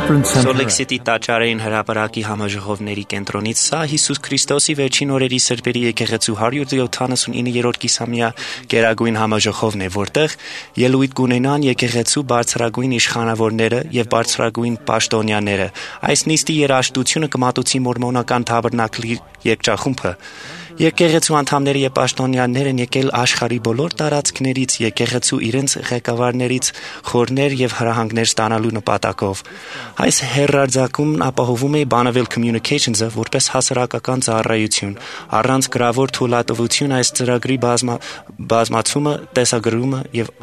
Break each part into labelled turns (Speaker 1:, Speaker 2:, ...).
Speaker 1: Սոլեքսիտի տաճարային հրապարակի համաժողովների կենտրոնից սա Հիսուս Քրիստոսի վերջին օրերի սրբերի եկեղեցու 179-րդ կիսամյա գերագույն համաժողովն է, որտեղ ելույթ կունենան եկեղեցու բարձրագույն իշխանավորները եւ բարձրագույն պաշտոնյաները։ Այս նիստի երաժշտությունը կմատուցի մորմոնական թաբերնակլի երգչախումբը։ Եկեղեցու անդամները եւ պաշտոնյաներ են եկել աշխարհի բոլոր տարածքներից, եկեղեցու իրենց ղեկավարներից խորներ եւ հրահանգներ ստանալու նպատակով։ Այս հերարձակումն ապահովում է Bonneville Communications-ը որպես հասարակական ծառայություն։ Առանց գրավոր թույլատվություն այս ծրագրի բազմացումը, տեսագրումը եւ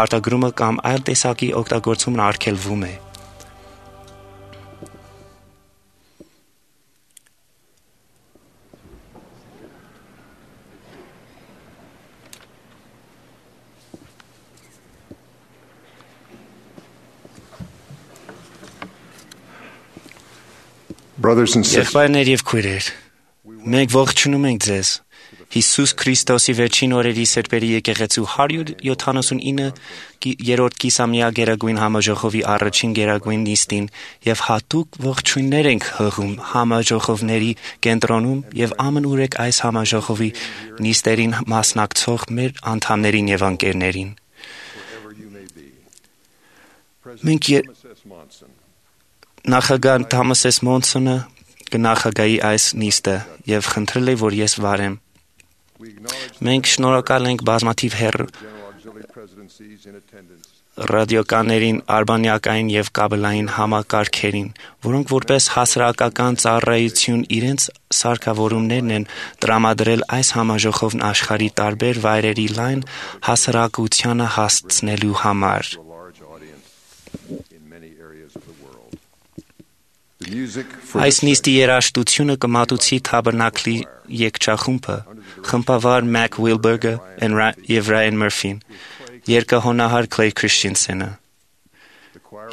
Speaker 1: արտագրումը կամ այլ տեսակի օգտագործումն արգելվում է։ Եղբայրներ եւ քույրեր, մենք ողջունում ենք ձեզ Հիսուս Քրիստոսի վերջին օրերի սրբերի եկեղեցու 179-րդ կիսամյա գերագույն համաժողովի առաջին գերագույն նիստին եւ հատուկ ողջույններ ենք հղում համաժողովների կենտրոնում եւ ամենուրեք այս համաժողովի նիստերին մասնակցող մեր անդամներին եւ ընկերներին։ Մենք Նախագահ Թոմաս Էս Մոնսոնը կնախագահի այս նիստը եւ խնդրել է, որ ես վարեմ։ Մենք շնորհակալ ենք բազմաթիվ ռադիոկաներին, արբանյակային եւ կաբելային համակարգերին, որոնք որպես հասարակական ծառայություն իրենց սարքավորումներն են տրամադրել այս համաժողովն աշխարհի տարբեր վայրերի լայն հասարակությանը հասցնելու համար։ Այս նիստի երաժշտությունը կմատուցի թաբերնակլի երգչախումբը, խմբավար Mac Wilberger եւ Ryan Murphy-ն, երգահոնահար Clay Christensen-ը։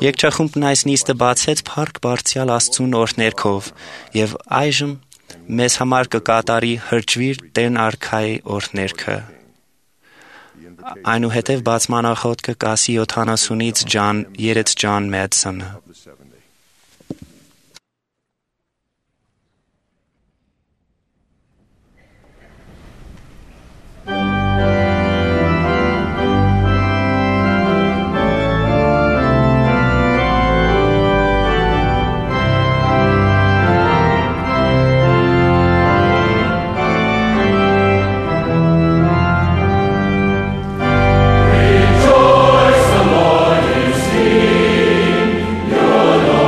Speaker 1: Երգչախումբն այս նիստը բացեց փառք բարձրյալ Աստծուն օրհներգով եւ այժմ մեզ համար կկատարի հրճվիր Տեր արքայի օրհներգը։ Այնուհետև բացմանախոտ կասի 70-ից John Madsen-ը։
Speaker 2: Rejoice, the Lord is King. Your Lord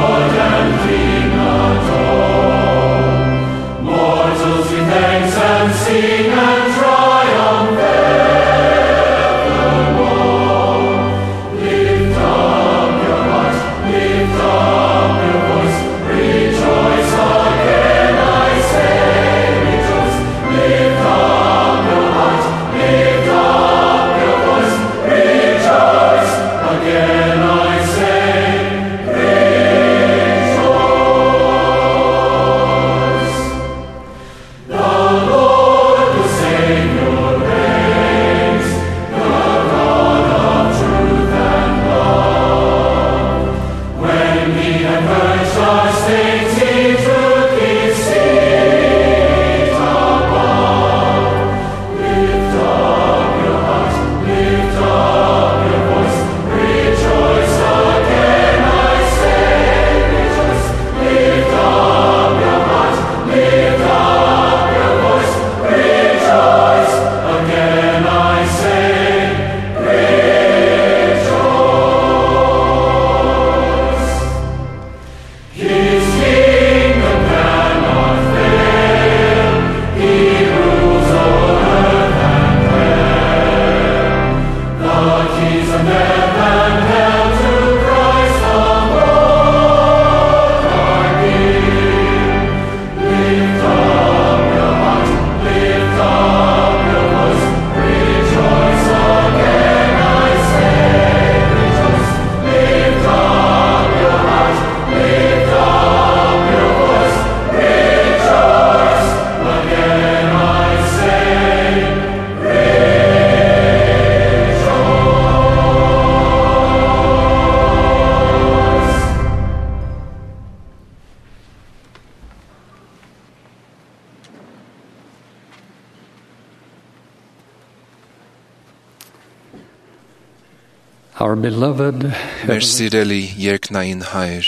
Speaker 2: Our beloved
Speaker 3: Մեր սիրելի երկնային Հայր,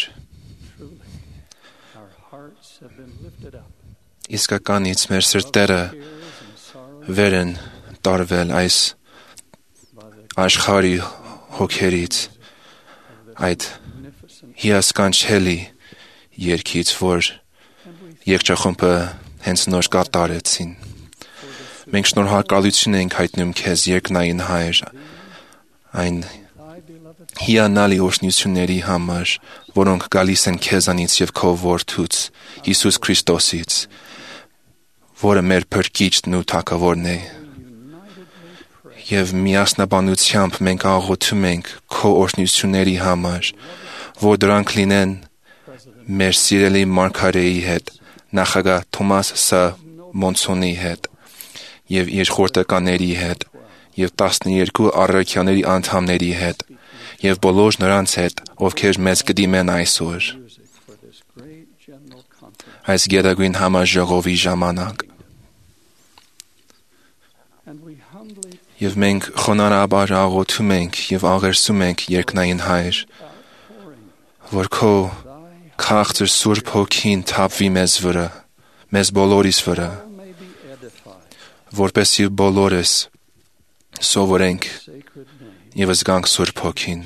Speaker 2: our hearts have been lifted up.
Speaker 3: իսկականից մեր սրտերը վեր են տարվել այս աշխարհի հոգերից, այդ հիասքանչելի երգից, որ երգչախումբը հենց նոր կատարեցին։ Մենք շնորհակալություն ենք հայտնում քեզ, երկնային Հայր, այն հիանալի օրհնությունների համար, որոնք գալիս են քեզանից եւ քո որդուց, Հիսուս Քրիստոսից, որը մեր փրկիչն ու թագավորն է։ Եվ միասնաբանությամբ մենք աղոթում ենք քո օրհնությունների համար, որ դրանք լինեն մեր սիրելի մարգարեի հետ, նախագահ Թոմաս Ս. Մոնսոնի հետ եւ իր խորհրդականների հետ եւ 12 առաքյաների անդամների հետ եւ բոլոր նրանց հետ, ովքեր մեզ կդիմեն այսօր այս գերագույն համաժողովի ժամանակ։ Եվ մենք խոնարհաբար աղոթում ենք եւ աղերսում ենք երկնային Հայր, որ քո քաղցր Սուրբ Հոգին թափվի մեզ վրա, մեզ բոլորիս վրա, որպեսզի բոլորս սովորենք եւ զգանք Սուրբ Հոգին։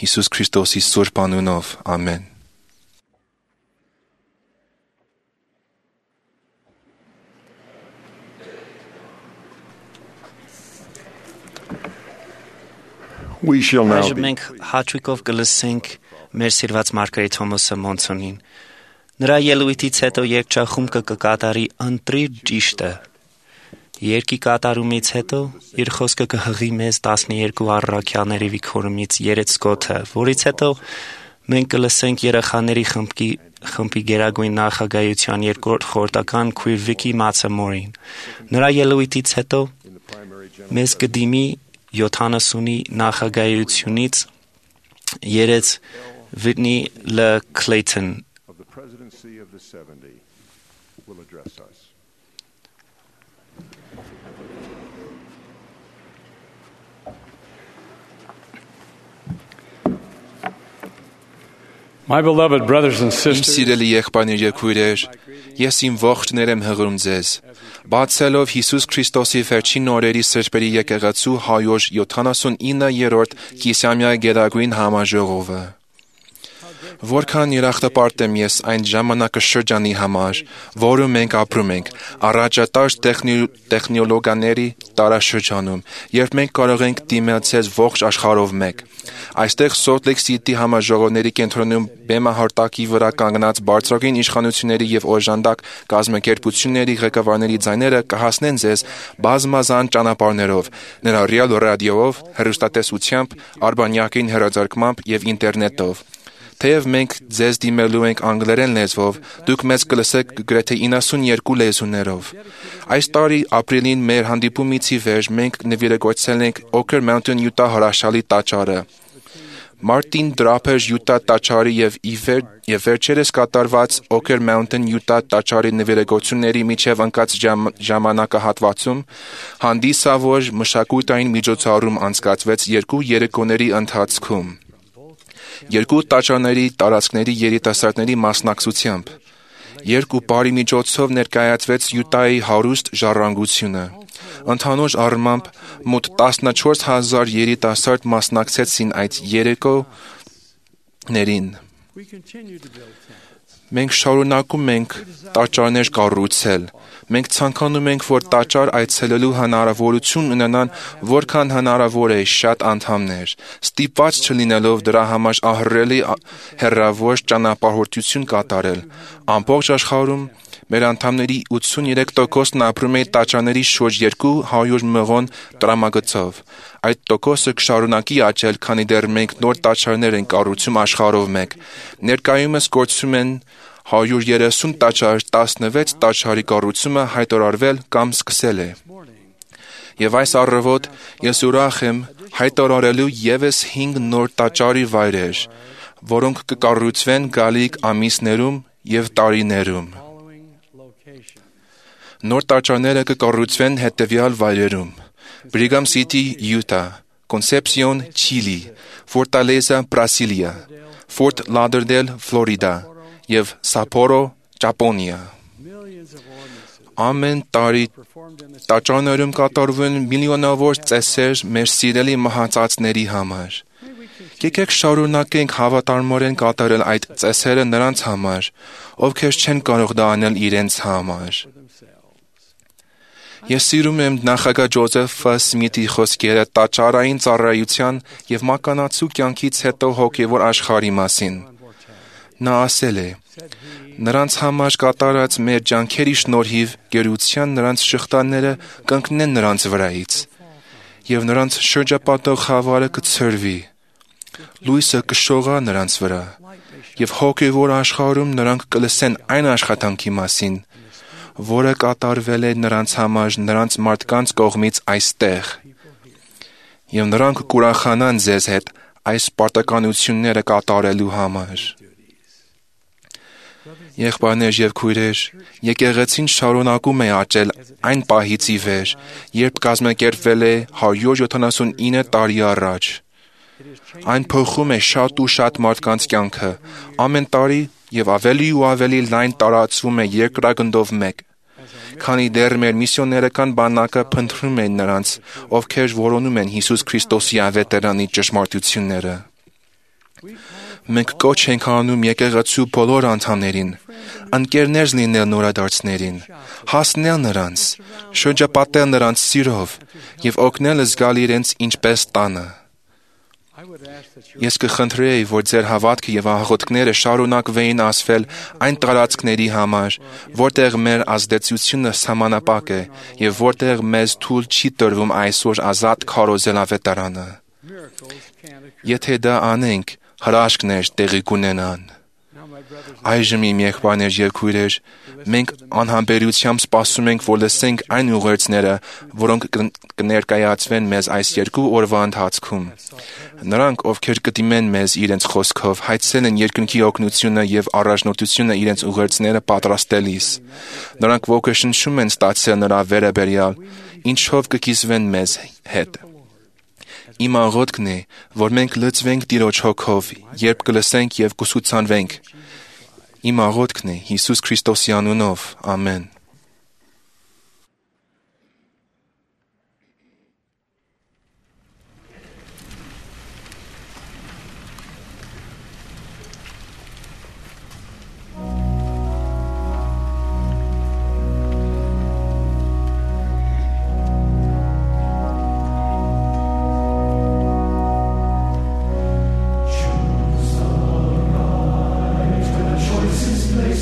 Speaker 3: Հիսուս Քրիստոսի Սուրբ անունով, ամեն։
Speaker 4: We shall now
Speaker 1: Այժմ
Speaker 4: be
Speaker 1: մենք հաճույքով կլսենք մեր սիրված Մարգարետ Թոմասը Մոնսոնին։ Նրա ելույթից հետո երգչախումբը կկատարի «Ընտրիր ճիշտը»։ Երգի կատարումից հետո իր խոսքը կհղի մեզ 12 առաքյալների վիքորումից երեցկոթը, որից հետո մենք կլսենք երեխաների խմբի գերագույն նախագահության երկրորդ խորհրդական քույր Վիկի Մացամորին։ Նրա ելույթից հետո մեզ կդիմի 70-ի նախագահությունից երեց Whitney L. Clayton
Speaker 4: of the presidency of the 70 will address us.
Speaker 2: My beloved brothers and
Speaker 3: Իմ
Speaker 2: sisters,
Speaker 3: սիրելի եղբայրներ եւ քույրեր, ես իմ ողջներ եմ հղում ձեզ, բացելով Հիսուս Քրիստոսի վերջին օրերի սրբերի եկեղեցու 179-րդ կիսամյա գերագույն համաժողովը։ Որքան երախտապարտ եմ ես այն ժամանակաշրջանի համար, որում մենք ապրում ենք, առաջատար տեխնոլոգիաների տարաշրջանում, երբ մենք կարող ենք դիմել ցեզ ողջ աշխարհով մեկ։ Այստեղ Salt Lake City համաժողովների կենտրոնում բեմահարտակի վրա կանգնած բարձրագույն իշխանությունների եւ օժանդակ կազմակերպությունների ղեկավարների ձայները կհասնեն ձեզ բազմազան ճանապարհներով, ներառյալ ռադիոյով, հեռուստատեսությամբ, արբանյակին հեռարձակմամբ եւ ինտերնետով։ Թեև մենք ձեզ դիմելու ենք անգլերեն լեզվով, դուք մեզ կլսեք գրեթե 92 լեզուներով։ Այս տարի ապրիլին մեր հանդիպումից ի վեր մենք նվիրագործել ենք Oker Mountain Utah հրաշալի տաճարը, Martin Draper Utah տաճարի եւ վերջերս կատարված Oker Mountain Utah տաճարի նվիրագործությունների միջև ընկած ժամանակահատվածում հանդիսավոր մշակութային միջոցառում անցկացվեց 2 երեկոների ընթացքում։ Երկու տաճարների տարածքների երիտասարդների մասնակցությամբ, երկու բարի միջոցով ներկայացվեց Յուտայի հարուստ ժառանգությունը։ Ընդհանուր առմամբ մոտ 14,000 երիտասարդ մասնակցեցին այդ երեկոներին։ Մենք շարունակում ենք տաճարներ կառուցել։ Մենք ցանկանում ենք, որ տաճար այցելելու հնարավորություն ունենան որքան հնարավոր է շատ անդամներ, ստիպված չլինելով դրա համար ահռելի հեռավոր ճանապարհորդություն կատարել։ Ամբողջ աշխարհում մեր անդամների 83%-ն ապրում է տաճարների շուրջ 200 մղոն տրամագծով։ Այդ տոկոսը կշարունակի աճել, քանի դեռ մենք նոր տաճարներ ենք կառուցում աշխարհով մեկ։ Ներկայումս գործում են 130 տաճար, 16 տաճարի կառուցումը հայտարարվել կամ սկսել է։ Եվ այս առավոտ ես ուրախ եմ հայտարարելու եւս 5 նոր տաճարի վայրեր, որոնք կկառուցվեն գալիք ամիսներում եւ տարիներում։ Նոր տաճարները կկառուցվեն հետևյալ վայրերում. Brigham City, Utah, Concepción, Chile, Fortaleza, Brasilia, Fort Lauderdale, Florida, եւ Sapporo, Ճապոնիա։ Ամեն տարի տաճարներում կատարվում միլիոնավոր ծեսեր մեր սիրելի մահացածների համար։ Եկեք շարունակենք հավատարմորեն կատարել այդ ծեսերը նրանց համար, ովքեր չեն կարող դա անել իրենց համար։ Ես սիրում եմ նախագահ Ջոզեֆ Սմիթի խոսքերը տաճարային ծառայության եւ մականացու կյանքից հետո հոգեվոր աշխարհի մասին։ Նա ասել է. «Նրանց համար կատարած մեր ջանքերի շնորհիվ գերության նրանց շղթաները կընկնեն նրանց վրայից, եւ նրանց շրջապատող խավարը կցրվի, լույսը կշողա նրանց վրա, եւ հոգեվոր աշխարհում նրանք կլսեն այն աշխատանքի մասին, որը կատարվել է նրանց համար նրանց մարդկանց կողմից այստեղ, եւ նրանք կուրախանան ձեզ հետ այս պարտականությունները կատարելու համար»։ Եղբայրներ եւ քույրեր, եկեղեցին շարունակում է աճել այն պահից ի վեր, երբ կազմակերպվել է 179 տարի առաջ։ Այն փոխում է շատ ու շատ մարդկանց կյանքը, ամեն տարի եւ ավելի ու ավելի լայն տարածվում է երկրագնդով մեկ, քանի դեռ մեր միսիոներական բանակը փնտրում են նրանց, ովքեր որոնում են Հիսուս Քրիստոսի ավետարանի ճշմարտությունները։ Մենք կոչ ենք անում եկեղեցու բոլոր անդամներին, ընկերներ լինել նորադարձներին, հասնել նրանց, շրջապատել նրանց սիրով եւ օգնել զգալ իրենց ինչպես տանը։ Ես կխնդրեի, որ ձեր հավատքը եւ աղոթքները շարունակվեին ասվել այն տարածքների համար, որտեղ մեր ազդեցությունը սահմանապակ է եւ որտեղ մեզ թույլ չի տրվում այսօր ազատ քարոզել ավետարանը։ Եթե դա անենք, հրաշքներ տեղի կունենան։ Այժմ իմ եղբայրներ եւ քույրեր, մենք անհամբերությամբ սպասում ենք, որ լսենք այն ուղերձները, որոնք կներկայացվեն մեզ այս 2 օրվա ընթացքում։ Նրանք, ովքեր կդիմեն մեզ իրենց խոսքով, հայցել են երկնքի օգնությունը եւ առաջնորդությունը իրենց ուղերձները պատրաստելիս։ Նրանք ոգեշնչում են ստացել նրա վերաբերյալ, ինչով կկիսվեն մեզ հետ։ Իմ աղոթքն է, որ մենք լցվենք Տիրոջ հոգով, երբ կլսենք եւ կուսուցանվենք։ Իմ աղոթքն է Հիսուս Քրիստոսի անունով։ Ամեն։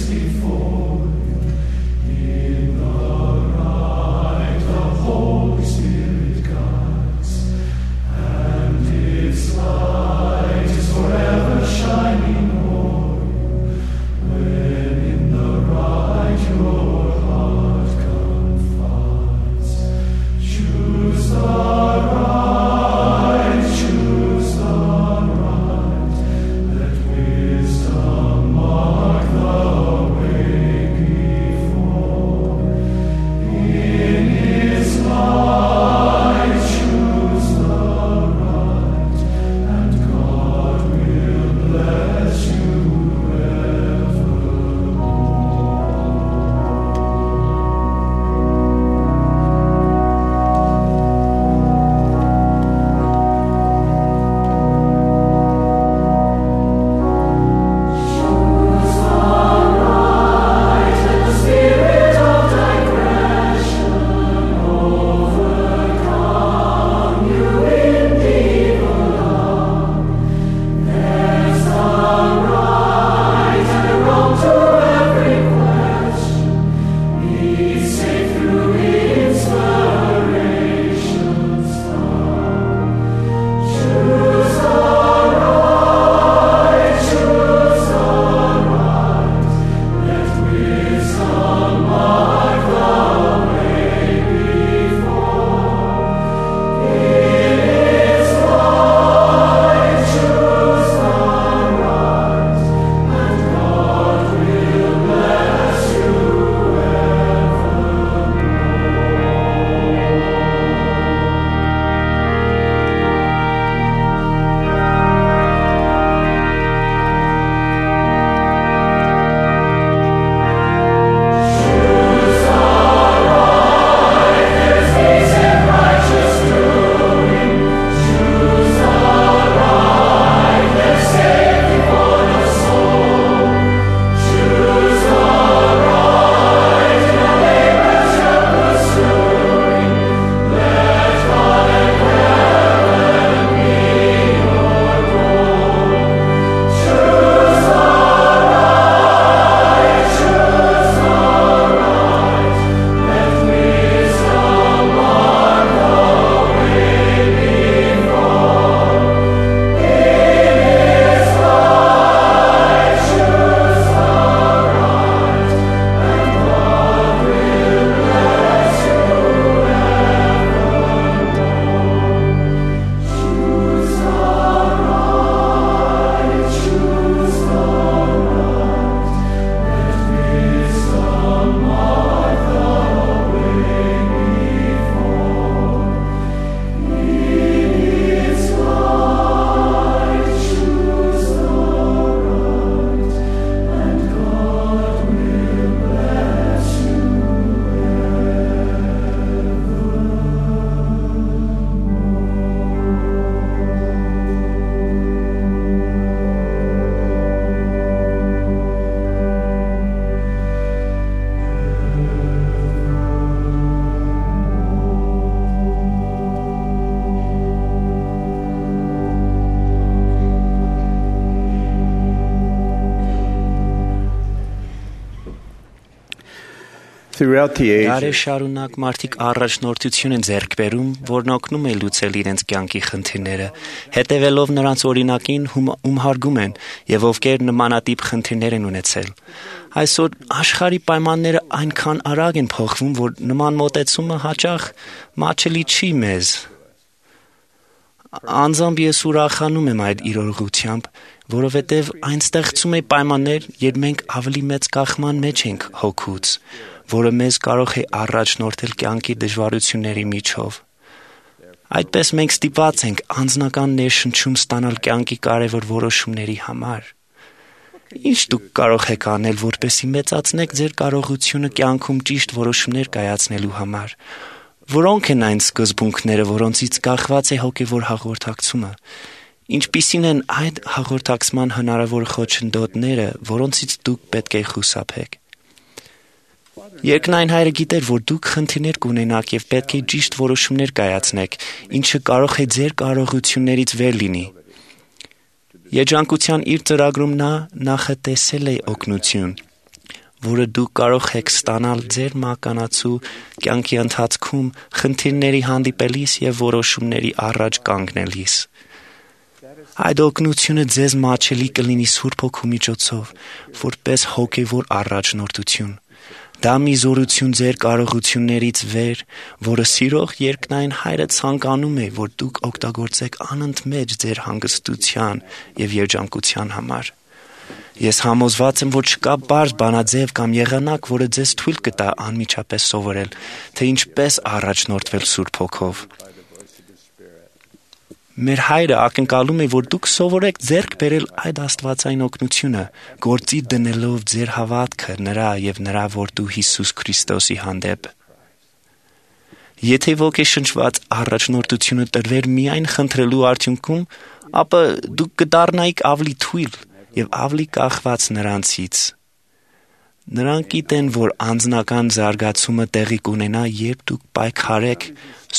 Speaker 5: Before you. Throughout the
Speaker 1: Դարեր
Speaker 5: ages,
Speaker 1: շարունակ մարդիկ առաջնորդություն են ձեռք բերում, որն օգնում է լուծել իրենց կյանքի խնդիրները, հետևելով նրանց օրինակին, ում հարգում են եւ ովքեր նմանատիպ խնդիրներ են ունեցել։ Այսօր աշխարհի պայմանները այնքան արագ են փոխվում, որ նման մոտեցումը հաճախ մաչելի չի մեզ։ Անձամբ ես ուրախանում եմ այդ իրողությամբ, որովհետև այն ստեղծում է պայմաններ, երբ մենք ավելի մեծ կախման մեջ ենք հոգուց, որը մեզ կարող է առաջնորդել կյանքի դժվարությունների միջով։ Այդպես մենք ստիպված ենք անձնական ներշնչում ստանալ կյանքի կարևոր որոշումների համար։ Ինչ դուք կարող եք անել, որպեսզի մեծացնեք ձեր կարողությունը կյանքում ճիշտ որոշումներ կայացնելու համար։ Որոնք են այն սկզբունքները, որոնցից կախված է հոգևոր հաղորդակցումը։ Ինչպիսին են այդ հաղորդակցման հնարավոր խոչընդոտները, որոնցից դուք պետք է խուսափեք։ Երկնային Հայրը գիտեր, որ դուք խնդիրներ կունենաք եւ պետք է ճիշտ որոշումներ կայացնեք, ինչը կարող է ձեր կարողություններից վեր լինի։ Երջանկության իր ծրագրում նա նախատեսել է օգնություն, որը դուք կարող եք ստանալ ձեր մականացու կյանքի ընթացքում խնդիրների հանդիպելիս եւ որոշումների առաջ կանգնելիս։ Այդ օգնությունը ձեզ մաչելի կլինի Սուրբ Հոգու միջոցով, որպես հոգևոր առաջնորդություն։ Դա մի զորություն ձեր կարողություններից վեր, որը սիրող երկնային Հայրը ցանկանում է, որ դուք օգտագործեք անընդմեջ ձեր հանգստության եւ երջանկության համար։ Ես համոզված եմ, որ չկա բարձ բանաձև կամ եղանակ, որը ձեզ թույլ կտա անմիջապես սովորել, թե ինչպես առաջնորդվել Սուրբ Հոգով։ Մեր Հայրը ակնկալում է, որ դուք սովորեք ձեռք բերել այդ աստվածային օգնությունը, գործի դնելով ձեր հավատքը նրա եւ նրա որդու Հիսուս Քրիստոսի հանդեպ։ Եթե ոգեշնչված առաջնորդությունը տրվեր միայն խնդրելու արդյունքում, ապա դուք կդառնայիք ավելի թույլ եւ ավելի կախված նրանցից։ Նրանք գիտեն, որ անձնական զարգացումը տեղի կունենա, երբ դուք պայքարեք,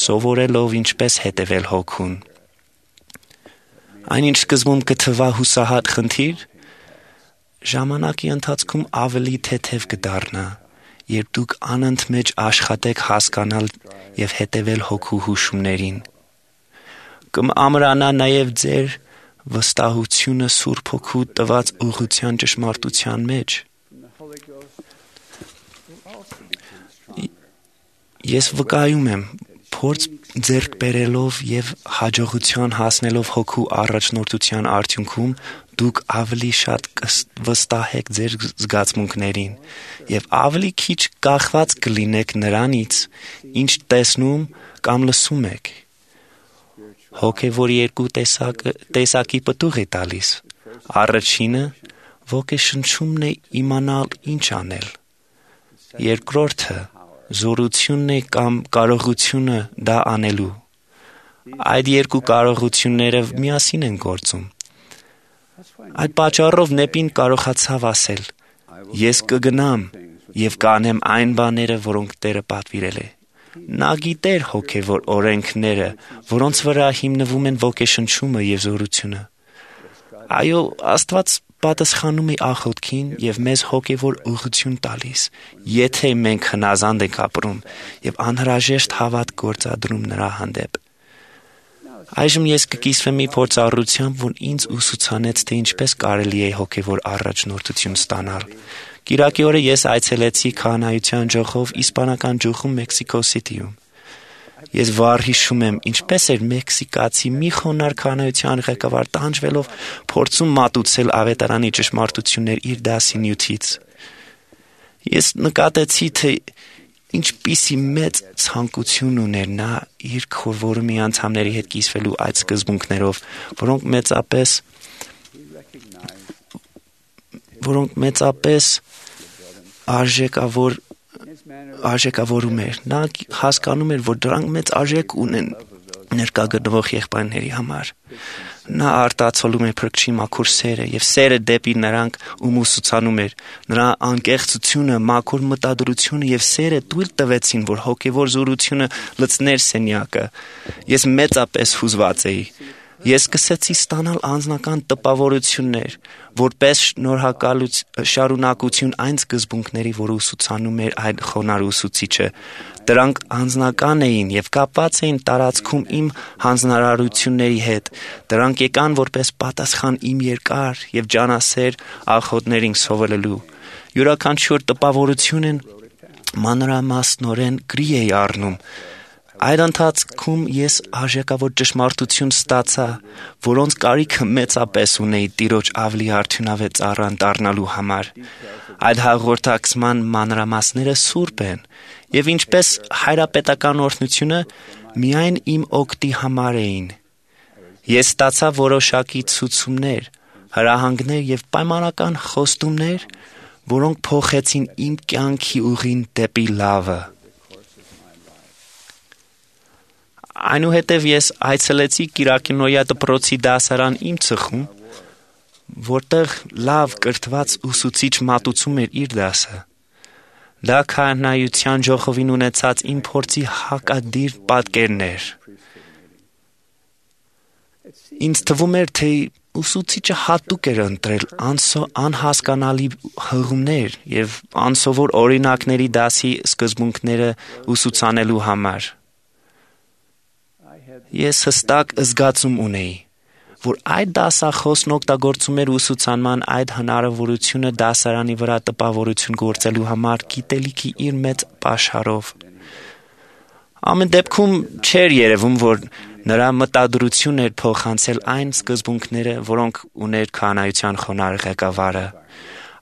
Speaker 1: սովորելով ինչպես հետևել Հոգուն։ Այնինչ սկզբում կթվա հուսահատ խնդիր, ժամանակի ընթացքում ավելի թեթև կդառնա, երբ դուք անընդմեջ աշխատեք հասկանալ եւ հետևել Հոգու հուշումներին։ Կամրանա նաեւ ձեր վստահությունը Սուրբ Հոգու տված ուղղության ճշմարտության մեջ։ Ես վկայում եմ, փորձ ձեռք բերելով եւ հաջողության հասնելով Հոգու առաջնորդության արդյունքում դուք ավելի շատ կվստահեք ձեր զգացմունքներին եւ ավելի քիչ կախված կլինեք նրանից, ինչ տեսնում կամ լսում եք։ Հոգևորի երկու տեսակի պտուղ է տալիս։ Առաջինը ոգեշնչումն է իմանալ ինչ անել։ Երկրորդը զորությունն է կամ կարողությունը դա անելու։ Այդ երկու կարողությունները միասին են գործում։ Այդ պատճառով Նեպին կարողացավ ասել. «Ես կգնամ եւ կանեմ այն բաները, որոնք Տերը պատվիրել է»։ Նա գիտեր հոգևոր օրենքները, որոնց վրա հիմնվում են ոգեշնչումը եւ զորությունը։ Այո, Աստված պատասխանում է աղոթքին եւ մեզ հոգևոր ուղղություն տալիս, եթե մենք հնազանդ ենք ապրում եւ անհրաժեշտ հավատ գործադրում նրա հանդեպ։ Այժմ ես կկիսվեմ մի փորձառությամբ, որ ինձ ուսուցանեց, թե ինչպես կարելի է հոգևոր առաջնորդություն ստանալ։ Կիրակի օրը ես այցելեցի քահանայության ջոխով իսպանական ջոխում Մեքսիկո Սիթիում։ Ես վառ հիշում եմ, ինչպես էր մեքսիկացի մի խոնարհ քահանայության ղեկավար տանջվելով փորձում մատուցել ավետարանի ճշմարտություններ իր դասի նյութից։ Ես նկատեցի, թե ինչպիսի մեծ ցանկություն ուներ նա իր քորվորումի անդամների հետ կիսվելու այդ սկզբունքներով, որոնք մեծապես արժեքավորում էր։ Նա հասկանում էր, որ դրանք մեծ արժեք ունեն ներկա գտնվող եղբայրների համար։ Նա արտացոլում է Փրկչի մաքուր սերը եւ սերը դեպի նրանք, ում ուսուցանում էր։ Նրա անկեղծությունը, մաքուր մտադրությունը եւ սերը թույլ տվեցին, որ հոգեվոր զորությունը լցներ սենյակը։ Ես մեծապես հուզված էի։ Ես սկսեցի ստանալ անձնական տպավորություններ, որպես շարունակություն այն սկզբունքների, որ ուսուցանում էր այդ խոնարհ ուսուցիչը։ Դրանք անձնական էին եւ կապված էին տարածքում իմ հանձնարարությունների հետ։ Դրանք եկան որպես պատասխան իմ երկար եւ ջանասեր աղոթներին սովորելու։ Յուրաքանչյուր տպավորությունն մանրամասնորեն գրի էի առնում։ Այդ ընթացքում ես արժեքավոր ճշմարտություն ստացա, որոնց կարիքը մեծապես ունեի Տիրոջ ավելի արդյունավետ ծառան դառնալու համար։ Այդ հաղորդակցման մանրամասները սուրբ են, եւ ինչպես հայրապետական օրհնությունը միայն իմ օգտի համար էին։ Ես ստացա որոշակի ցուցումներ, հրահանգներ եւ պայմանական խոստումներ, որոնք փոխեցին իմ կյանքի ուղին դեպի լավը։ Այնուհետև ես այցելեցի Կիրակինոյա դպրոցի դասարան իմ ծխում, որտեղ լավ կրթված ուսուցիչ մատուցում էր իր դասը։ Դա քահանայության ժողովին ունեցած իմ փորձի հակադիր պատկերն էր։ Ինձ թվում էր, թե ուսուցիչը հատուկ էր ընտրել անհասկանալի հղումներ եւ անսովոր օրինակների դասի սկզբունքները ուսուցանելու համար։ Ես հստակ զգացում ունեի, որ այդ դասախոսն օգտագործում էր ուսուցանման այդ հնարավորությունը դասարանի վրա տպավորություն գործելու համար գիտելիքի իր մեծ պաշարով։ Ամեն դեպքում չէր երևում, որ նրա մտադրություն էր փոխանցել այն սկզբունքները, որոնք ուներ քահանայության խոնարհ ղեկավարը։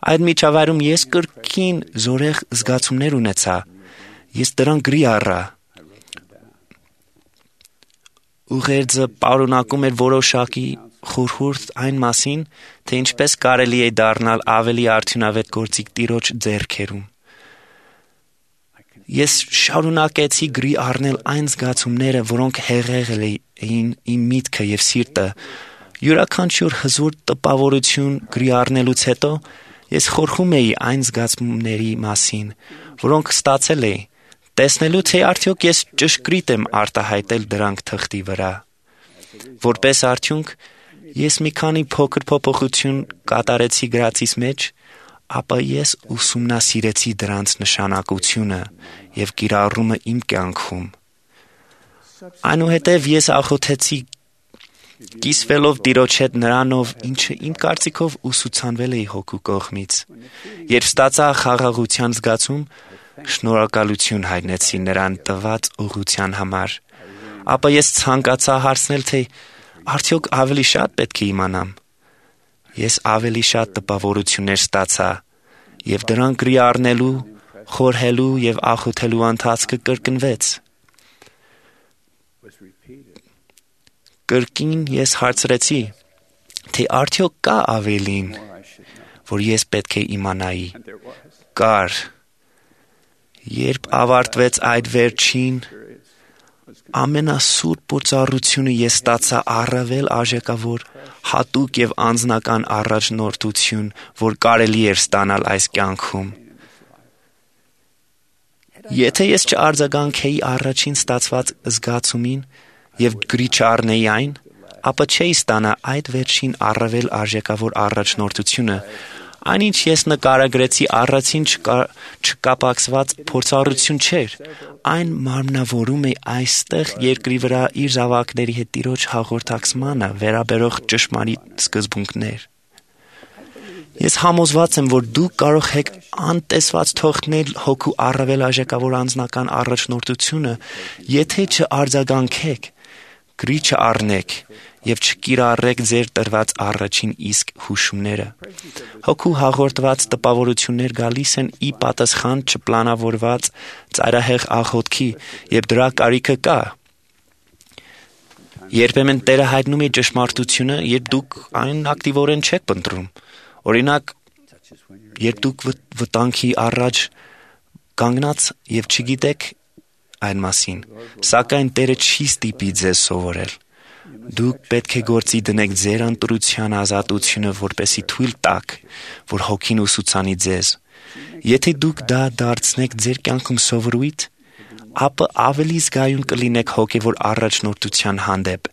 Speaker 1: Այդ միջավայրում ես կրկին զորեղ զգացումներ ունեցա։ Ես դրան գրի առա։ Ուղերձը պարունակում էր որոշակի խորհուրդ այն մասին, թե ինչպես կարելի է դառնալ ավելի արդյունավետ գործիք Տիրոջ ձեռքերում։ Ես շարունակեցի գրի առնել այն զգացումները, որոնք հեղեղել էին իմ միտքը եւ սիրտը։ Յուրաքանչյուր հզոր տպավորություն գրի առնելուց հետո ես խորհում էի այն զգացումների մասին, որոնք ստացել էի, տեսնելու թե արդյոք ես ճշգրիտ եմ արտահայտել դրանք թղթի վրա։ Որպես արդյունք, ես մի քանի փոքր փոփոխություն կատարեցի գրածիս մեջ, ապա ես ուսումնասիրեցի դրանց նշանակությունը եւ կիրառումը իմ կյանքում։ Այնուհետև ես աղոթեցի կիսվելով Տիրոջ հետ նրանով, ինչը իմ կարծիքով ուսուցանվել էի Հոգու կողմից։ Երբ ստացա խաղաղության զգացում, շնորհակալություն հայտնեցի նրան տված ուղղության համար, ապա ես ցանկացա հարցնել, թե արդյոք ավելի շատ պետք է իմանամ։ Ես ավելի շատ տպավորություններ ստացա, եւ դրանք գրի առնելու, խորհելու եւ աղոթելու ընթացքը կրկնվեց։ Կրկին ես հարցրեցի, թե արդյոք կա ավելին, որ ես պետք է իմանայի։ Կար։ Երբ ավարտվեց այդ վերջին ամենասուրբ փորձառությունը, ես ստացա առավել արժեքավոր, հատուկ եւ անձնական առաջնորդություն, որ կարելի էր ստանալ այս կյանքում։ Եթե ես չարձագանքեի առաջին ստացված զգացումին եւ գրի չառնեի այն, ապա չէի ստանա այդ վերջին առավել արժեքավոր առաջնորդությունը։ Այնինչ ես նկարագրեցի առաջին չկապակցված փորձառություն չէր, այն մարմնավորում է այստեղ երկրի վրա իր զավակների հետ Տիրոջ հաղորդակցմանը վերաբերող ճշմարիտ սկզբունքներ։ Ես համոզված եմ, որ դուք կարող եք անտեսված թողնել Հոգու առավել արժեքավոր անձնական առաջնորդությունը, եթե չարձագանքեք, գրի չառնեք եւ չկիրառեք ձեր տրված առաջին իսկ հուշումները։ Հոգու հաղորդված տպավորություններ գալիս են ի պատասխան չպլանավորված ծայրահեղ աղոթքի, եւ դրա կարիքը կա։ Երբեմն Տերը հայտնում է ճշմարտությունը, երբ դուք այն ակտիվորեն չեք ընտրում։ Օրինակ, երբ դուք վտանգի առաջ կանգնած եւ չգիտեք այն մասին, սակայն Տերը չի ստիպի ձեզ սովորել։ Դուք պետք է գործի դնեք ձեր ընտրության ազատությունը, որպեսզի թույլ տաք, որ Հոգին ուսուցանի ձեզ։ Եթե դուք դա դարձնեք ձեր կյանքում սովորույթ, ապա ավելի զգայուն կլինեք հոգևոր առաջնորդության հանդեպ։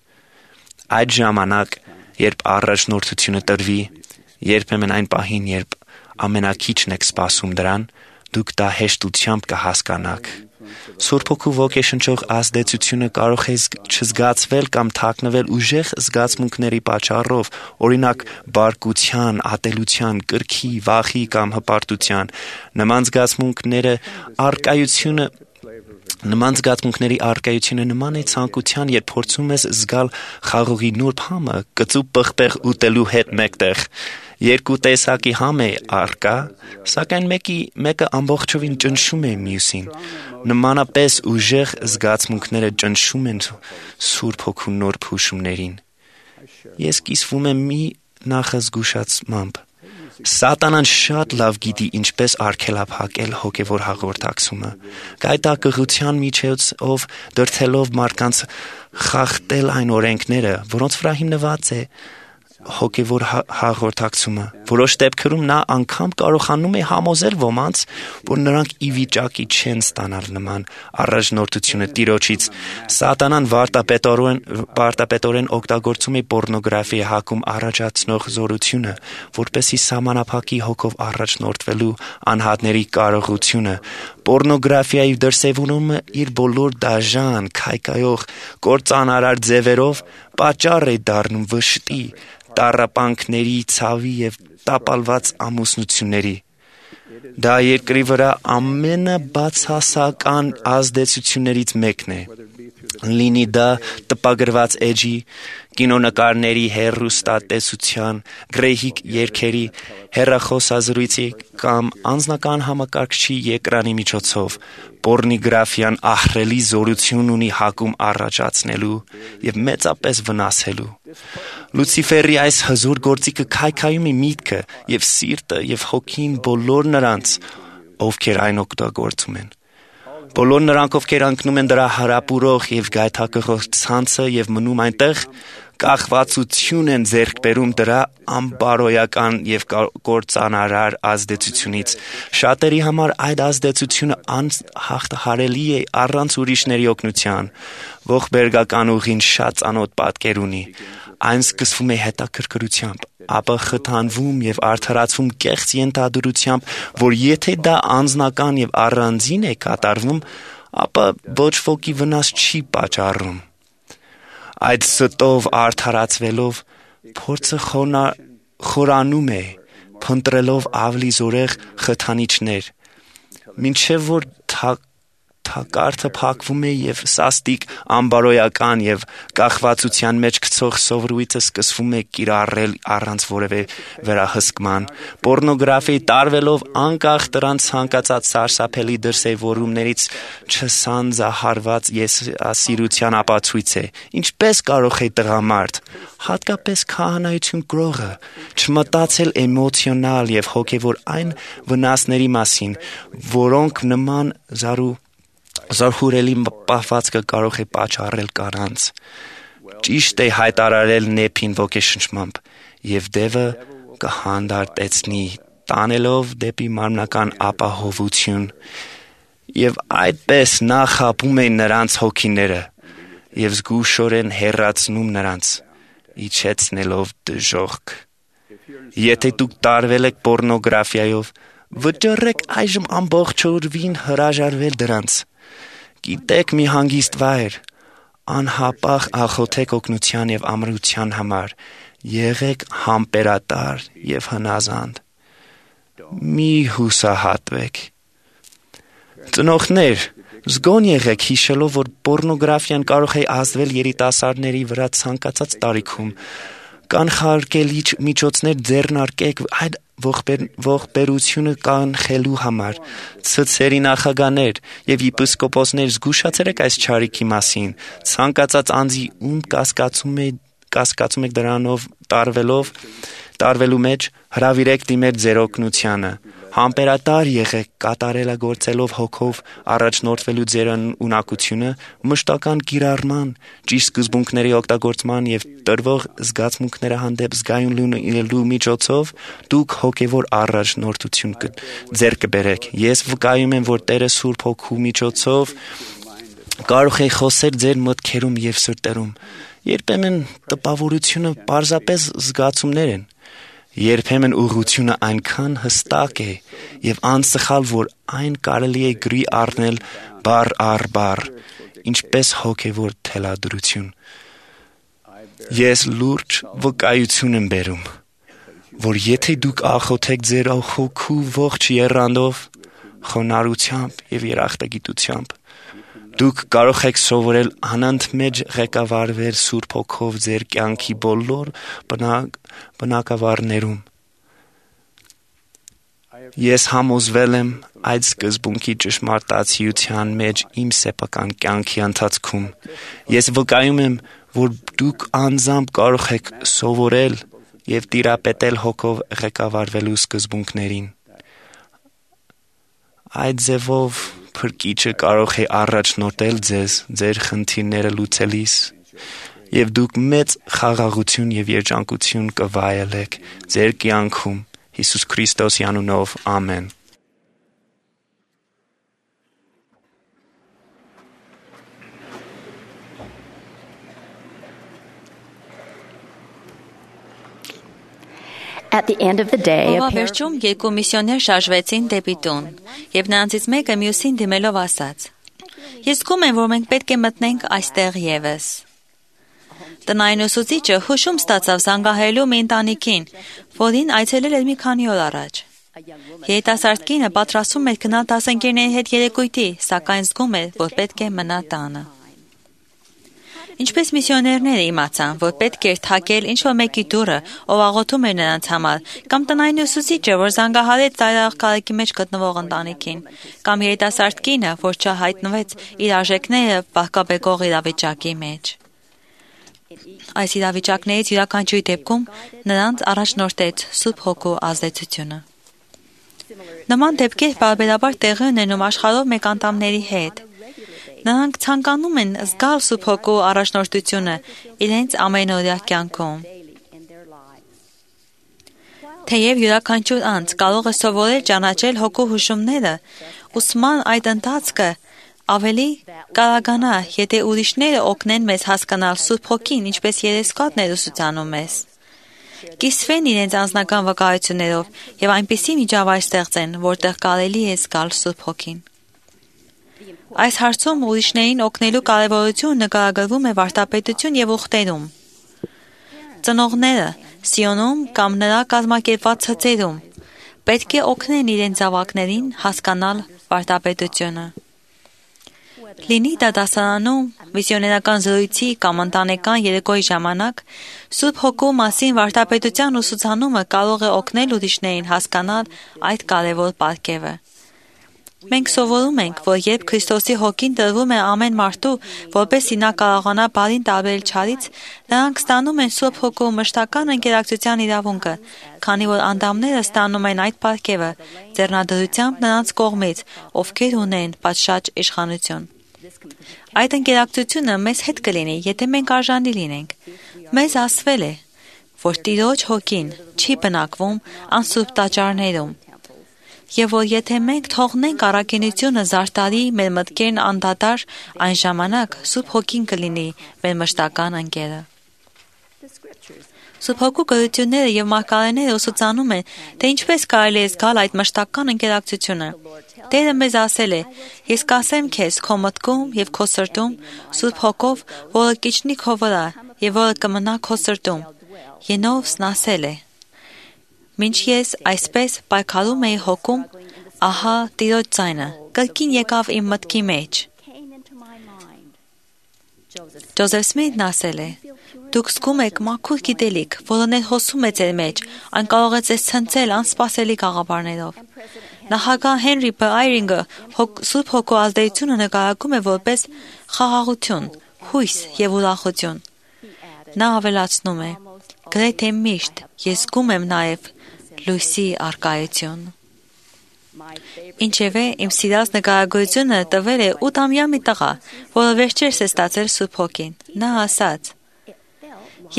Speaker 1: Այդ ժամանակ, երբ առաջնորդությունը տրվի, երբեմն այն պահին, երբ ամենակիչն եք սպասում դրան, դուք դա հեշտությամբ կհասկանաք։ Սուրբ Հոգու ոգեշնչող ազդեցությունը կարող է չզգացվել կամ թաքնվել ուժեղ զգացմունքների պատճառով, օրինակ բարկության, ատելության, կրքի, վախի կամ հպարտության։ Նման զգացմունքների առկայությունը նման է ցանկության, երբ փորձում ես զգալ խաղողի նուրբ համը կծու պղպեղ ուտելու հետ մեկտեղ։ Երկու տեսակի համ է առկա, սակայն մեկը ամբողջովին ճնշում է մյուսին։ Նմանապես ուժեղ զգացմունքները ճնշում են Սուրբ Հոգու նուրբ հուշումներին։ Ես կիսվում եմ մի նախազգուշացմամբ։ Սատանան շատ լավ գիտի ինչպես արգելափակել հոգևոր հաղորդակցումը։ Գայթակղության միջոցով դրդելով մարդկանց խախտել այն օրենքները, որոնց վրա հիմնված է հոգևոր հաղորդակցումը։ Որոշ դեպքերում նա անգամ կարողանում է համոզել ոմանց, որ նրանք ի վիճակի չեն ստանալ նման առաջնորդությունը Տիրոջից։ Սատանան վարտապետորեն օգտագործում է պոռնոգրաֆիայի հակում առաջացնող զորությունը, որպեսզի սահմանափակի հոգով առաջնորդվելու անհատների կարողությունը։ Պոռնոգրաֆիայի դրսևորումը իր բոլոր դաժան, քայքայող, կործանարար ձևերով պատճառ է դառնում վշտի, տառապանքների, ցավի և տապալված ամուսնությունների։ Դա երկրի վրա ամենաբացասական ազդեցություններից մեկն է։ Լինի դա տպագրված էջի, կինոնկարների, հեռուստատեսության, գռեհիկ երգերի, հեռախոսազրույցի կամ անձնական համակարգչի էկրանի միջոցով, պոռնոգրաֆիան ահռելի զորություն ունի հակում առաջացնելու և մեծապես վնասելու։ Լուցիֆերի այս հզոր գործիքը քայքայում է միտքը և սիրտը և հոգին բոլոր նրանց, ովքեր այն օգտագործում են։ Բոլոր նրանք, ովքեր ընկնում են դրա հարապուրող և գայթակղող ցանցը և մնում այնտեղ, կախվածություն են ձեռք բերում դրա անբարոյական և կործանարար ազդեցությունից։ Շատերի համար այդ ազդեցությունը անհաղթահարելի է առանց ուրիշների օգնության։ Ողբերգական ուղին շատ ծանոթ պատկեր ունի։ Այն սկսվում է հետաքրքրությամբ, ապա խթանվում և արդարացվում կեղծ ենթադրությամբ, որ եթե դա անձնական և առանձին է կատարվում, ապա ոչ ոքի վնաս չի պատճառում։ Այդ ստով արդարացվելով փորձը խորանում է, փնտրելով ավելի զորեղ խթանիչներ, մինչև որ թակարդը փակվում է և սաստիկ, անբարոյական և կախվածության մեջ գցող սովորույթը սկսվում է կիրառել առանց որևէ վերահսկման։ Պոռնոգրաֆիայի տարվելով անկախ դրանց ցանկացած սարսափելի դրսևորումներից չսանձահարված եսասիրության ապացույց է։ Ինչպես կարող է տղամարդ, հատկապես քահանայություն կրողը, չմտածել էմոցիոնալ և հոգևոր այն վնասների մասին, որոնք նման զարհուրելի պահվածքը կարող է պատճառել կանանց։ Ճիշտ է հայտարարել Նեփին ոգեշնչմամբ, և դևը կհանդարտեցնի, տանելով դեպի մարմնական ապահովություն, և այդպես նա խաբում է նրանց հոգիները և զգուշորեն հեռացնում նրանց, իջեցնելով դժոխք։ Եթե դուք տարվել եք պոռնոգրաֆիայով, վճռեք այժմ ամբողջովին հրաժարվել դրանց։ Գիտեք մի հանգիստ վայր, անհապաղ աղոթեք օգնության և ամրության համար, եղեք համբերատար և հնազանդ։ Մի հուսահատվեք։ Ծնողներ, զգոն եղեք հիշելով, որ պոռնոգրաֆիան կարող է ազդվել երիտասարդների վրա ցանկացած տարիքում։ Կանխարգելիչ միջոցներ ձեռնարկեք այդ ողբերգությունը կանխելու համար։ Ցցերի նախագահներ և եպիսկոպոսներ, զգուշացրեք այս չարիքի մասին։ Ցանկացած անձի, ում կասկածում եք դրանով տարվելու մեջ, հրավիրեք դիմել ձեր օգնությանը։ Համբերատար եղեք, կատարելագործելով հոգով առաջնորդվելու ձեր ունակությունը, մշտական կիրառման, ճիշտ սկզբունքների օգտագործման և տրվող զգացմունքների հանդեպ զգայուն լինելու միջոցով դուք հոգևոր առաջնորդություն ձեռք կբերեք։ Ես վկայում եմ, որ Տերը Սուրբ Հոգու միջոցով կարող է խոսել ձեր մտքերում և սրտերում Երբեմն տպավորությունը պարզապես զգացումներ են։ Երբեմն ուղղությունը այնքան հստակ է եւ անսխալ, որ այն կարելի է գրի առնել բառ առ բառ, ինչպես հոգևոր թելադրություն։ Ես լուրջ վկայություն եմ բերում, որ եթե դուք աղոթեք ձեր հոգու ողջ եռանդով, խոնարհությամբ եւ երախտագիտությամբ, դուք կարող եք սովորել անընդմեջ ղեկավարվել Սուրբ Հոգով ձեր կյանքի բոլոր բնակավարներում։ Ես համոզվել եմ այդ սկզբունքի ճշմարտացիության մեջ իմ սեփական կյանքի ընթացքում։ Ես վկայում եմ, որ դուք անձամբ կարող եք սովորել եւ տիրապետել Հոգով ղեկավարվելու սկզբունքներին։ Այդ ձևով Փրկիչը կարող է առաջնորդել ձեզ ձեր խնդիրները լուծելիս, եւ դուք մեծ խաղաղություն եւ երջանկություն կվայելեք ձեր կյանքում Հիսուս Քրիստոսի անունով, ամեն։
Speaker 5: At the end of the day,
Speaker 6: Վերջում երկու միսիոներ շարժվեցին դեպի տուն, եւ նրանցից մեկը մյուսին դիմելով ասաց. Ես զգում եմ, որ մենք պետք է մտնենք այստեղ եւս։ Տնային ուսուցիչը հուշում ստացավ զանգահարելու մի ընտանիքին, որին այցելել էր մի քանի օր առաջ։ Երիտասարդ կինը պատրաստվում էր գնալ դասընկերների հետ երեկույթի, սակայն զգում էր, որ պետք է մնա տանը։ Ինչպես միսիոներները իմացան, որ պետք էր թակել ինչ-որ մեկի դուռը, ով աղոթում էր նրանց համար, կամ տնային ուսուցիչը, որ զանգահարեց ծայրահեղ քաղաքի մեջ գտնվող ընտանիքին, կամ երիտասարդ կինը, որ չհայտնվեց իր արժեքները վահկաբեկող իրավիճակի մեջ։ Այս իրավիճակներից յուրաքանչյուրի դեպքում նրանց առաջնորդեց Սուրբ Հոգու ազդեցությունը։ Նման դեպքեր պարբերաբար տեղի ունենում աշխարհով մեկ անդամների հետ։ Նրանք ցանկանում են զգալ Սուրբ Հոգու առաջնորդությունը իրենց ամենօրյա կյանքում։ Թեև յուրաքանչյուր անձ կարող է սովորել ճանաչել Հոգու հուշումները, ուսման այդ ընթացքը ավելի կարողանա, եթե ուրիշները օգնեն մեզ հասկանալ Սուրբ Հոգին, ինչպես երեսկատն է ուսուցանում մեզ։ Կիսվեն իրենց անձնական վկայություններով եւ այնպիսի միջավայր ստեղծեն, որտեղ կարելի է զգալ Սուրբ Հոգին։ Այս հարցում ուրիշներին օգնելու կարևորությունը նկարագրվում է վարդապետություն եւ ուխտերում։ Ծնողները Սիոնում կամ նրա կազմակերպված ցծերում պետք է օգնեն իրենց զավակներին հասկանալ վարդապետությունը։ Լինի դա դասարանում, միսիոներական զրույցի կամ ընտանեկան երեկոյի ժամանակ, Սուրբ Հոգու մասին վարդապետության ուսուցանումը կարող է օգնել ուրիշներին հասկանալ այդ կարևոր պարգևը։ Մենք սովորում ենք, որ երբ Քրիստոսի Հոգին տրվում է ամեն մարդու, որպեսզի նա կարողանա բարին տարբերել չարից, նրանք ստանում են Սուրբ Հոգու մշտական ընկերակցության իրավունքը, քանի որ անդամները ստանում են այդ պարգևը ձեռնադրությամբ նրանց կողմից, ովքեր ունեն պատշաճ իշխանություն։ Այդ ընկերակցությունը մեզ հետ կլինի, եթե մենք արժանի լինենք։ Մեզ ասվել է, որ Տիրոջ Հոգին չի բնակվում անսուրբ տաճարներում, եւ որ եթե մենք թողնենք առաքինությունը զարտարի մեր մտքերն անդադար, այն ժամանակ Սուրբ Հոգին կլինի մեր մշտական ընկերը։ Սուրբ Հոգու գրությունները եւ մարգարեները ուսուցանում են, թե ինչպես կարելի է զգալ այդ մշտական ընկերակցությունը։ Տերը մեզ ասել է. «Ես կասեմ քեզ քո մտքում եւ քո սրտում Սուրբ Հոգով, որը կիջնի քո վրա եւ որը կմնա քո սրտում»։ Ենովսն ասել է. «Մինչ ես այսպես պայքարում էի հոգում, ահա Տիրոջ ձայնը կրկին եկավ իմ մտքի մեջ»։ Ջոզեֆ Սմիթն ասել է. «Դուք զգում եք մաքուր գիտելիք, որը ներհոսում է ձեր մեջ, այն կարող է ձեզ ցնցել անսպասելի գաղափարներով»։ Նախագահ Հենրի Բ. Այրինգը Սուրբ Հոգու ազդեցությունը նկարագրում է որպես խաղաղություն, հույս եւ ուրախություն։ Նա ավելացնում է. «Գրեթե միշտ ես զգում եմ նաեւ լույսի առկայություն»։ Ինչևէ, իմ սիրած նկարագրությունը տվել է 8-ամյա մի տղա, որը վերջերս է ստացել Սուրբ Հոգին։ Նա ասաց.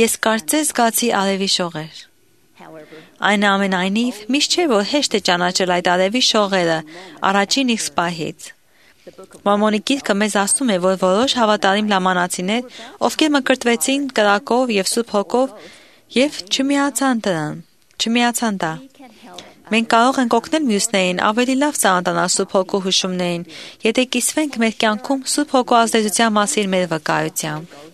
Speaker 6: «Ես կարծես զգացի արևի շողեր»։ Այնուամենայնիվ, միշտ չէ, որ հեշտ է ճանաչել այդ արևի շողերը առաջին իսկ պահից։ Մորմոնի գիրքը մեզ ասում է, որ որոշ հավատարիմ լամանացիներ, ովքեր մկրտվեցին կրակով եւ Սուրբ Հոգով եւ չմիացան դա։ Մենք կարող ենք օգնել մյուսներին ավելի լավ ծանոթանալ Սուրբ Հոգու հուշումներին, եթե կիսվենք մեր կյանքում Սուրբ Հոգու ազդեցության մասին մեր վկայությամբ։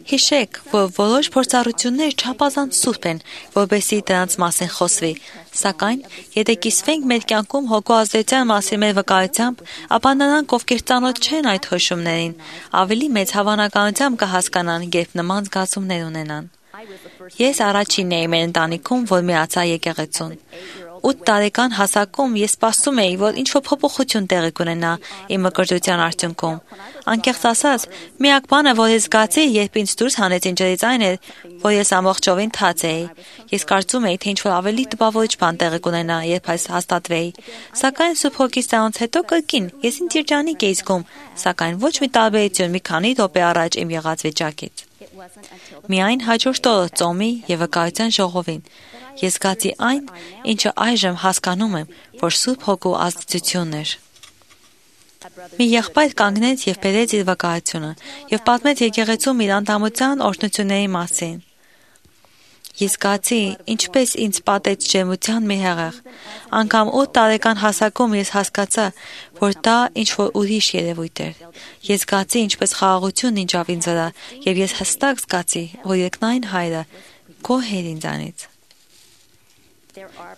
Speaker 6: Հիշեք, որ որոշ փորձառություններ չափազանց սուրբ են, որպեսզի դրանց մասին խոսվի, սակայն, եթե կիսվենք մեր կյանքում Հոգու ազդեցության մասին մեր վկայությամբ, ապա նրանք, ովքեր ծանոթ չեն այդ հուշումներին, ավելի մեծ հավանականությամբ կհասկանան, երբ նման զգացումներ ունենան։ Ես առաջինն էի մեր ընտանիքում, որ միացա եկեղեցուն։ 8 տարեկան հասակում ես սպասում էի, որ ինչ-որ փոփոխություն տեղի կունենա իմ մկրտության արդյունքում։ Անկեղծ ասած, միակ բանը, որ ես զգացի, երբ ինձ դուրս հանեցին ջրից, այն էր, որ ես ամբողջովին թաց էի։ Ես կարծում էի, թե ինչ-որ ավելի տպավորիչ բան տեղի կունենա, երբ այս հաստատվեի։ Սակայն Սուրբ Հոգի ստանալուց հետո կրկին ես ինձ երջանիկ էի զգում, սակայն ոչ մի տարբերություն մի քանի րոպե առաջ իմ եղած վիճակից։ Միայն հաջորդ օրը ծոմի եւ վկայության ժողովին ես զգացի այն, ինչը այժմ հասկանում եմ, որ Սուրբ Հոգու ազդեցությունն էր։ Մի եղբայր կանգնեց եւ բերեց իր վկայությունը եւ պատմեց եկեղեցում իր անդամության օրհնությունների մասին։ Ես զգացի, ինչպես ինձ պատեց ջերմության մի հեղեղ։ Անգամ 8 տարեկան հասակում ես հասկացա, որ դա ինչ-որ ուրիշ երևույթ էր։ Ես զգացի, ինչպես խաղաղություն ինջավ ինձ վրա եւ ես հստակ զգացի, որ երկնային Հայրը գոհ էր ինձանից։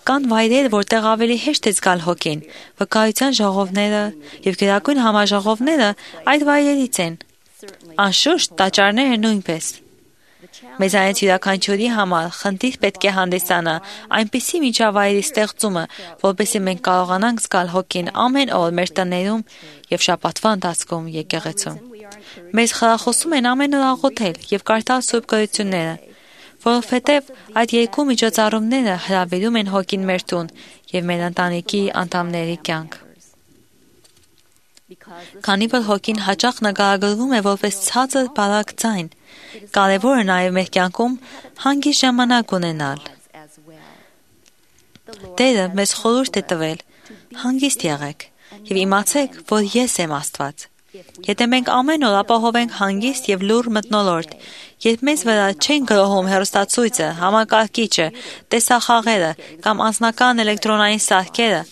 Speaker 6: Կան վայրեր, որտեղ ավելի հեշտ է զգալ Հոգին, վկայության ժողովները եւ գերագույն համաժողովները այդ վայրերից են։ Անշուշտ, տաճարները նույնպես։ Մեզանից յուրաքանչյուրի համար խնդիր պետք է հանդիսանա այնպիսի միջավայրի ստեղծումը, որպեսզի մենք կարողանանք զգալ Հոգին ամեն օր մեր տներում եւ շաբաթվա ընթացքում եկեղեցում։ Մեզ խրախուսում են ամեն օր աղոթել եւ կարդալ Սուրբ Գրությունները, որովհետև այդ երկու միջոցառումները հրավիրում են Հոգին մեր տուն եւ մեր ընտանիքի անդամների կյանք։ Քանի որ Հոգին հաճախ նկարագրվում է որպես ցածր բարակ ձայն, կարևոր է նաեւ մեր կյանքում հանգիստ ժամանակ ունենալ։ Տերը մեզ խորհուրդ է տվել. հանգիստ եղեք եւ իմացեք, որ ես եմ Աստված։ Եթե մենք ամեն օր ապահովենք հանգիստ եւ լուռ մթնոլորտ, երբ մեզ վրա չեն գրոհում հեռուստացույցը, համակարգիչը, տեսախաղերը կամ անձնական էլեկտրոնային սարքերը,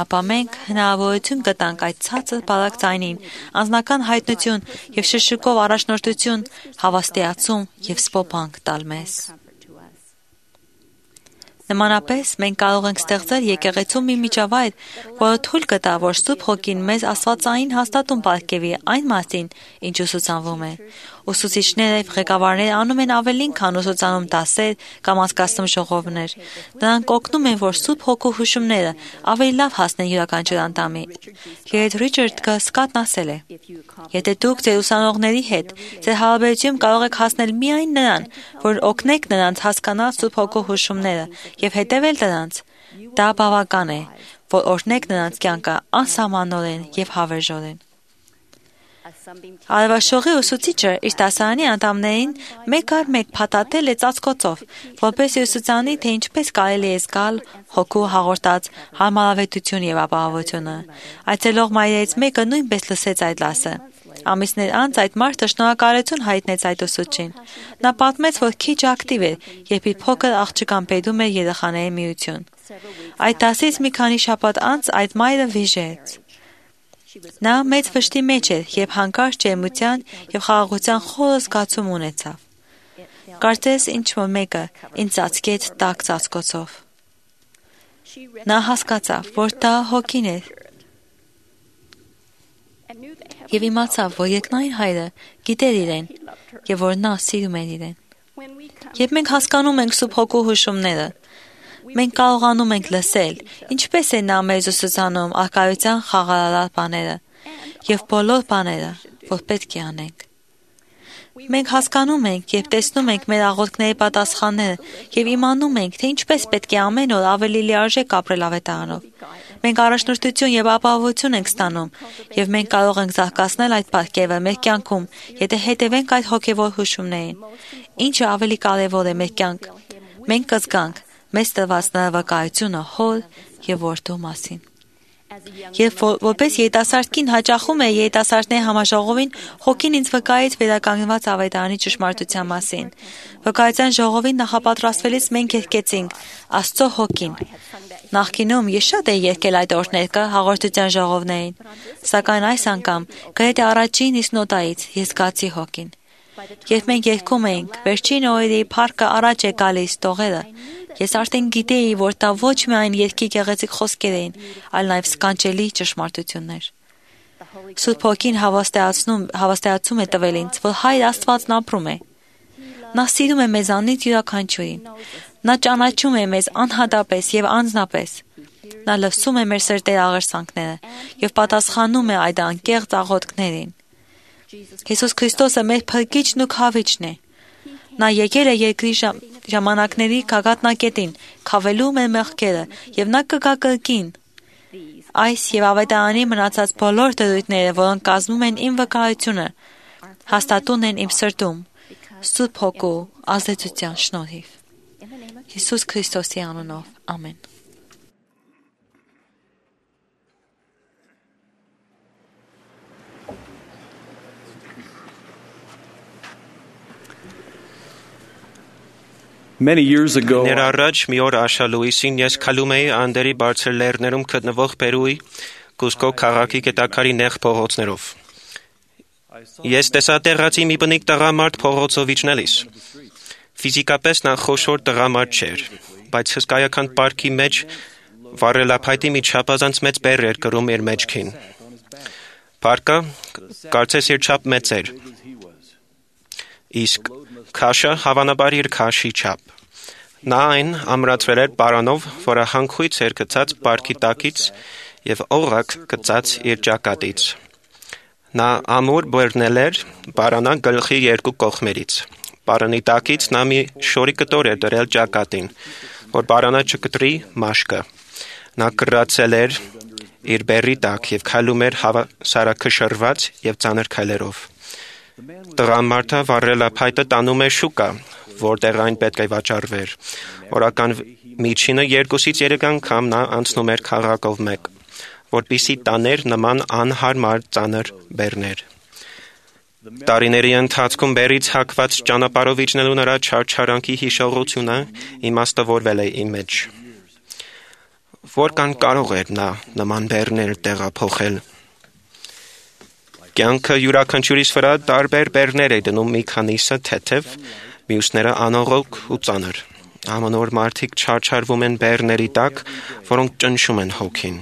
Speaker 6: ապա մենք հնարավորություն կտանք այդ ցածր բարակ ձայնին, անձնական հայտնություն եւ շշուկով առաջնորդություն, հավաստիացում եւ սպոփանք տալ մեզ։ Նմանապես մենք կարող ենք ստեղծել եկեղեցում մի միջավայր, որը թույլ կտա, որ Սուրբ Հոգին մեզ աստվածային հաստատում պարգևի այն մասին, ինչ ուսուցանվում է։ Ուսուցիչները եւ ղեկավարները անում են ավելին, քան ուսուցանում դասեր կամ անցկացնում ժողովներ։ Նրանք օգնում են, որ Սուրբ Հոգու հուշումները ավելի լավ հասնեն յուրաքանչյուր անդամի։ Երբ Ռիչարդ Սկոտն ասել է. Եթե դուք ձեր ուսանողների հետ ձեր հարաբերությունում կարող եք հասնել միայն նրան, որ օգնեք նրանց հասկանալ Սուրբ Հոգու հուշումները եւ հետևել դրանց, դա բավական է, որ օրհնեք նրանց կյանքը անսահմանորեն եւ հավերժորեն։ Արևաշողի ուսուցիչը իր դասարանի անդամներին մեկ առ մեկ փաթաթել է ծածկոցով, որպեսզի ուսուցանի, թե ինչպես կարելի է զգալ Հոգու հաղորդած հարմարավետություն եւ ապահովությունը։ Այցելող մայրերից մեկը նույնպես լսեց այդ դասը։ Ամիսներ անց այդ մարդը շնորհակալություն հայտնեց այդ ուսուցչին։ Նա պատմեց, որ քիչ ակտիվ էր, երբ իր փոքր աղջկան բերում էր երեխաների միություն։ Այդ դասից մի քանի շաբաթ անց այդ մայրը վիժեց։ Նա մեծ վշտի մեջ էր, երբ հանկարծ ջերմության եւ խաղաղության խորը զգացում ունեցավ։ Կարծես ինչ-որ մեկը ինձ ծածկեց տաք ծածկոցով։ Նա հասկացավ, որ դա Հոգին էր։ Եվ իմացավ, որ երկնային Հայրը գիտեր իրեն եւ որ նա սիրում էր իրեն։ Երբ մենք հասկանում ենք Սուրբ Հոգու հուշումները, մենք կարողանում ենք լսել, ինչպես է նա մեզ ուսուցանում արկայության խաղաղարար բաները եւ բոլոր բաները, որ պետք է անենք։ Մենք հասկանում ենք եւ տեսնում ենք մեր աղոթքների պատասխանները եւ իմանում ենք, թե ինչպես պետք է ամեն օր ավելի լիարժեք ապրել ավետարանով։ Մենք առաջնորդություն եւ ապահովություն ենք ստանում եւ մենք կարող ենք զարգացնել այդ պարգևը մեր կյանքում, եթե հետևենք այդ հոգեվոր հուշումներին։ Ինչը ավելի կարեւոր է մեր կյանք, մենք կզգանք մեզ տրված նրա վկայությունը Հոր եւ Որդու մասին։ Երբ որպես երիտասարդ կին հաճախում է երիտասարդների համաժողովին, հոգին ինձ վկայեց վերականգնված ավետարանի ճշմարտության մասին։ Վկայության ժողովին նախապատրաստվելիս մենք երգեցինք Աստծո հոգին։ Նախկինում ես շատ էի երգել այդ օրհներգը հաղորդության ժողովներին, սակայն այս անգամ գրեթե առաջին իսկ նոտայից ես զգացի հոգին։ Երբ մենք երգում էինք, վերջին օրերի փառքը առաջ է գալիս տողերը, ես արդեն գիտեի, որ դա ոչ միայն երգի գեղեցիկ խոսքեր էին, այլ նաև սքանչելի ճշմարտություններ։ Սուրբ Հոգին հավաստիացում է տվել ինձ, որ Հայր Աստվածն ապրում է։ Նա սիրում է մեզանից յուրաքանչյուրին։ Նա ճանաչում է մեզ անհատապես եւ անձնապես։ Նա լսում է մեր սրտերի աղերսանքները եւ պատասխանում է այդ անկեղծ աղոթքներին։ Հիսուս Քրիստոսը մեր փրկիչն ու քավիչն է։ Նա եկել է երկրի ժամանակների գագաթնակետին, քավելու մեր մեղքերը, եւ նա կգա կրկին։ Այս եւ ավետարանի մնացած բոլոր դրույթները, որոնք կազմում են իմ վկայությունը, հաստատուն են իմ սրտում, Սուրբ Հոգու ազդեցության շնորհիվ։ Հիսուս Քրիստոսի անունով, ամեն։
Speaker 1: Ներառաջ մի օր Աշալուիսին ես քալում էի Անդերի բարձր լեռներում գտնվող Պերուի Կուսկո քաղաքի գետակարի նեղ փողոցներով։ Ես տեսա տեղացի մի բնիկ տղամարդ փողոցով իջնելիս։ Ֆիզիկապես նա խոշոր տղամարդ չէր, բայց հսկայական պարկի մեջ վառելափայտի մի չափազանց մեծ բեռ էր կրում իր մեջքին։ Պարկը կարծես իր չափ մեծ էր, իսկ քաշը հավանաբար իր քաշի չափ։ Նա այն ամրացրել էր պարանով, որը հանքույց էր գցած պարկի տակից եւ օղակ գցած իր ճակատից։ Նա ամուր բռնել էր պարանա գլխի երկու կողմերից։ Պարանի տակից նա մի շորի կտոր էր դրել ճակատին, որ պարանը չկտրի մաշկը։ Նա կռացել էր իր բեռի տակ եւ քայլում էր հավասարակշռված եւ ծանր քայլերով։ Տղամարդը վառելափայտը տանում էր շուկա, որտեղ այն պետք է վաճառվեր։ Օրական միջինը 2-ից 3 անգամ նա անցնում էր քաղաքով մեկ, որպեսզի տաներ նման անհարմար ծանր բեռներ։ Տարիների ընթացքում բերից հակված ճանապարհով իջնելու նրա չարչարանքի հիշողությունը իմաստավորվել է իմ մեջ։ Որքան կարող էր նա նման բեռներ տեղափոխել։ Կյանքը յուրաքանչյուրիս վրա տարբեր բեռներ է դնում, մի քանիսը թեթև, մյուսները անողոք ու ծանր։ Ամեն օր մարդիկ չարչարվում են բեռների տակ, որոնք ճնշում են հոգին։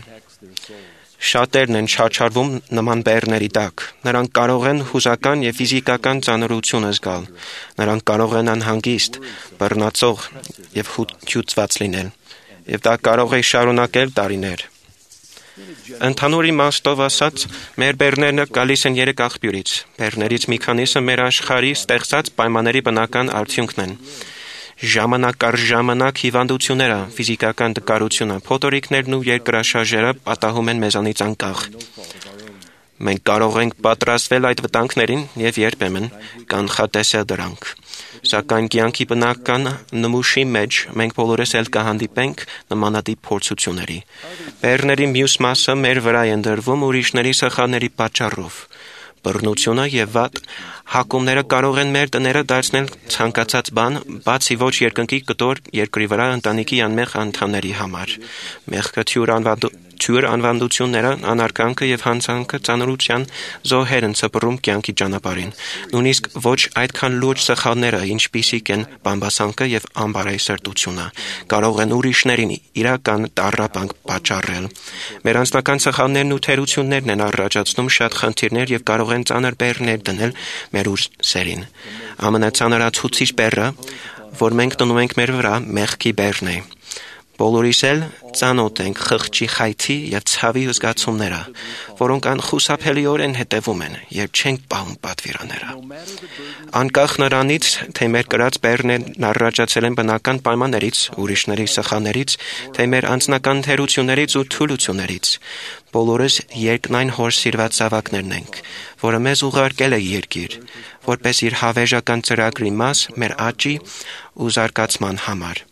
Speaker 1: Շատերն են չարչարվում նման բեռների տակ։ Նրանք կարող են հուզական եւ ֆիզիկական ծանրություն զգալ։ Նրանք կարող են անհանգիստ, բռնացող եւ հյուծված լինել։ Եվ դա կարող է շարունակել տարիներ։ Ընդհանուր իմաստով ասած, մեր բեռներն գալիս են 3 աղբյուրից։ Բեռներից մի քանիսը մեր աշխարհի ստեղծած պայմանների բնական արդյունքն են։ Ժամանակ առ ժամանակ հիվանդությունները, ֆիզիկական տկարությունը, փոթորիկներն ու երկրաշարժերը պատահում են մեզանից անկախ։ Մենք կարող ենք պատրաստվել այդ վտանգներին եւ երբեմն կանխատեսել դրանք։ Սակայն կյանքի բնական նմուշի մեջ մենք բոլորս էլ կհանդիպենք նմանատիպ փորձությունների։ Բեռների մյուս մասը մեր վրա են դրվում ուրիշների սխալների պատճառով։ Բռնությունը եւ վատ հակումները կարող են մեր տները դարձնել ցանկացած բան, բացի ոչ երկնքի կտոր երկրի վրա ընտանիքի անմեղ անդամների համար։ Մեղքը թյուր անվանդությունները, անարգանքը եւ հանցանքը ծանրության զոհեր են սփռում կյանքի ճանապարհին։ Նույնիսկ ոչ այդքան լուրջ սխալները, ինչպիսիք են բամբասանքը եւ անբարայսրտությունը, կարող են ուրիշներին իրական տառապանք պատճառել։ Մեր անձնական սխալներն ու թերություններն են առաջացնում շատ խնդիրներ եւ կարող են ծանր բեռներ դնել մեր ուսերին։ Ամենածանրացուցիչ բեռը, որ մենք դնում ենք մեր վրա, մեղքի բեռն է։ Բոլորիս էլ ծանոթ ենք խղճի խայթի եւ ցավի զգացումները, որոնք անխուսափելիորեն հետևում են, երբ չենք պահում պատվիրանները։ Անկախ նրանից, թե մեր կրած բեռներն առաջացել են բնական պայմաններից, ուրիշների սխալներից, թե մեր անձնական թերություններից ու թուլություններից, բոլորս երկնային հոր սիրված զավակներն ենք, որը մեզ ուղարկել է երկիր, որպես իր հավերժական ծրագրի մաս մեր աճի ու զարգացման համար։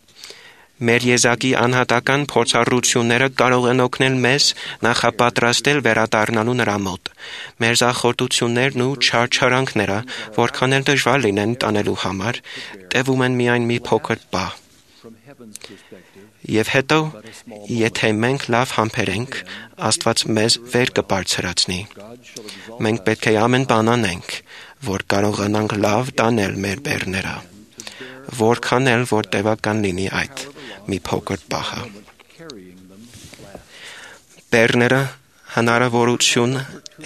Speaker 5: Մեր եզակի անհատական փորձառությունները կարող են օգնել մեզ նախապատրաստել վերադառնալու նրա մոտ։ Մեր զախորտություններն ու չարչարանքները, որքան էլ դժվար լինեն տանելու համար, տևում են միայն մի փոքր պահ։ Եվ հետո, եթե մենք լավ համբերենք, Աստված մեզ վեր կբարձրացնի։ Մենք պետք է ամեն բան անենք, որ կարողանանք լավ տանել մեր բեռները, որքան էլ որ տևական լինի այդ մի փոքր պահը։ Բեռները հնարավորություն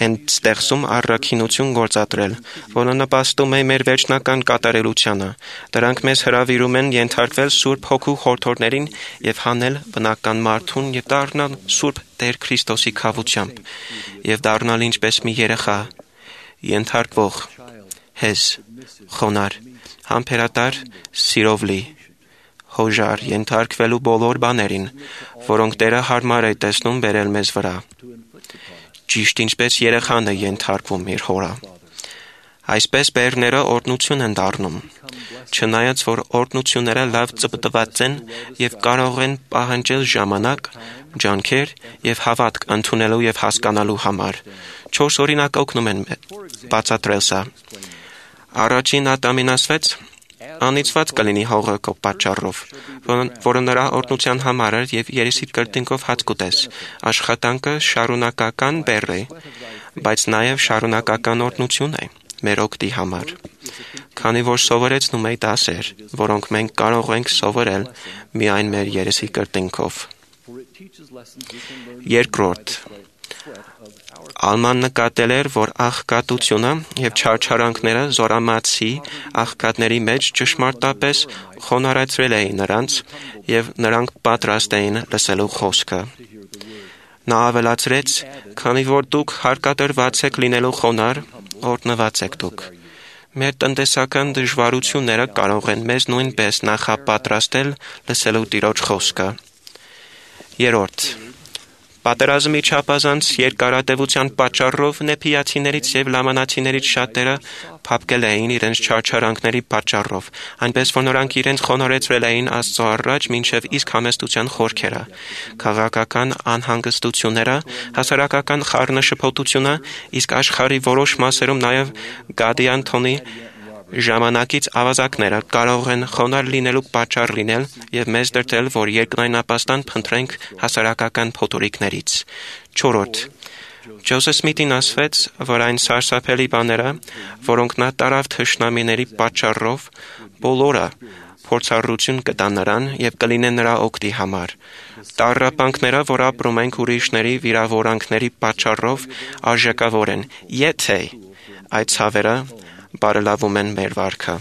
Speaker 5: են ստեղծում առաքինություն գործադրել, որը նպաստում է մեր վերջնական կատարելությանը։ Դրանք մեզ հրավիրում են ենթարկվել Սուրբ Հոգու խորհուրդներին եւ հանել բնական մարդուն եւ դառնալ Սուրբ Տեր Քրիստոսի քավությամբ եւ դառնալ ինչպես մի երեխա, ենթարկվող, հեզ, խոնար, համբերատար, սիրով լի, հոժար, ենթարկվելու բոլոր բաներին, որոնք Տերը հարմար է տեսնում բերել մեզ վրա։ Ճիշտ ինչպես երեխան է ենթարկվում իր հորը։ Այսպես բեռները օրհնություն են դառնում, չնայած որ օրհնությունները լավ ծպտված են եւ կարող են պահանջել ժամանակ, ջանքեր եւ հավատք ընդունելու եւ հասկանալու համար։ 4 օրինակ օգնում են բացատրել սա։ Առաջին Ադամին ասվեց. անիծված կլինի հողը քո պատճառով, որը նրա օրհնության համար էր եւ երեսիդ կրտինքով հաց կուտես։ Աշխատանքը շարունակական բեռ է, բայց նաեւ շարունակական օրհնություն է մեր օգտի համար։ Քանի որ սովորեցնում է դասեր, որոնք մենք կարող ենք սովորել միայն մեր երեսի կրտինքով։ Երկրորդ, Ալման նկատել էր, որ աղքատությունը եւ չարչարանքները զորամացի աղքատների մեջ ճշմարտապես խոնարհացրել էին նրանց եւ նրանք պատրաստ էին լսելու խոսքը։ Նա ավելացրեց. քանի որ դուք հարկադրված եք լինելու խոնար, օրհնված եք դուք։ Մեր տնտեսական դժվարությունները կարող են մեզ նույնպես նախապատրաստել լսելու Տիրոջ խոսքը։ Երրորդ, պատերազմի չափազանց երկարատևության պատճառով նեփիացիներից եւ լամանացիներից շատերը փափկել էին իրենց չարչարանքների պատճառով, այնպես որ նրանք իրենց խոնարհեցրել էին Աստծո առաջ մինչև իսկ համեստության խորքերը։ Քաղաքական անհանգստությունները, հասարակական խառնաշփոթությունը, իսկ աշխարհի որոշ մասերում նաեւ Գադի Անտոնի ժամանակից ավազակները կարող են խոնար լինելու պատճառ լինել եւ մեզ դրդել, որ երկնայնապաստան փնտրենք հասարակական փոթորիկներից։ 4. Ջոզեֆ Սմիթին ասվեց, որ այն սարսափելի բաները, որոնք նա տարավ թշնամիների պատճառով, բոլորը փորձառություն կտան նրան եւ կլինեն նրա օգտի համար։ Տառապանքները, որ ապրում ենք ուրիշների վիրավորանքների պատճառով, արժեքավոր են, եթե այդ ցավերը բարելավում են մեր վարքը։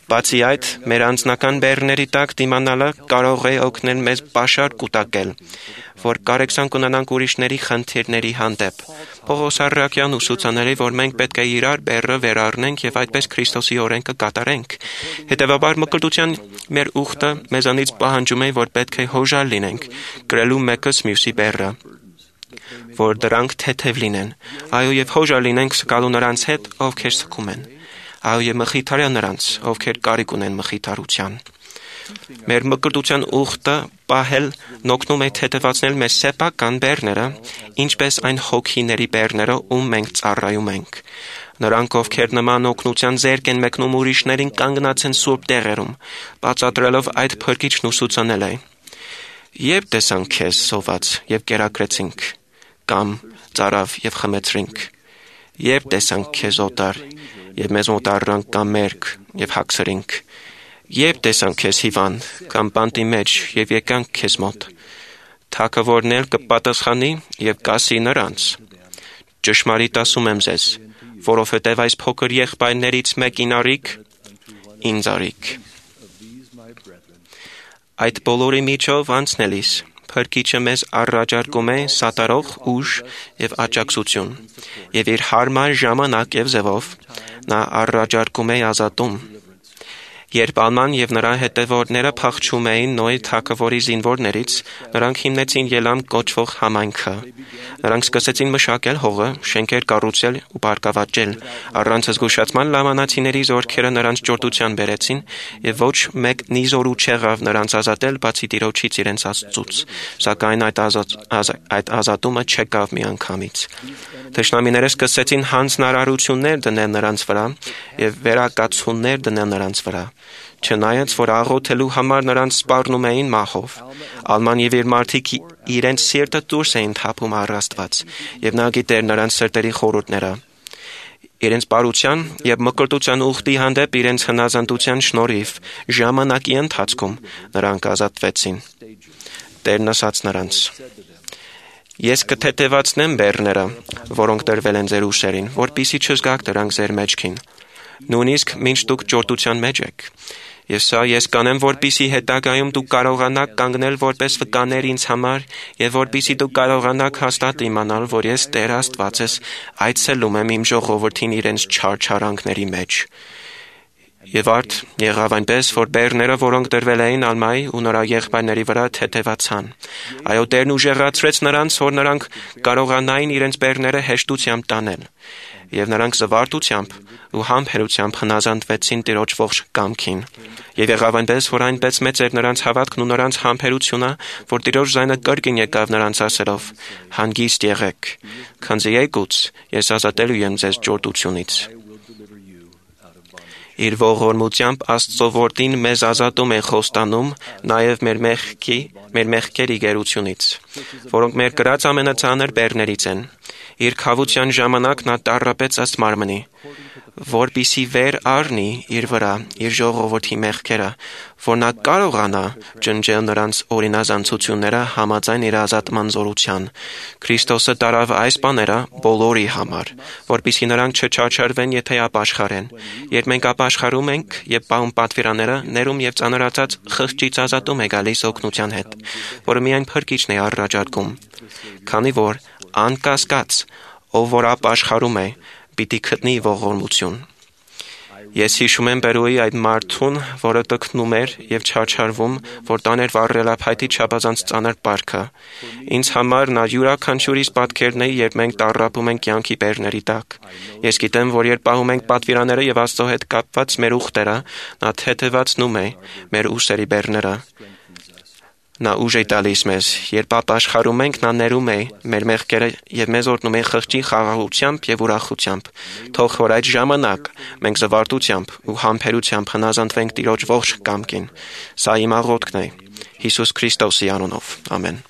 Speaker 5: Բացի այդ, մեր անձնական բեռների տակ դիմանալը կարող է օգնել մեզ պաշար կուտակել, որ կարեկցանք ունենանք ուրիշների խնդիրների հանդեպ։ Պողոս առաքյալն ուսուցանել է, որ մենք պետք է իրար բեռը վերառնենք եւ այդպես Քրիստոսի օրենքը կատարենք։ Հետևաբար մկրտության մեր ուխտը մեզանից պահանջում է, որ պետք է հոժար լինենք, գրելու մեկս մյուսի բեռը, որ դրանք թեթև լինեն։ Այո, եւ հոժար լինենք սկալու նրանց հետ, ովքեր սկում են։ Այո, եւ մխիթարյալ նրանց, ովքեր կարիք ունեն մխիթարության։ Մեր մկրտության ուխտը պահել նօգնում է թեթևացնել մեր սեփական բեռները, ինչպես այն հոգիների բեռները, ում մենք ծառայում ենք։ Նրանք, ովքեր նման օգնության ձեռք են մեկնում ուրիշներին, կանգնած են սուրբ տեղերում, բացատրելով այդ փրկիչն ուսուցանել է. Երբ տեսանք քեզ սոված եւ կերակրեցինք, կամ ծարավ եւ խմեցրինք, երբ տեսանք քեզ օտար եւ մեզ մոտառանք կամ մերկ եւ հագցրինք, երբ տեսանք քեզ հիվանդ կամ բանտի մեջ եւ եկանք քեզ մոտ, թագավորն էլ կպատասխանի եւ կասի նրանց. ճշմարիտ ասում եմ ձեզ, որովհետեւ այս փոքր եղբայրներից մեկին արիք, ինձ արիք։ Այդ բոլորի միջով անցնելիս Փրկիչը մեզ առաջարկում է սատարող ուժ եւ աջակցություն, եւ իր հարմար ժամանակ եւ ձևով նա առաջարկում է ազատում։ Երբ Ալման եւ նրա հետևորդները փախչում էին Նոյի թագավորի զինվորներից, նրանք հիմնեցին Ելամ կոչվող համայնքը։ Նրանք սկսեցին մշակել հողը, շենքեր կառուցել ու բարգավաճել։ Առանց զգուշացման լամանացիների զորքերը նրանց ճորտության բերեցին եւ ոչ մեկ նիզորու չեղավ նրանց ազատել, բացի Տիրոջից իրենց Աստծուց։ Սակայն այդ ազատումը չեկավ միանգամից։ Թշնամիները սկսեցին հանձնարարություններ դնել նրանց վրա եւ վերակացություններ դնել նրանց վրա։ Չնայած որ աղոթելու համար նրանց սպառնում էին մահով, Ալման եւ իր մարդիկ իրենց սիրտը դուրս էին թափում առ Աստված, եւ նա գիտեր նրանց սրտերի խորհուրդները։ Իրենց բարության եւ մկրտության ուխտի հանդեպ իրենց հնազանդության շնորհիվ ժամանակի ընթացքում նրանք ազատվեցին։ Տերն ասաց նրանց. Ես կթեթևացնեմ բեռները, որոնք տրվել են ձեր ուսերին, որպեսզի չզգաք դրանք ձեր մեջքին, նույնիսկ մինչ դուք ճորտության մեջ եք։ Եվ սա ես կանեմ, որպեսզի հետագայում դուք կարողանաք կանգնել որպես վկաներ ինձ համար, եւ որպեսզի դուք կարողանաք հաստատ իմանալ, որ ես Տեր Աստվածս այցելում եմ իմ ժողովրդին իրենց չարչարանքների մեջ։ Եվ արդ եղավ այնպես, որ բեռները, որոնք դրվել էին Ալմայի ու նրա եղբայրների վրա, թեթևացան։ Այո, Տերն ուժեղացրեց նրանց, որ նրանք կարողանային իրենց բեռները հեշտությամբ տանել։ Եվ նրանք զվարթությամբ ու համբերությամբ հնազանդվեցին Տիրոջ ողջ կամքին։ Եվ եղավ այնպես, որ այնպես մեծ էր նրանց հավատքն ու նրանց համբերությունը, որ Տիրոջ ձայնը կրկին եկավ նրանց ասելով. «Հանգիստ եղեք, քանզի եկուց ես ազատելու եմ ձեզ ճորտությունից»։ Իր ողորմությամբ Աստծո որդին մեզ ազատում է խոստանում նաև մեր մեղքերի գերությունից, որոնք մեր կրած ամենածանր բեռներից են։ Իր քավության ժամանակ նա տառապեց ըստ մարմնի, որպեսզի վեր առնի իր վրա իր ժողովրդի մեղքերը, որ նա կարողանա ջնջել նրանց օրինազանցությունները համաձայն իր ազատման զորության։ Քրիստոսը տարավ այս բաները բոլորի համար, որպեսզի նրանք չչարչարվեն, եթե ապաշխարեն։ Երբ մենք ապաշխարում ենք եւ պահում պատվիրանները, ներում եւ ծանրացած խղճից ազատում է գալիս օգնության հետ, որը միայն փրկիչն է առաջարկում։ Քանի որ անկասկած, ով որ ապաշխարում է, պիտի գտնի ողորմություն։ Ես հիշում եմ Պերուի այդ մարդուն, որը տքնում էր եւ չարչարվում, որ տաներ վառելափայտի չափազանց ծանր պարքը։ Ինձ համար նա յուրաքանչյուրիս պատկերն է, երբ մենք տառապում ենք կյանքի բեռների տակ։ Ես գիտեմ, որ երբ պահում ենք պատվիրանները եւ Աստծո հետ կապված մեր ուխտերը, նա թեթևացնում է մեր ուսերի բեռները։ Նա ուժ է տալիս մեզ, երբ ապաշխարում ենք, նա ներում է մեր մեղքերը եւ մեզ օրհնում է խղճի խաղաղությամբ եւ ուրախությամբ։ Թող որ այդ ժամանակ մենք զվարթությամբ ու համբերությամբ հնազանդվենք Տիրոջ ողջ կամքին։ Սա իմ աղոթքն է Հիսուս Քրիստոսի անունով։ Ամեն։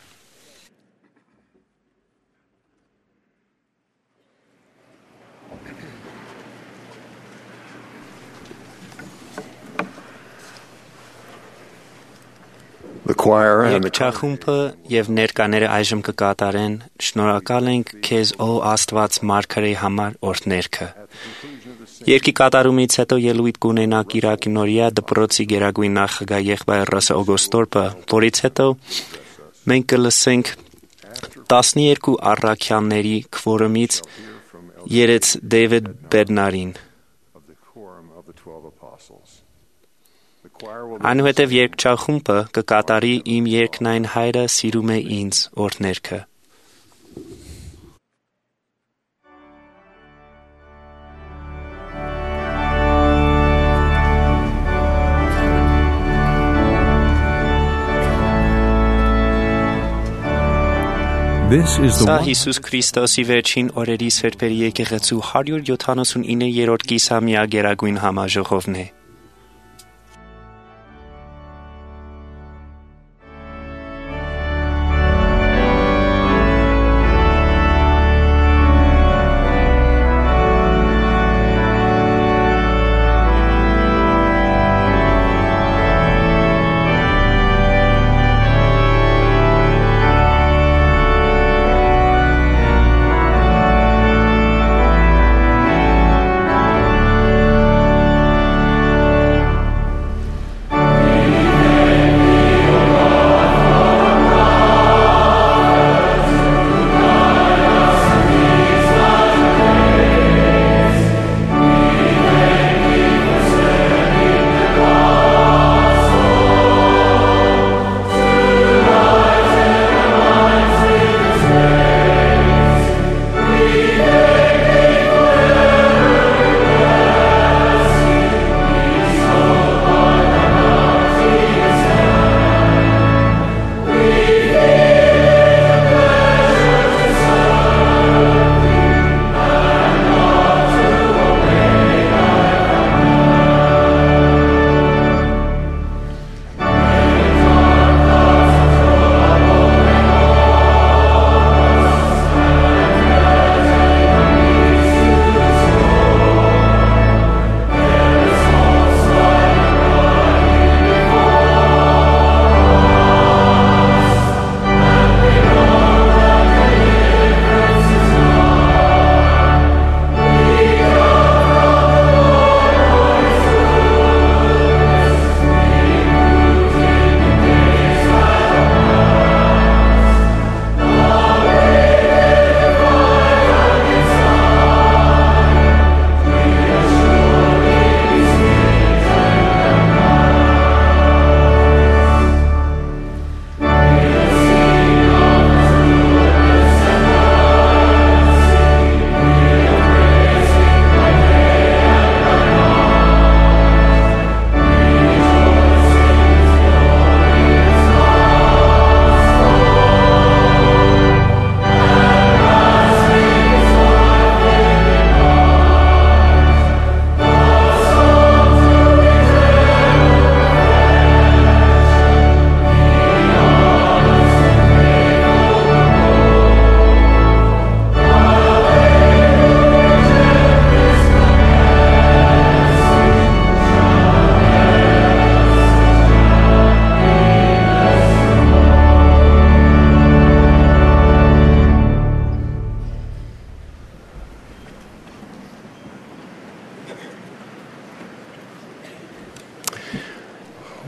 Speaker 1: Երգչախումբը եւ ներկաները այժմ կկատարեն «Շնորհակալ ենք քեզ, ո Աստված, մարգարեի համար օրհներգը»։ Երգի կատարումից հետո ելույթ կունենա Կիրակի Նորիա դպրոցի գերագույն նախագահ եղբայր Ռասը Օգոստորպը, որից հետո մենք կլսենք 12 առաքյալների քվորումից երեց Դեյվիդ Բերնարին։ Այնուհետև երգչախումբը կկատարի «Իմ երկնային հայրը սիրում է ինձ» օրհներգը։ Սա Հիսուս Քրիստոսի վերջին օրերի սրբերի եկեղեցու 179-րդ կիսամյա գերագույն համաժողովն է։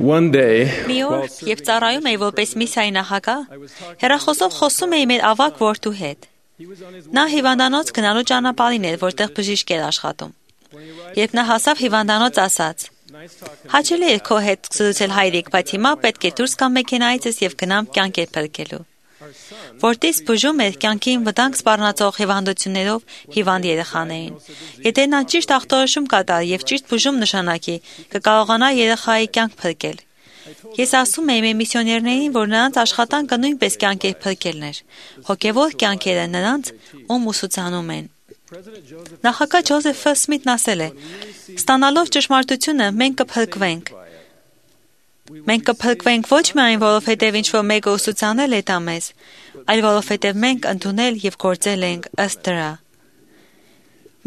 Speaker 2: One day,
Speaker 6: Մի օր, երբ ծառայում էի որպես միսիայի նախագահ, հեռախոսով խոսում էի մեր ավագ որդու հետ։ Նա հիվանդանոց գնալու ճանապարհին էր, որտեղ բժիշկ էր աշխատում։ Երբ նա հասավ հիվանդանոց, ասաց. «Հաճելի է քո հետ զրուցել հայրիկ, բայց հիմա պետք է դուրս գամ մեքենայից եւ գնամ կյանքեր փրկելու»։ Որտիս բուժում էր կյանքին վտանգ սպառնացող հիվանդություններով հիվանդ երեխաներին։ Եթե նա ճիշտ ախտորոշում կատարի եւ ճիշտ բուժում նշանակի, կկարողանա երեխայի կյանք փրկել։ Ես ասում էի մեր միսիոներներին, որ նրանց աշխատանքը նույնպես կյանքեր փրկելն էր։ Հոգևոր կյանքերը նրանց, ում ուսուցանում են։ Նախագահ Ջոզեֆ Սմիթն ասել է. «Ստանալով ճշմարտությունը մենք կփրկվենք։ Մենք կփրկվենք ոչ միայն որովհետև ինչ-որ մեկը ուսուցանել է դա մեզ, այլ որովհետև մենք ընդունել եւ գործել ենք ըստ դրա»։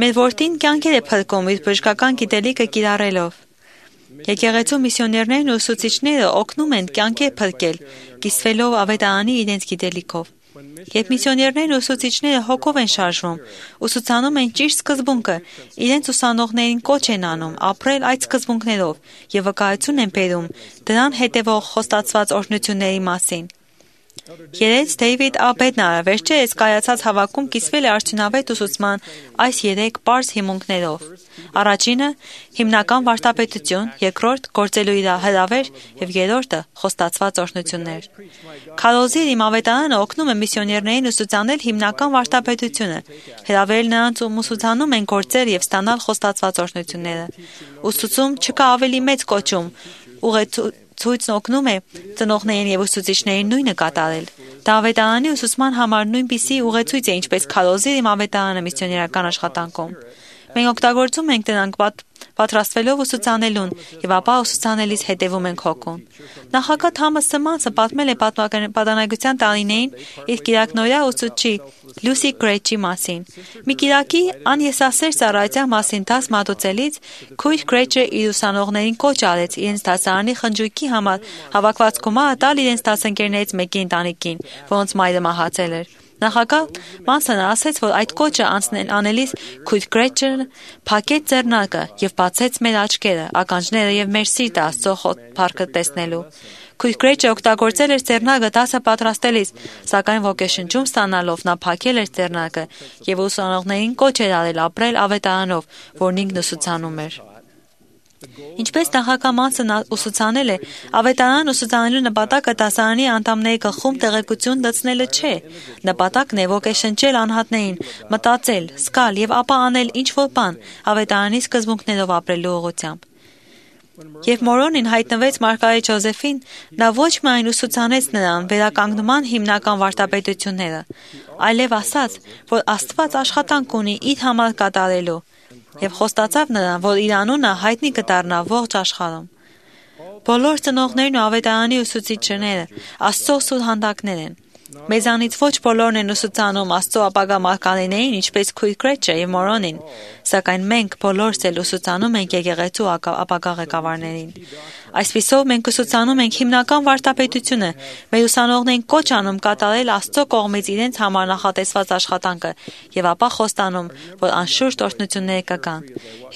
Speaker 6: Մեր որդին կյանքեր է փրկում իր բժշկական գիտելիքը կիրառելով։ Եկեղեցու միսիոներներն ու ուսուցիչները օգնում են կյանքեր փրկել, կիսվելով ավետարանի իրենց գիտելիքով։ Երբ միսիոներներն ու ուսուցիչները հոգով են շարժվում, ուսուցանում են ճիշտ սկզբունքը, իրենց ուսանողներին կոչ են անում ապրել այդ սկզբունքներով եւ վկայություն են բերում դրան հետևող խոստացված օրհնությունների մասին։ Երեց Դեյվիդ Ա. Բեդնարը վերջերս կայացած հավաքում կիսվել է արդյունավետ ուսուցման այս 3 պարզ հիմունքներով։ Առաջինը՝ հիմնական վարդապետություն, երկրորդ՝ գործելու իր հրավեր եւ երրորդը՝ խոստացված օրհնություններ։ Քարոզիր իմ ավետարանը օգնում է միսիոներներին ուսուցանել հիմնական վարդապետությունը, հրավերել նրանց ում ուսուցանում են գործել եւ ստանալ խոստացված օրհնությունները։ Ուսուցում չկա ավելի մեծ կոչում, ուղեցույցն օգնում է ծնողներին եւ ուսուցիչներին նույնը կատարել։ Դա ավետարանի ուսուցման համար նույնպիսի ուղեցույց է, ինչպես քարոզիր իմ ավետարանը միսիոներական աշխատանքում։ Մենք օգտագործում ենք դրանք պատրաստվելով ուսուցանելուն եւ ապա ուսուցանելիս հետևում ենք հոգուն։ Նախագահ Թամաս Սմանսը պատմել է պատանեկության տարիներին իր կիրակնօրյա ուսուցչի Լուսի Գրեյչի մասին։ Մի կիրակի անեսասեր ծառայության մասին դաս մատուցելիս քույր Գրեյչը իր ուսանողներին կոչ արեց իրենց դասարանի խնջույքի համար հավաքված գումարը տալ իրենց դասընկերներից մեկի ընտանիքին, որոնց մայրը մահացել էր։ Նախագահ Մանսոնը ասաց, որ այդ կոչը անելիս քույր Գրեյչը փակեց ձեռնարկը եւ բացեց մեր աչքերը, ականջները եւ մեր սիրտը Աստծո փառքը տեսնելու։ Քույր Գրեյչը օգտագործել էր ձեռնարկը դասը պատրաստելիս, սակայն ոգեշնչում ստանալով նա փակել էր ձեռնարկը եւ ուսանողներին կոչ էր արել ապրել ավետարանով, որն ինքն ուսուցանում էր։ Ինչպես նախագահ Մանսն ուսուցանել է, ավետարան ուսուցանելու նպատակը դասարանի անդամների գլխում տեղեկություն լցնելը չէ։ Նպատակն է ոգեշնչել անհատներին, մտածել, զգալ եւ ապա անել ինչ-որ բան ավետարանի սկզբունքներով ապրելու ուղղությամբ։ Երբ Մորոնին հայտնվեց Մարգարետ Ջոզեֆին, նա ոչ միայն ուսուցանեց նրան վերականգնման հիմնական վարդապետությունները, այլև ասաց, որ Աստված աշխատանք ունի իր համար կատարելու եւ խոստացավ նրան, որ իր անունը հայտնի կդառնա ողջ աշխարհում։ Բոլոր ծնողներն ու ավետարանի ուսուցիչները Աստծո սուրհանդակներ են։ Մեզանից ոչ բոլորն են ուսուցանում Աստծո ապագա մարգարեներին, ինչպես քույր Գրեյչը եւ Մորոնին, սակայն մենք բոլորս էլ ուսուցանում ենք եկեղեցու ապագա ղեկավարներին։ Այսպիսով մենք ուսուցանում ենք հիմնական վարդապետությունը, մեր ուսանողներին կոչ անում կատարել Աստծո կողմից իրենց համար նախատեսված աշխատանքը եւ ապա խոստանում, որ անշուշտ օրհնություններ կգան։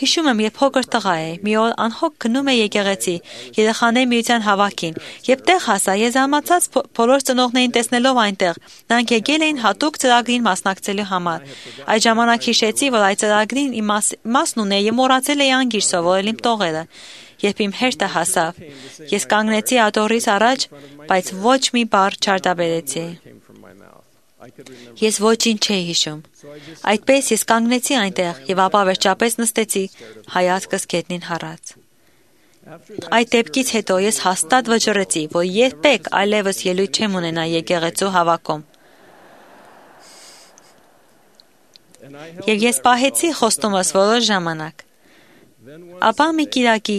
Speaker 6: Հիշում եմ, երբ փոքր տղա էի, մի օր անհոգ գնում էի եկեղեցի, երեխաների միության հավաքին, եւ տեղ հասա, ես զարմացած բոլոր ծնողներին տեսնելով այնտեղ, նրանք եկել էին հատուկ ծրագրին մասնակցելու համար։ Այդ ժամանակ հիշեցի, որ այդ ծրագրին իմ մասն ունեի եւ մոռացել էի անգիր սովորել իմ տողերը։ Երբ իմ հերթը հասավ, ես կանգնեցի աթոռիս առաջ, բայց ոչ մի բառ չարտաբերեցի։ Ես ոչինչ չէի հիշում։ Այդպես ես կանգնեցի այնտեղ եւ ապա վերջապես նստեցի, հայացքս գետնին հառած։ Այդ դեպքից հետո ես հաստատ վճռեցի, որ երբեք այլևս ելույթ չեմ ունենա եկեղեցու հավաքում։ Եվ ես պահեցի խոստումս որոշ ժամանակ։ Ապա մի կիրակի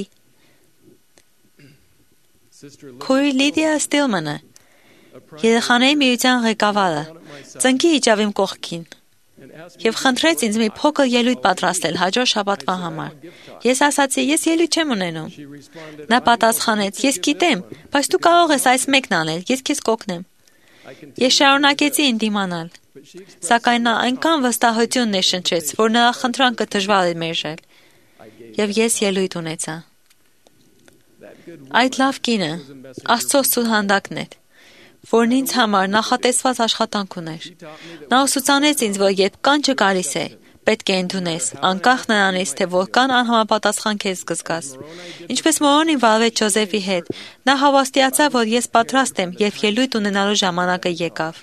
Speaker 6: քույր Լիդիա Ստիլմանը, երեխաների միության ղեկավարը, ծնկի իջավ իմ կողքին եւ խնդրեց ինձ մի փոքր ելույթ պատրաստել հաջորդ շաբաթվա համար։ Ես ասացի, ես ելույթ չեմ ունենում։ Նա պատասխանեց, ես գիտեմ, բայց դու կարող ես այս մեկն անել, ես քեզ կօգնեմ։ Ես շարունակեցի ընդդիմանալ, սակայն նա այնքան վստահություն ներշնչեց, որ նրա խնդրանքը դժվար էր մերժել, եւ ես ելույթ ունեցա։ Այդ լավ կինը Աստծո սուրհանդակն էր, որն ինձ համար նախատեսված աշխատանք ուներ։ Նա ուսուցանեց ինձ, որ երբ կանչը գալիս է, պետք է ընդունես, անկախ նրանից, թե որքան անհամապատասխան քեզ կզգաս։ Ինչպես Մորոնին վարվեց Ջոզեֆի հետ, նա հավաստիացավ, որ ես պատրաստ եմ, երբ ելույթ ունենալու ժամանակը եկավ։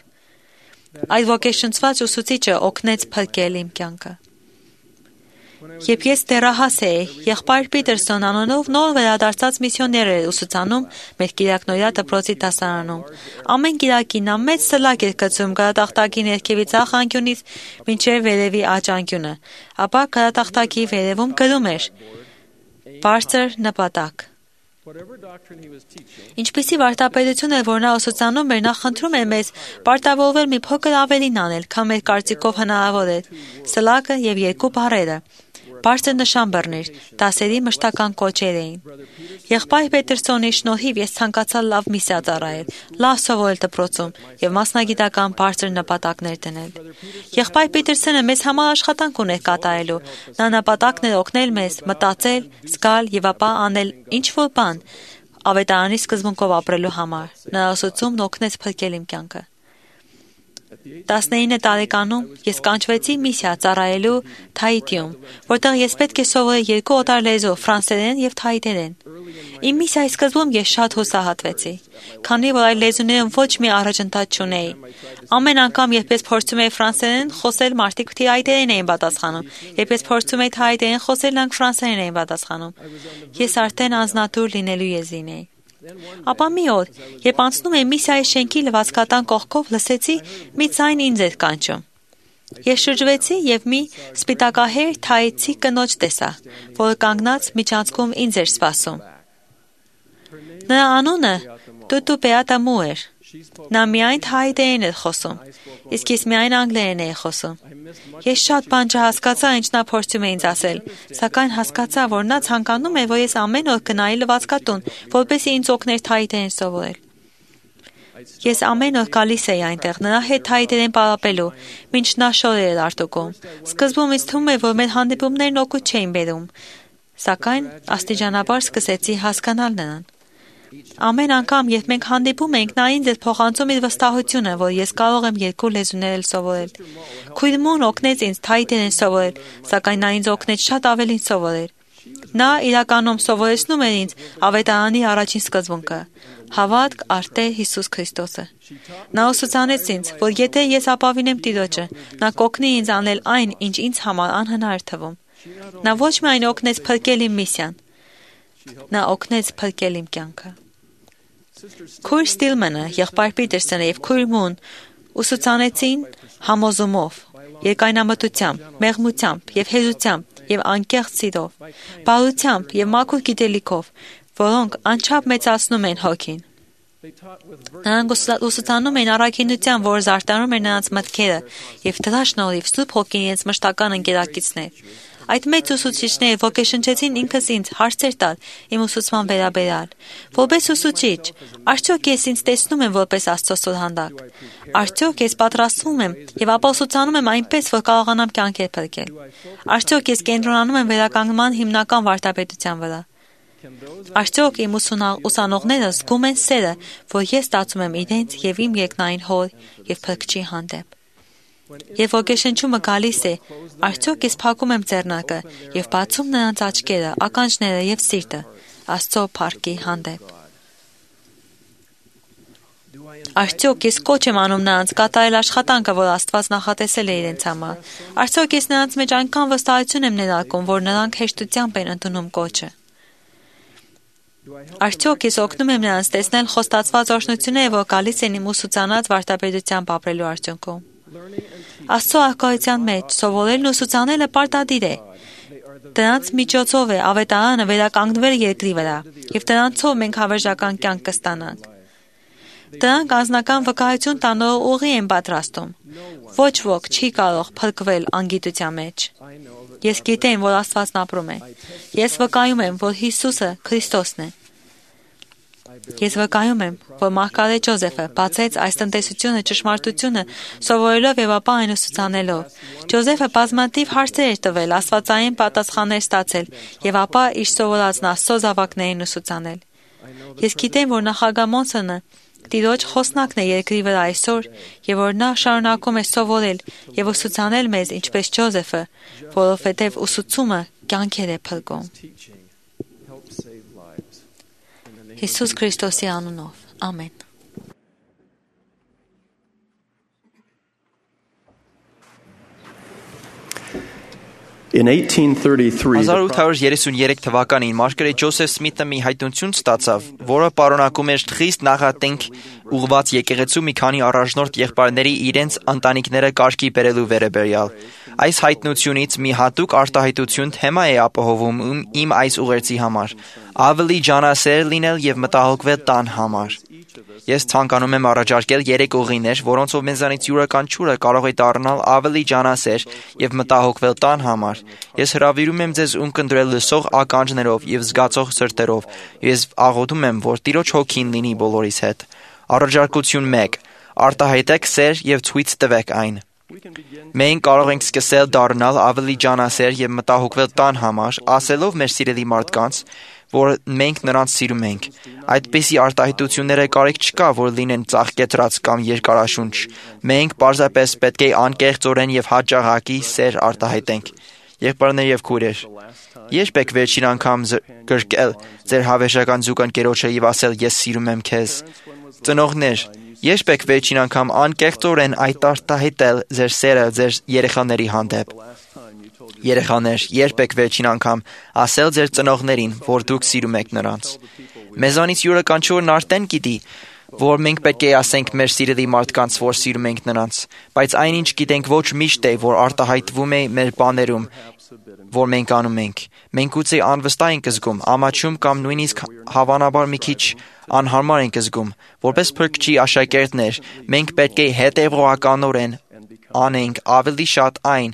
Speaker 6: Այդ ոգեշնչված ուսուցիչը օգնեց փրկել իմ կյանքը։ Երբ ես դեռահաս էի, եղբայր Պիտերսոն անունով նոր վերադարձած միսիոներ էր ուսուցանում մեր կիրակնօրյա դպրոցի դասարանում։ Ամեն կիրակի նա մեծ սլակ էր գցում գարատախտակի ներքևի ձախ անկյունից մինչև վերևի աջ անկյունը, ապա գարատախտակի վերևում գրում էր «Բարձր նպատակ»։ Ինչպիսի վարդապետություն էր, որ նա ուսուցանում էր, նա խնդրում էր մեզ պարտավորվել մի փոքր ավելին անել, քան մեր կարծիքով հնարավոր էր։ Սլակը եւ երկու բառերը։ Բարձր նշան բռներ, դասերի մշտական կոչեր էին։ Եղբայր Պետերսոնի շնորհիվ ես ցանկացա լավ միսիա ծառայել, լավ սովորել դպրոցում եւ մասնագիտական բարձր նպատակներ դնել։ Եղբայր Պետերսոնը մեզ համար աշխատանք ուներ կատարելու։ Նա նպատակն էր օգնել մեզ մտածել, զգալ եւ ապա անել ինչ-որ բան ավետարանի սկզբունքով ապրելու համար։ Նրա ուսուցումն օգնեց փրկել իմ կյանքը։ 19 տարեկանում ես կանչվեցի միսիա ծառայելու Թայիտիում, որտեղ ես պետք է սովորեի երկու օտար լեզու՝ ֆրանսերեն եւ թայիտերեն։ Իմ միսիայի սկզբում ես շատ հուսահատվեցի, քանի որ այդ լեզուներում ոչ մի առաջընթաց չունեի։ Ամեն անգամ, երբ ես փորձում էի ֆրանսերեն խոսել, մարդիկ թայիտերեն էին պատասխանում, երբ ես փորձում էի թայիտերեն խոսել, նրանք ֆրանսերեն էին պատասխանում։ Ես արդեն անznատուր լինելու եզին էի։ Ապա մի օր, երբ անցնում էի միսիայի շենքի լվացքատան կողքով, լսեցի մի ձայն ինձ էր կանչում։ Ես շրջվեցի եւ մի սպիտակահեր թայիցի կնոջ տեսա, որը կանգնած միջանցքում ինձ էր սպասում։ Նրա անունը Տուտու Պեատամու էր։ Նա միայն թայիտերեն էր խոսում, իսկ ես միայն անգլերեն էի խոսում։ Ես շատ բան չհասկացա, ինչ նա փորձում է ինձ ասել, սակայն հասկացա, որ նա ցանկանում է, որ ես ամեն օր գնայի լվացքատուն, որպեսզի ինձ օգներ թայիտերեն սովորել։ Ես ամեն օր գալիս էի այնտեղ, նրա հետ թայիտերեն պարապելու, մինչ նա շորեր էր արտուկում։ Սկզբում ինձ թվում էր, որ մեր հանդիպումներն օգուտ չէին բերում, սակայն աստիճանաբար սկսեցի հասկանալ նրան։ Ամեն անգամ, երբ մենք հանդիպում էինք, նա ինձ էր փոխանցում իր վստահությունը, որ ես կարող եմ երկու լեզուներ էլ սովորել։ Քույր Մուն օգնեց ինձ թայիտերեն սովորել, սակայն նա ինձ օգնեց շատ ավելին սովորել։ Նա իրականում սովորեցնում էր ինձ ավետարանի առաջին սկզբունքը՝ հավատք առ Տեր Հիսուս Քրիստոսը։ Նա ուսուցանեց ինձ, որ եթե ես ապավինեմ Տիրոջը, նա կօգնի ինձ անել այն, ինչ ինձ համար անհնար թվում։ Նա ոչ միայն օգնեց փրկել իմ միսիան, նա օգնեց փրկել իմ կյանքը։ Քույր Ստիլմանը, եղբայր Պիտերսոնը եւ քույր Մուն ուսուցանեցին համոզումով, երկայնամտությամբ, մեղմությամբ եւ հեզությամբ եւ անկեղծ սիրով, բարությամբ եւ մաքուր գիտելիքով, որոնք անչափ մեծացնում են հոգին։ Նրանք ուսուցանում են առաքինության, որ զարդարում է նրանց մտքերը եւ դրա շնորհիվ Սուրբ Հոգին իրենց մշտական ընկերակիցն է։ Այդ մեծ ուսուցիչները ոգեշնչեցին ինքս ինձ հարցեր տալ իմ ուսուցման վերաբերյալ։ Որպես ուսուցիչ, արդյոք ես ինձ տեսնում եմ որպես Աստծո սուրհանդակ։ Արդյոք ես պատրաստվում եմ եւ ապա ուսուցանում եմ այնպես, որ կարողանամ կյանքեր փրկել։ Արդյոք ես կենտրոնանում եմ վերականգնման հիմնական վարդապետության վրա։ Արդյոք իմ ուսանողները զգում են սերը, որ ես ստացում եմ իրենց եւ իմ երկնային Հոր եւ Փրկչի հանդեպ։ Եվ ոգեշնչումը գալիս է, արդյոք ես փակում եմ ձեռնակը եւ բացում նրանց աչքերը, ականջները եւ սիրտը Աստծո փառքի հանդեպ։ Արդյոք ես կոչ եմ անում նրանց կատարել աշխատանքը, որ Աստված նախատեսել է իրենց համար։ Արդյոք ես նրանց մեջ այնքան վստահություն եմ ներարկում, որ նրանք հեշտությամբ են ընդունում կոչը։ Արդյոք ես օգնում եմ նրանց տեսնել խոստացված օրհնությունները, որ գալիս են իմ ուսուցանած վարդապետությամբ ապրելու արդյունքում։ Աստծո արկայության մեջ սովորելն ու ուսուցանելը պարտադիր է։ Դրանց միջոցով է ավետարանը վերականգնվել երկրի վրա, եւ դրանցով մենք հավերժական կյանք կստանանք։ Դրանք անձնական վկայություն տանող ուղի են պատրաստում։ Ոչ ոք չի կարող փրկվել անգիտության մեջ։ Ես գիտեմ, որ Աստվածն ապրում է։ Ես վկայում եմ, որ Հիսուսը Քրիստոսն է։ Ես վկայում եմ, որ Մարգարետ Ջոզեֆը բացեց այս տնտեսությունը ճշմարտությունը սովորելով եւ ապա այն ուսուցանելով։ Ջոզեֆը բազմաթիվ հարցեր էր տվել, աստվածային պատասխաններ ստացել եւ ապա իր սովորածն Աստծո զավակներին ուսուցանել։ Ես գիտեմ, որ նախագահ Մոնսոնը Տիրոջ խոսնակն է երկրի վրա այսօր, եւ որ նա շարունակում է սովորել եւ ուսուցանել մեզ, ինչպես Ջոզեֆը, որովհետեւ ուսուցումը կյանքեր է փրկում։ Հիսուս Քրիստոսի անունով։ Ամեն։
Speaker 7: In 1833,
Speaker 8: 1833 թվականին Մարգարետ Ջոսեֆ Սմիթը մի հայտնություն ստացավ, որը պարունակում էր խիստ նախատենք ուղղված եկեղեցու մի քանի առաջնորդ եղբայրների իրենց ընտանիքները կարգի բերելու վերաբերյալ։ Այս հայտնությունից մի հատուկ արտահայտություն թեմա է ապահովում իմ այս ուղերձի համար՝ ավելի ջանասեր լինել եւ մտահոգվել տան համար։ Ես ցանկանում եմ առաջարկել 3 ուղիներ, որոնցով մեզանից յուրաքանչյուրը կարող է դառնալ ավելի ջանասեր եւ մտահոգվել տան համար։ Ես հրավիրում եմ ձեզ ունկնդրել լսող ականջներով եւ զգացող սրտերով։ Ես աղոթում եմ, որ Տիրոջ հոգին լինի բոլորիս հետ։ Առաջարկություն 1. Արտահայտեք սեր եւ ցույց տվեք այն։ Մենք կարող ենք սկսել դառնալ ավելի ջանասեր եւ մտահոգվել տան համար, ասելով մեր սիրելի մարդկանց, որ մենք նրանց սիրում ենք։ Այդպիսի արտահայտությունները կարիք չկա, որ լինեն ծաղկետրած կամ երկարաշունչ։ Մենք պարզապես պետք է անկեղծորեն եւ հաճախակի սեր արտահայտենք։ Եղբայրներ եւ քույրեր, երբ եք վերջին անգամ գրկել ձեր հավերժական զուգընկերոջը եւ ասել ես սիրում եմ քեզ։ Ծնողներ, երբ եք վերջին անգամ անկեղծորեն այդ արտահայտել ձեր սերը ձեր երեխաների հանդեպ։ Երեխաներ, երբ եք վերջին անգամ ասել ձեր ծնողներին, որ դուք սիրում եք նրանց։ Մեզանից յուրաքանչյուրն արդեն գիտի, որ մենք պետք է ասենք մեր սիրելի մարդկանց, որ սիրում ենք նրանց, բայց այնինչ գիտենք ոչ միշտ է, որ արտահայտվում է մեր բաներում, որ մենք անում ենք։ Մենք ուծի անվստահ ենք զգում, ամաչում կամ նույնիսկ հավանաբար մի քիչ անհարմար ենք զգում։ Որպես փրկչի աշակերտներ, մենք պետք է հետևողականորեն անենք ավելի շատ այն,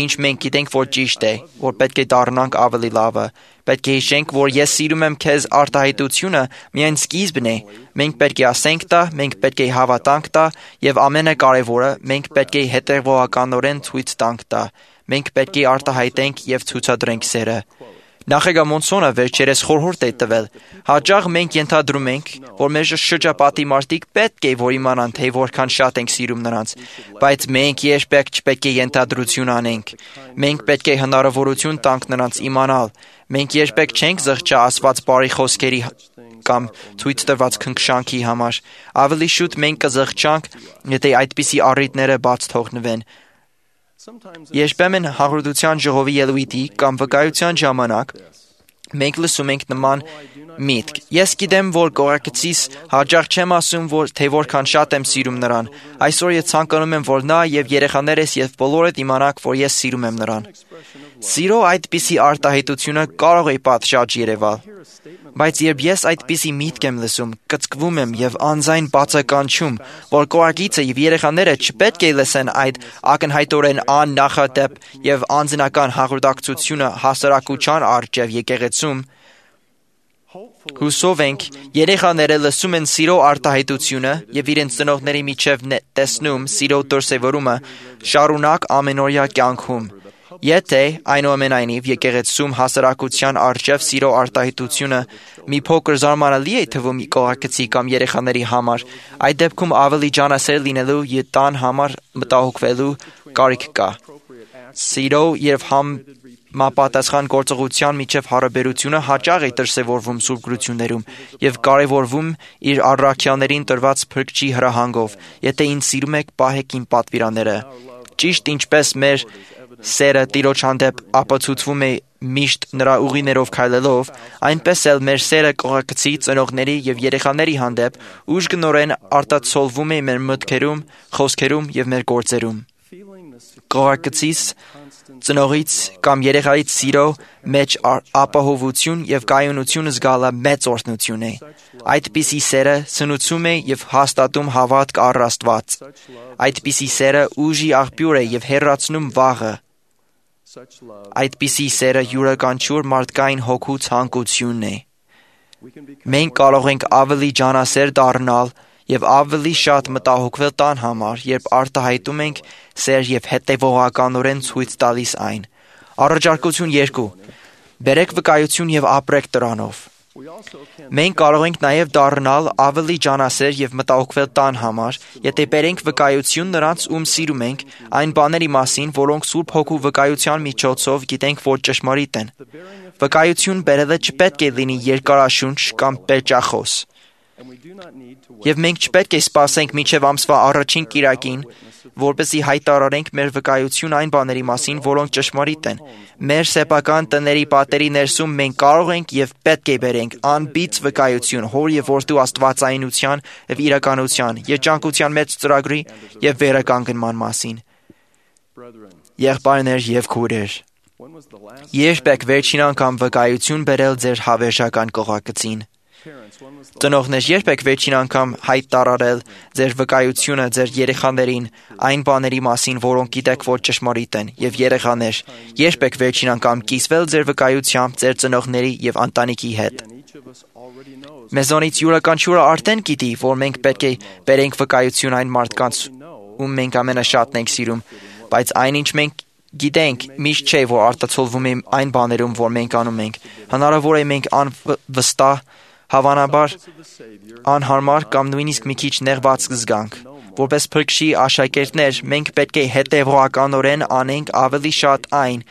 Speaker 8: ինչ մենք գիտենք, որ ճիշտ է, որ պետք է դառնանք ավելի լավը։ Պետք է հիշենք, որ ես սիրում եմ քեզ արտահայտությունը միայն սկիզբն է։ Մենք պետք է ասենք դա, մենք պետք է հավատանք դա, եւ ամենակարևորը, մենք պետք է հետևողականորեն ցույց տանք դա։ Մենք պետք է արտահայտենք եւ ցուցադրենք սերը։ Նախագահ Մոնսոնը վերջերս խորհուրդ է տվել։ Հաճախ մենք ենթադրում ենք, որ մեր շրջապատի մարդիկ պետք է որ իմանան, թե որքան շատ ենք սիրում նրանց, բայց մենք երբեք չպետք է ենթադրություն անենք։ Մենք պետք է հնարավորություն տանք նրանց իմանալ։ Մենք երբեք չենք զղջա ասված բարի խոսքերի կամ ցույց տված քնքշանքի համար։ Ավելի շուտ մենք կզղջանք, եթե այդպիսի առիթները բաց թողնվեն։ Երբեմն հաղորդության ժողովի ելույթի կամ վկայության ժամանակ մենք լսում ենք նման միտք. Ես գիտեմ, որ կողակցիս հաճախ չեմ ասում, թե որքան շատ եմ սիրում նրան։ Այսօր ես ցանկանում եմ, որ նա եւ երեխաներս եւ բոլորդ իմանաք, որ ես սիրում եմ նրան։ Սիրո այդպիսի արտահայտությունը կարող է պատշաճ երևալ, բայց երբ ես այդպիսի միտք եմ լսում, կծկվում եմ եւ անձայն բացականչում, որ կողակիցը եւ երեխաները չպետք է լսեն այդ ակնհայտորեն աննախադեպ եւ անձնական հաղորդակցությունը հասարակության առջև եկեղեցում։ Հուսով ենք, երեխաները լսում են սիրո արտահայտությունը եւ իրենց ծնողների միջև տեսնում սիրո դրսևորումը շարունակ ամենօրյա կյանքում։ Եթե այնուամենայնիվ եկեղեցում հասարակության առջև սիրո արտահայտությունը մի փոքր զարմանալի է թվում կողակցի կամ երեխաների համար, այդ դեպքում ավելի ջանասեր լինելու եւ տան համար մտահոգվելու կարիք կա։ Սիրո եւ համապատասխան գործողության միջև հարաբերությունը հաճախ է դրսևորվում սուրբ գրություններում եւ կարեւորվում իր առաքյալներին տրված փրկչի հրահանգով։ Եթե ինձ սիրում եք, պահեք իմ պատվիրանները։ Ճիշտ ինչպես մեր սերը Տիրոջ հանդեպ ապացուցվում է միշտ նրա ուղիներով քայլելով, այնպես էլ մեր սերը կողակցի, ծնողների եւ երեխաների հանդեպ ուժգնորեն արտացոլվում է մեր մտքերում, խոսքերում եւ մեր գործերում։ Կողակցից, ծնողից կամ երեխայից սիրո մեջ ապահովություն եւ կայունություն զգալը մեծ օրհնություն է։ Այդպիսի սերը սնուցում է եւ հաստատում հավատք առ Աստված։ Այդպիսի սերը ուժի աղբյուր է եւ հեռացնում վաղը։ Այդպիսի սերը յուրաքանչյուր մարդկային հոգու ցանկությունն է։ Մենք կարող ենք ավելի ջանասեր դառնալ եւ ավելի շատ մտահոգվել տան համար, երբ արտահայտում ենք սեր եւ հետեւողականորեն ցույց տալիս այն։ Առաջարկություն 2. Բերեք վկայություն եւ ապրեք դրանով։ Մենք կարող ենք նաև դառնալ ավելի ջանասեր եւ մտահոգվել տան համար, եթե բերենք վկայություն նրանց, ում սիրում ենք, այն բաների մասին, որոնք Սուրբ Հոգու վկայության միջոցով գիտենք, որ ճշմարիտ են։ Վկայություն բերելը չպետք է լինի երկարաշունչ կամ պերճախոս։ Եվ մենք չպետք է սպասենք մինչև ամսվա առաջին կիրակին, որպեսզի հայտարարենք մեր վկայություն այն բաների մասին, որոնք ճշմարիտ են։ Մեր սեփական տների պատերի ներսում մենք կարող ենք եւ պետք է բերենք անբիծ վկայություն Հոր եւ Որդու աստվածայնության եւ իրականության, երջանկության մեծ ծրագրի եւ վերականգնման մասին։ Եղբայրներ եւ քույրեր, երբ եք վերջին անգամ վկայություն բերել ձեր հավերժական կողակցին։ Ծնողներ, երբ եք վերջին անգամ հայտարարել ձեր վկայությունը ձեր երեխաներին այն բաների մասին, որոնք գիտեք, որ ճշմարիտ են, եւ երեխաներ, երբ եք վերջին անգամ կիսվել ձեր վկայությամբ ձեր ծնողների եւ ընտանիքի հետ։ Մեզանից յուրաքանչյուրը արդեն գիտի, որ մենք պետք է բերենք վկայություն այն մարդկանց, ում մենք ամենաշատն ենք սիրում, բայց այնինչ մենք գիտենք, միշտ չէ, որ արտացոլվում է այն բաներում, որ մենք անում ենք։ Հնարավոր է մենք անվստահ, հավանաբար անհարմար կամ նույնիսկ մի քիչ նեղված կզգանք։ Որպես փրկչի աշակերտներ, մենք պետք է հետևողականորեն անենք ավելի շատ այն,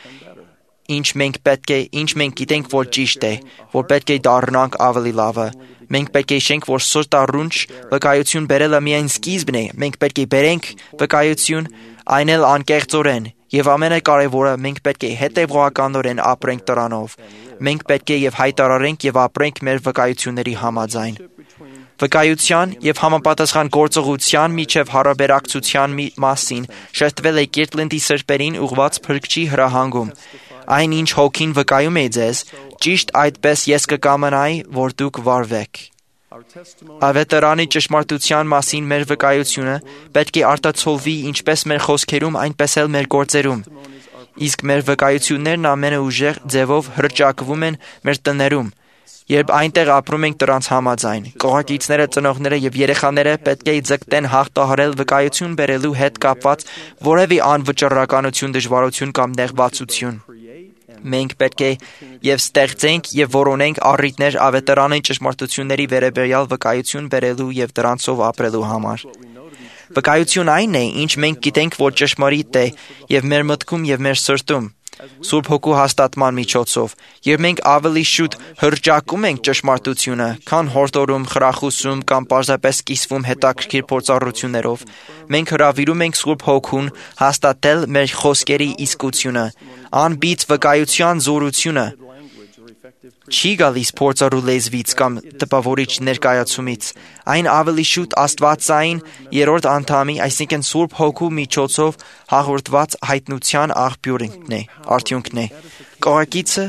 Speaker 8: ինչ մենք գիտենք, որ ճիշտ է, որ պետք է դառնանք ավելի լավը։ Մենք պետք է հիշենք, որ սրտառունչ վկայություն բերելը միայն սկիզբն է։ Մենք պետք է բերենք վկայություն, այն էլ անկեղծորեն, եւ ամենակարևորը, մենք պետք է հետևողականորեն ապրենք դրանով։ Մենք պետք է եւ հայտարարենք եւ ապրենք մեր վկայությունների համաձայն։ Վկայության եւ համապատասխան գործողության միջև հարաբերակցության մասին շեշտվել է Կիրտլենդի սրբերին ուղված փրկչի հրահանգում։ Այն ինչ հոգին վկայում է ձեզ, ճիշտ այդպես ես կկամենայի, որ դուք վարվեք։ Ավետարանի ճշմարտության մասին մեր վկայությունը պետք է արտացոլվի ինչպես մեր խոսքերում, այնպես էլ մեր գործերում։ Իսկ մեր վկայություններն ամենաուժեղ ձևով հռչակվում են մեր տներում, երբ այնտեղ ապրում ենք դրանց համաձայն։ Կողակիցները, ծնողները եւ երեխաները պետք է ձգտեն հաղթահարել վկայություն բերելու հետ կապված որևէ անվճռականություն, դժվարություն կամ նեղվածություն։ Մենք պետք է եւ ստեղծենք եւ որոնենք առիթներ ավետարանի ճշմարտությունների վերաբերյալ վկայություն բերելու եւ դրանցով ապրելու համար։ Վկայություն այն է, ինչ մենք գիտենք, որ ճշմարիտ է եւ մեր մտքում եւ մեր սրտում, Սուրբ Հոգու հաստատման միջոցով, եւ մենք ավելի շուտ հռչակում ենք ճշմարտությունը, քան հորդորում, խրախուսում կամ պարզապես կիսվում հետաքրքիր փորձառություններով։ Մենք հրավիրում ենք Սուրբ Հոգուն հաստատել մեր խոսքերի իսկությունը, անբիծ վկայության զորությունը չի գալիս փորձառու լեզվից կամ տպավորիչ ներկայացումից։ Այն ավելի շուտ աստվածային երրորդ անդամի, այսինքն Սուրբ Հոգու միջոցով հաղորդված հայտնության արդյունքն է։ Կողակիցը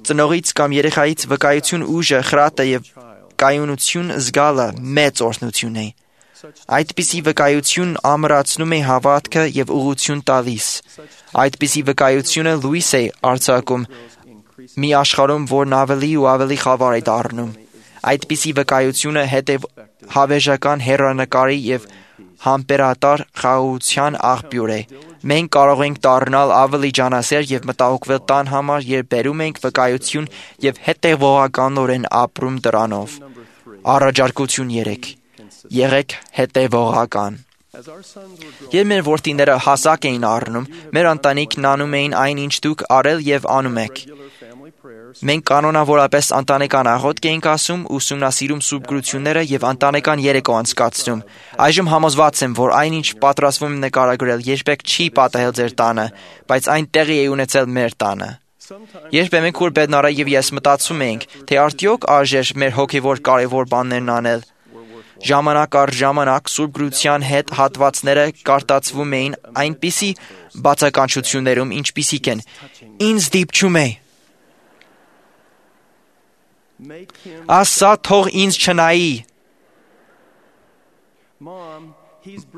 Speaker 8: ծնողից կամ երեխայից վկայություն ուժը, խրատը եւ կայունություն զգալը մեծ օրհնություն է։ Այդպիսի վկայություն ամրացնում է հավատքը եւ ուղղություն տալիս։ Այդպիսի վկայությունը լույս է արձակում մի աշխարհում, որն ավելի ու ավելի խավար է դառնում։ Այդպիսի վկայությունը հավերժական հեռանկարի եւ համբերատար խաղաղության աղբյուր է։ Մենք կարող ենք դառնալ ավելի ջանասեր եւ մտահոգվել տան համար, երբ բերում ենք վկայություն եւ հետեւողականորեն ապրում դրանով։ Առաջարկություն 3. Եղեք հետևողական։ Երբ մեր որդիները հասակ էին առնում, մեր ընտանիքն անում էին այն, ինչ դուք արել եւ անում եք։ Մենք կանոնավորապես ընտանեկան աղոթք էինք ասում, ուսումնասիրում սուրբ գրությունները եւ ընտանեկան երեկո անցկացնում։ Այժմ համոզված եմ, որ այնինչ պատրաստվում եմ նկարագրել, երբեք չի պատահել ձեր տանը, բայց այն տեղի է ունեցել մեր տանը։ Երբեմն քուր Բեդնարը եւ ես մտածում էինք, թե արդյոք արժեր մեր հոգեվոր կարևոր բաներն անել։ Ժամանակ առ ժամանակ սուրբ գրության հետ հատվածները կարտացվում էին այնպիսի բացականչություններում, ինչպիսիք են. ինձ դիպչում է։ Ասա թող ինձ չնայի։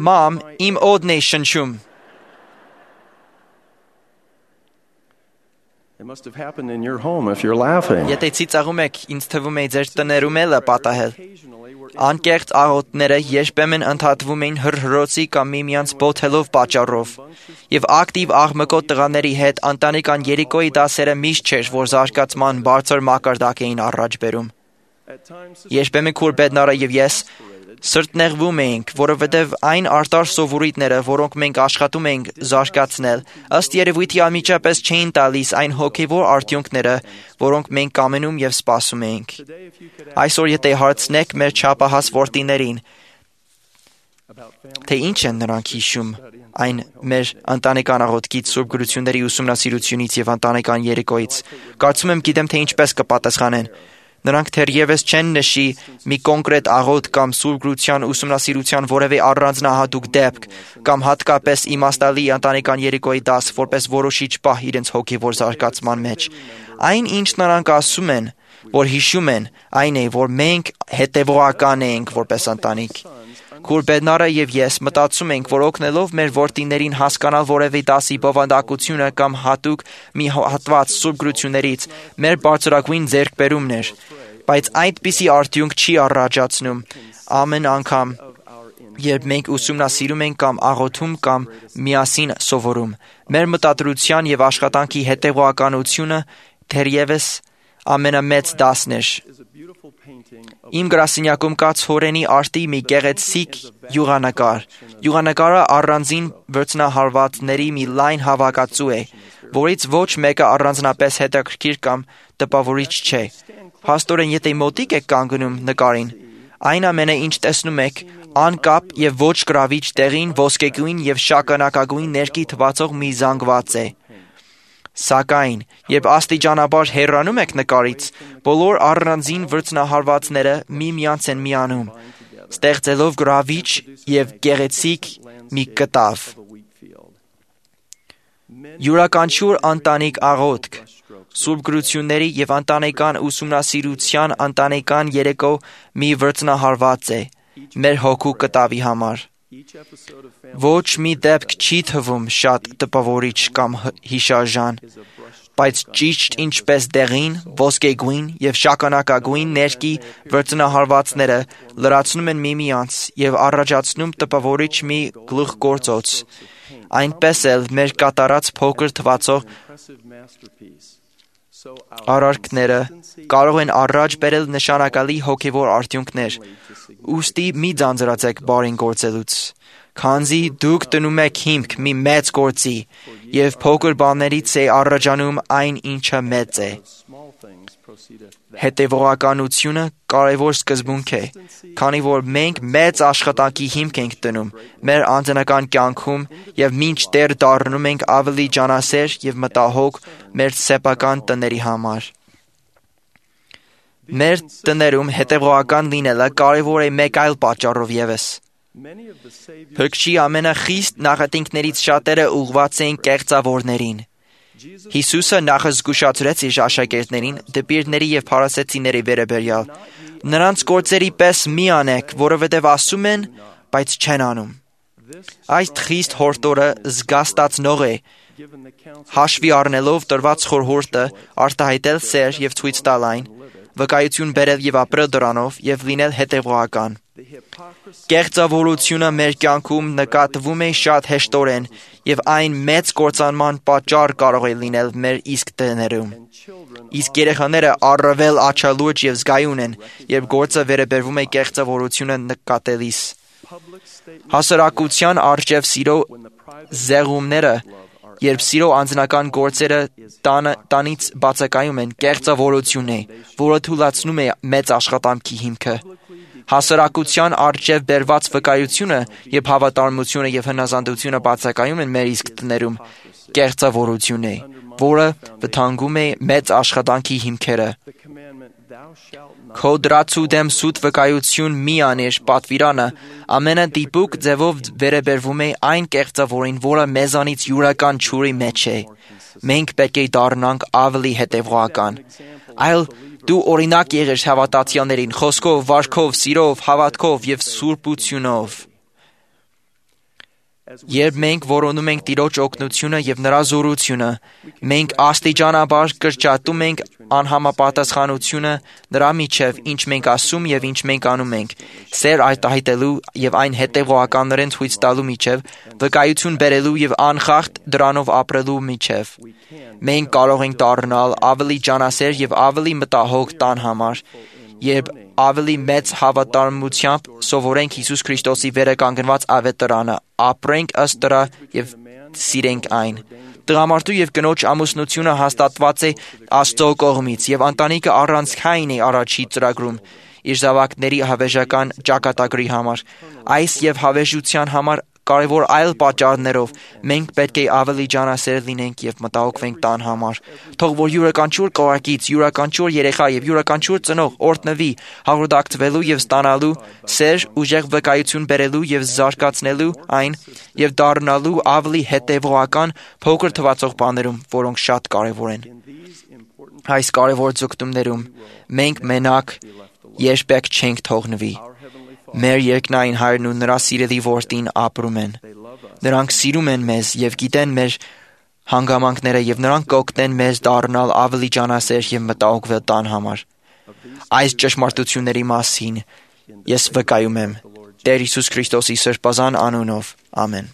Speaker 8: Մամ, իմ օդն է շնչում։
Speaker 7: It must have happened in your home if you're laughing.
Speaker 8: Եթե ծիծաղում եք, ինձ թվում է ձեր տներում էլ է պատահել։ Անկեղծ աղոթները երբեմն ընդհատվում էին հրհրոցի կամ միմյանց բոթելով պատճառով, եւ ակտիվ աղմկոտ տղաների հետ ընտանեկան երեկոյի դասերը միշտ չէր, որ զարգացման բարձր մակարդակ էին առաջ բերում։ Երբեմն քուր Բեդնարը եւ ես սրտնեղվում էինք, որովհետև այն արտար սովորույթները, որոնք մենք աշխատում ենք զարգացնել, ըստ երևույթի անմիջապես չէին տալիս այն հոգևոր արդյունքները, որոնք մենք կամենում եւ սպասում էինք։ Այսօր եթե հարցնեք մեր չափահաս որդիներին, թե ինչ են նրանք հիշում այն մեր ընտանեկան աղոթքից, Սուրբ գրությունների ուսումնասիրությունից եւ ընտանեկան երեկոյից, կարծում եմ գիտեմ, թե ինչպես կպատասխանեն։ Նրանք թերևս չեն նշի մի կոնկրետ աղոթք կամ Սուրբ գրության ուսումնասիրության որևէ առանձնահատուկ դեպք կամ հատկապես իմաստալի ընտանեկան երեկոյի դաս, որպես որոշիչ պահ իրենց հոգևոր զարգացման մեջ։ Այն, ինչ նրանք ասում են, որ հիշում են, այն է, որ մենք հետևողական ենք որպես ընտանիք։ Քուր Բեդնարը եւ ես մտածում ենք, որ օգնելով մեր որդիներին հասկանալ որևէ դասի բովանդակությունը կամ հատուկ մի հատված Սուրբ գրություններից, մեր բարձրագույն ձեռքբերումն էր, բայց այդպիսի արդյունք չի առաջացնում ամեն անգամ, երբ մենք ուսումնասիրում ենք կամ աղոթում կամ միասին սովորում։ Մեր մտադրության եւ աշխատանքի հետեւողականությունը թերևս ամենամեծ դասն էր։ Իմ գրասենյակում կա ցորենի արտի մի գեղեցիկ յուղանկար։ Յուղանկարը առանձին վրձնահարվածների մի լայն հավաքածու է, որից ոչ մեկը առանձնապես հետաքրքիր կամ տպավորիչ չէ։ Փաստորեն, եթե մոտիկ եք կանգնում նկարին, այն ամենը, ինչ տեսնում եք, անկապ եւ ոչ գրավիչ տեղին ոսկեգույն եւ շագանակագույն ներկի թվացող մի զանգված է։ Սակայն, երբ աստիճանաբար հեռանում եք նկարից, բոլոր առանձին վրձնահարվածները միմյանց են միանում, ստեղծելով գրավիչ եւ գեղեցիկ մի կտավ։ Յուրաքանչյուր ընտանիք աղոթք, Սուրբ գրությունների եւ ընտանեկան ուսումնասիրության ընտանեկան երեկո մի վրձնահարված է մեր հոգու կտավի համար։ Ոչ մի դեպք չի թվում շատ տպավորիչ կամ հիշարժան, բայց ճիշտ ինչպես դեղին, ոսկեգույն եւ շագանակագույն ներկի վրձնահարվածները լրացնում են միմյանց եւ առաջացնում տպավորիչ մի գլուխգործոց, այնպես էլ մեր կատարած փոքր թվացող արարքները կարող են առաջ բերել նշանակալի հոգևոր արդյունքներ։ Ուստի մի ձանձրացեք բարին գործելուց, քանզի դուք դնում եք հիմք մի մեծ գործի, եւ փոքր բաներից է առաջանում այն, ինչը մեծ է։ Հետևողականությունը կարևոր սկզբունք է, քանի որ մենք մեծ աշխատանքի հիմք ենք դնում մեր անձնական կյանքում եւ մինչդեռ դառնում ենք ավելի ջանասեր եւ մտահոգ մեր սեփական տների համար։ Մեր տներում հետևողական լինելը կարևոր է մեկ այլ պատճառով եւս։ Փրկչի ամենախիստ նախատինքներից շատերը ուղղված են կեղծավորներին։ Հիսուսը նախ զգուշացրեց իր աշակերտներին դպիրների եւ փարիսեցիների վերաբերյալ։ Նրանց գործերի պես մի անեք, որովհետեւ ասում են, բայց չեն անում։ Այս խիստ հորդորը զգաստացնող է, հաշվի առնելով տրված խորհուրդը արտահայտել սեր եւ ցույց տալ այն, վկայություն բերել եւ ապրել դրանով եւ լինել հետևողական։ Կեղծավորությունը մեր կյանքում նկատվում է շատ հեշտորեն եւ այն մեծ կործանման պատճառ կարող է լինել մեր իսկ տներում։ Իսկ երեխաները առավել աչալուրջ եւ զգայուն են, երբ գործը վերաբերվում է կեղծավորությունը նկատելիս։ Հասարակության արժեվ սիրո զեղումները, երբ սիրո անձնական գործերը տանից բացակայում են, կեղծավորություն է, որը թուլացնում է մեծ աշխատանքի հիմքը։ Հասարակության առջև բերված վկայությունը եւ հավատարմությունը եւ հնազանդությունը բացակայում են մեր իսկ տներում, կեղծավորություն է, որը վտանգում է մեծ աշխատանքի հիմքերը։ Քո դրացու դեմ սուտ վկայություն մի անիր պատվիրանը ամենադիպուկ ձևով վերաբերվում է այն կեղծավորին, որը մեզանից յուրական ճյուրի մեջ է։ Մենք պետք է դառնանք ավելի հետևողական։ Այլ դու օրինակ եղիր հավատացյալներին խոսքով, վարքով, սիրով, հավատքով եւ սուրբությունով։ Երբ մենք որոնում ենք Տիրոջ օգնությունը եւ նրա զորությունը, մենք աստիճանաբար կրճատում ենք անհամապատասխանությունը նրա միջև, ինչ մենք ասում եւ ինչ մենք անում ենք, սեր արտահայտելու եւ այն հետեւողականորեն ցույց տալու միջև, վկայություն բերելու եւ անխախտ դրանով ապրելու միջև։ Մենք կարող ենք դառնալ ավելի ջանասեր եւ ավելի մտահոգ տան համար, երբ ավելի մեծ հավատարմությամբ սովորենք Հիսուս Քրիստոսի վերականգնված ավետարանը, ապրենք ըստ դրա եւ սիրենք այն։ Տղամարդու եւ կնոջ ամուսնությունը հաստատված է Աստծո կողմից եւ ընտանիքը առանցքային է առաջի ծրագրում իր զավակների հավերժական ճակատագրի համար։ Այս եւ հավերժության համար կարևոր այլ պատճառներով մենք պետք է ավելի ջանասեր լինենք եւ մտահոգվենք տան համար։ Թող որ յուրաքանչյուր կողակից, յուրաքանչյուր երեխա եւ յուրաքանչյուր ծնող օրհնվի հաղորդակցվելու եւ ստանալու սեր, ուժեղ վկայություն բերելու եւ զարգացնելու այն եւ դառնալու ավելի հետեւողական փոքր թվացող բաներում, որոնք շատ կարևոր են։ Այս կարևոր ձգտումներում մենք մենակ երբեք չենք թողնվի։ Մեր երկնային Հայրն ու նրա սիրելի որդին ապրում են։ Նրանք սիրում են մեզ եւ գիտեն մեր հանգամանքները եւ նրանք կօգնեն մեզ դառնալ ավելի ջանասեր եւ մտահոգվել տան համար։ Այս ճշմարտությունների մասին ես վկայում եմ Տեր Հիսուս Քրիստոսի սրբազան անունով։ Ամեն։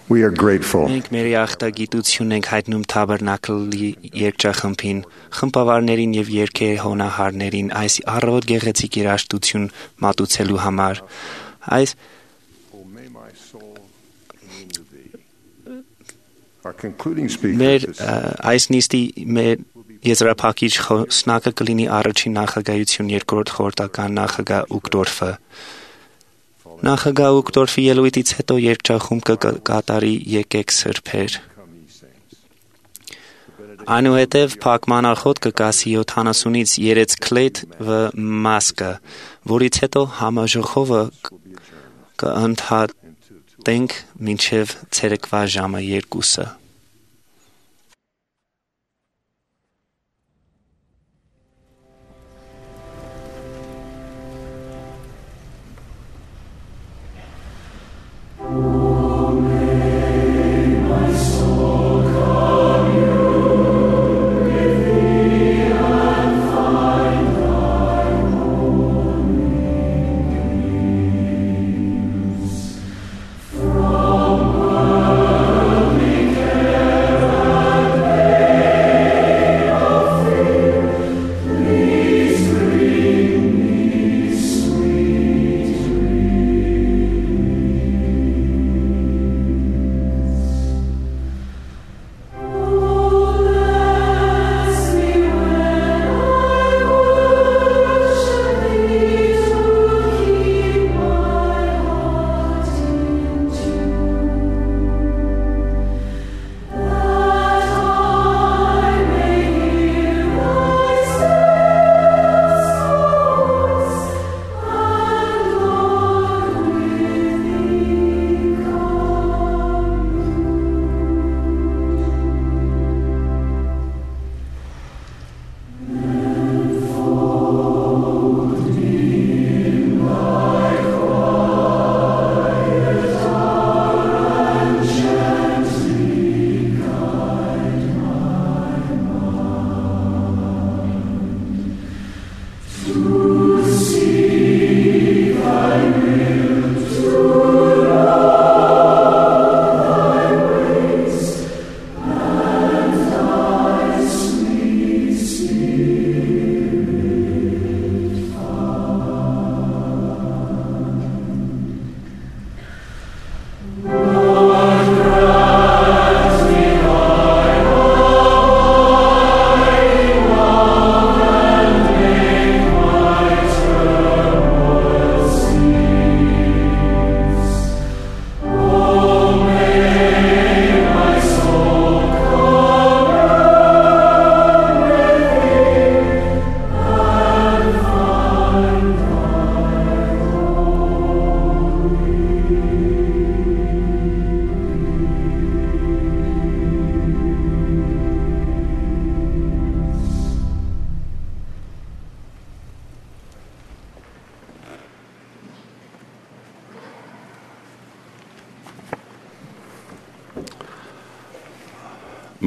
Speaker 4: We are grateful.
Speaker 1: Մենք մեր ախտագիտությունն ենք հայտնում Թաբերնակլի երգչախմբին, խմբավարներին եւ երգեհոնահարներին այս առավոտ գեղեցիկ երաժշտություն մատուցելու համար։ Այս մեր այս նիստի մեր եզրափակիչ խոսնակը կլինի առաջին նախագահություն երկրորդ խորհրդական նախագահ Ուկտորֆը։ Նախագահ Ուկտորֆի ելույթից հետո երգչախումբը կկատարի «Եկեք սրբեր»։ Այնուհետև փակմանախոտ կկասի 70-ից 3 քլեթ վ մասկը, որից հետո համաժողովը կընդհատենք մինչև ցերեկվա ժամը 2-ը։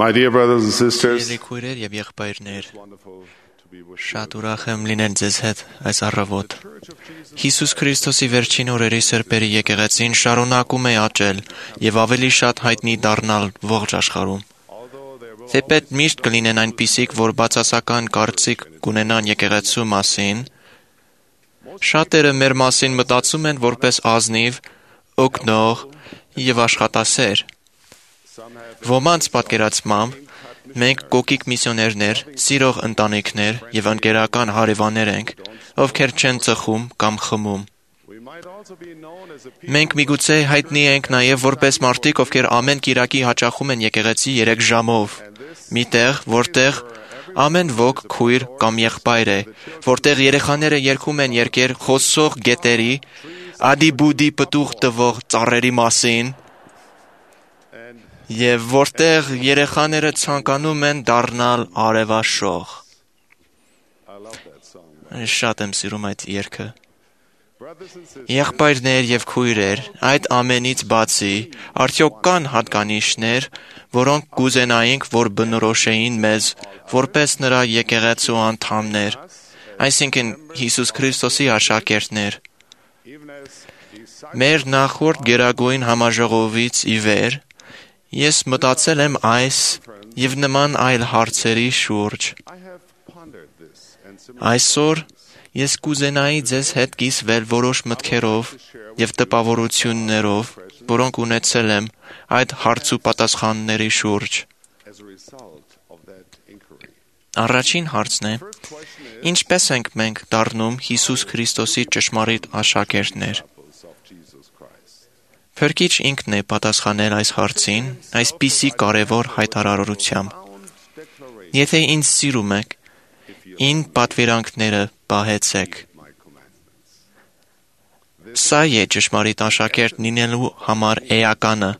Speaker 4: My dear brothers and sisters,
Speaker 5: Քույրեր եւ եղբայրներ, շատ ուրախ եմ լինել ձեզ հետ այս առավոտ։ Հիսուս Քրիստոսի վերջին օրերի սրբերի եկեղեցին շարունակում է աճել եւ ավելի շատ հայտնի դառնալ ողջ աշխարհում։ Թեպետ միշտ կլինեն այնպիսիք, որ բացասական կարծիք կունենան եկեղեցու մասին, շատերը մեր մասին մտածում են որպես ազնիվ, օգնող եւ աշխատասեր։ Ոմանց պատկերացմամբ մենք կոկիկ միսիոներներ, սիրող ընտանիքներ եւ ընկերական հարևաններ ենք, ովքեր չեն ծխում կամ խմում։ Մենք միգուցե հայտնի ենք նաեւ որպես մարդիկ, ովքեր ամեն կիրակի հաճախում են եկեղեցի 3 ժամով, միտեղ, որտեղ ամեն ոք քույր կամ եղբայր է, որտեղ երեխաները երգում են երգեր խոսող գետերի, ադի-բուդի պտուղ տվող ծառերի մասին, եւ որտեղ երեխաները ցանկանում են դառնալ արևաշող։ Շատ եմ սիրում այդ երգը։ Եղբայրներ եւ քույրեր, այդ ամենից բացի, արդյոք կան հատկանիշներ, որոնք կուզենայինք, որ բնորոշեին մեզ, որպես նրա եկեղեցու անդամներ, այսինքն Հիսուս Քրիստոսի աշակերտներ։ Մեր նախորդ գերագույն համաժողովից ի վեր Ես մտածել եմ այս եւ նման այլ հարցերի շուրջ։ Այսօր ես կուզենայի ձեզ հետ կիսվել որոշ մտքերով եւ տպավորություններով, որոնք ունեցել եմ այդ հարց ու պատասխանների շուրջ։ Առաջին հարցն է. ինչպես ենք մենք դառնում Հիսուս Քրիստոսի ճշմարիտ աշակերտներ։ Փրկիչ ինքն է պատասխանել այս հարցին այսպիսի կարևոր հայտարարությամբ. Եթե ինձ սիրում եք, ին պատվիրանքները պահեցեք։ Սա է ճշմարիտ աշակերտ լինելու համար էականը,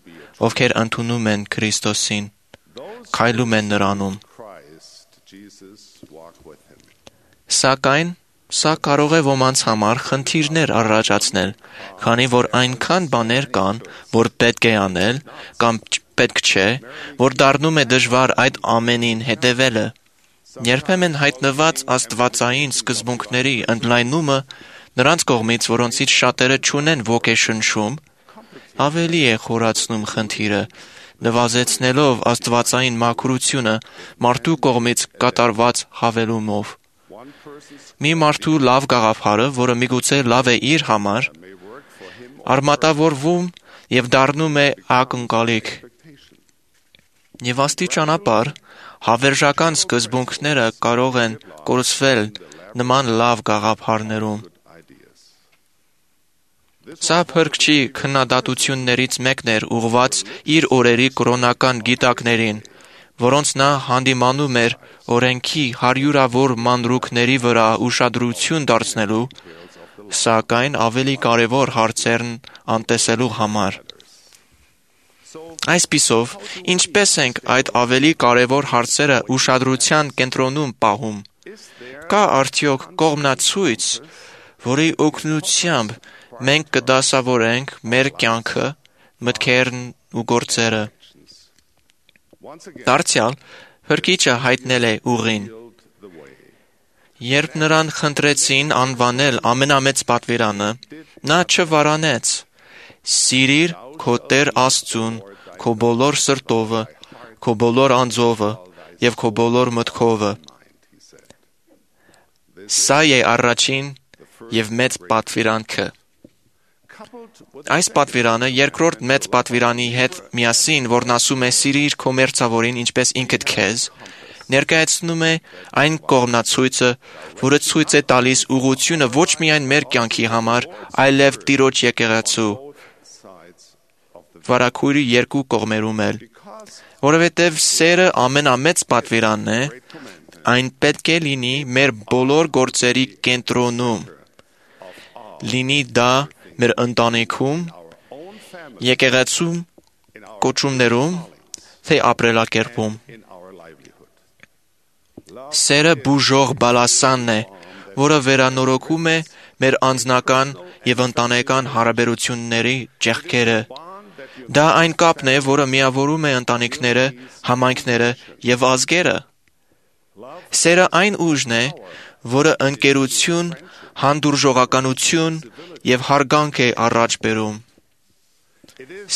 Speaker 5: ովքեր ընդունում են Քրիստոսին, քայլում են նրանում։ Սակայն սա կարող է ոմանց համար խնդիրներ առաջացնել, քանի որ այնքան բաներ կան, որ պետք է անել կամ պետք չէ, որ դառնում է դժվար այդ ամենին հետևելը։ Երբեմն հայտնված աստվածային սկզբունքների ընդլայնումը նրանց կողմից, որոնցից շատերը չունեն ոգեշնչում, ավելի է խորացնում խնդիրը, նվազեցնելով աստվածային մաքրությունը մարդու կողմից կատարված հավելումով։ Մի մարդու լավ գաղափարը, որը միգուցե լավ է իր համար, արմատավորվում եւ դառնում է ակնկալիք։ Եվ աստիճանաբար հավերժական սկզբունքները կարող են կորսվել նման լավ գաղափարներում։ Սա փրկչի քննադատություններից մեկն էր ուղղված իր օրերի կրոնական գիտակներին, որոնց նա հանդիմանում էր օրենքի հարյուրավոր մանրուքների վրա ուշադրություն դարձնելու, սակայն ավելի կարևոր հարցերն անտեսելու համար։ Այսպիսով, ինչպես ենք այդ ավելի կարևոր հարցերը ուշադրության կենտրոնում պահում։ Կա արդյոք կողմնացույց, որի օգնությամբ մենք կդասավորենք մեր կյանքը, մտքերն ու գործերը։ Դարձյալ, Փրկիչը հայտնել է ուղին։ Երբ նրան խնդրեցին անվանել ամենամեծ պատվիրանը, նա չվարանեց. «Սիրիր քո Տեր Աստծուն, քո բոլոր սրտովը, քո բոլոր անձովը եւ քո բոլոր մտքովը»։ Սա է առաջին եւ մեծ պատվիրանքը։ Այս պատվիրանը երկրորդ մեծ պատվիրանի հետ միասին, որն ասում է «Սիրիր քո մերձավորին ինչպես ինքդ քեզ», ներկայացնում է այն կողմնացույցը, որը ցույց է տալիս ուղղությունը ոչ միայն մեր կյանքի համար, այլև Տիրոջ եկեղեցու վարագույրի երկու կողմերում էլ, որովհետև սերը ամենամեծ պատվիրանն է, այն պետք է լինի մեր բոլոր գործերի կենտրոնում, լինի դա մեր ընտանիքում, եկեղեցում, կոչումներում, թե ապրելակերպում։ Սերը բուժող բալասանն է, որը վերանորոգում է մեր անձնական եւ ընտանեկան հարաբերությունների ճեղքերը։ Դա այն կապն է, որը միավորում է ընտանիքները, համայնքները եւ ազգերը։ Սերը այն ուժն է, որը ընկերություն, հանդուրժողականություն եւ հարգանք է առաջ բերում։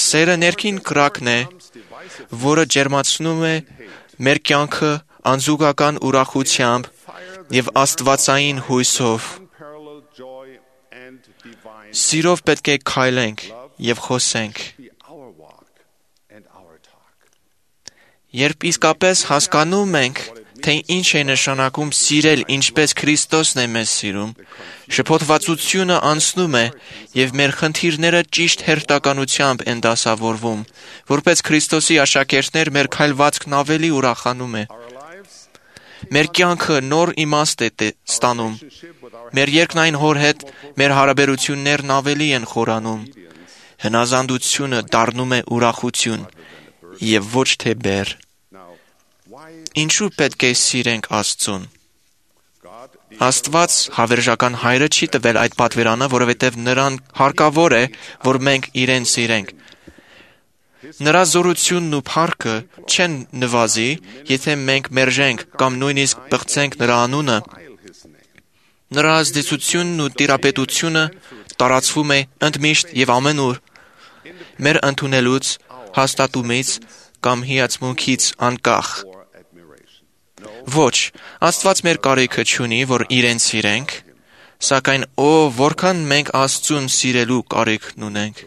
Speaker 5: Սերը ներքին կրակն է, որը ջերմացնում է մեր կյանքը անզուգական ուրախությամբ եւ աստվածային հույսով։ Սիրով պետք է քայլենք եւ խոսենք։ Երբ իսկապես հասկանում ենք, թե ինչ է նշանակում սիրել ինչպես Քրիստոսն է մեզ սիրում, շփոթվածությունը անցնում է եւ մեր խնդիրները ճիշտ հերթականությամբ են դասավորվում, որպես Քրիստոսի աշակերտներ մեր քայլվածքն ավելի ուրախանում է։ Մեր կյանքը նոր իմաստ է ստանում։ Մեր երկնային Հոր հետ մեր հարաբերություններն ավելի են խորանում։ Հնազանդությունը դառնում է ուրախություն եւ ոչ թե բեռ։ Ինչու պետք է սիրենք Աստծուն։ Աստված հավերժական Հայրը չի տվել այդ պատվիրանը, որովհետև նրան հարկավոր է, որ մենք իրեն սիրենք։ Նրա զորությունն ու փառքը չեն նվազի, եթե մենք մերժենք կամ նույնիսկ պղծենք նրա անունը։ Նրա ազդեցությունն ու տիրապետությունը տարածվում է ընդմիշտ եւ ամենուր։ Մեր ընդունելուց, հաստատումից կամ հիացմունքից անկախ։ Ոչ, Աստված մեր կարիքը չունի, որ իրեն սիրենք, սակայն որքան մենք Աստծուն սիրելու կարիքն ունենք։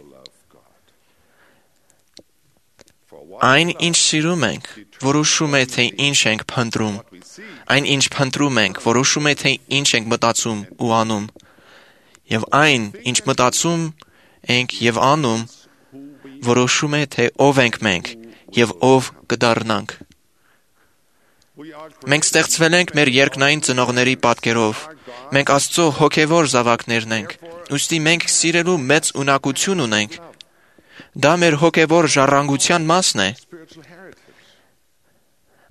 Speaker 5: Այն, ինչ սիրում ենք, որոշում է, թե ինչ ենք փնտրում։ Այն, ինչ փնտրում ենք, որոշում է, թե ինչ ենք մտածում ու անում։ Եվ այն, ինչ մտածում ենք և անում, որոշում է, թե ով ենք մենք և ով կդառնանք։ Մենք ստեղծվել ենք մեր երկնային ծնողների պատկերով։ Մենք Աստծո հոգևոր զավակներն ենք, ուստի մենք սիրելու մեծ ունակություն ունենք։ Դա մեր հոգևոր ժառանգության մասն է։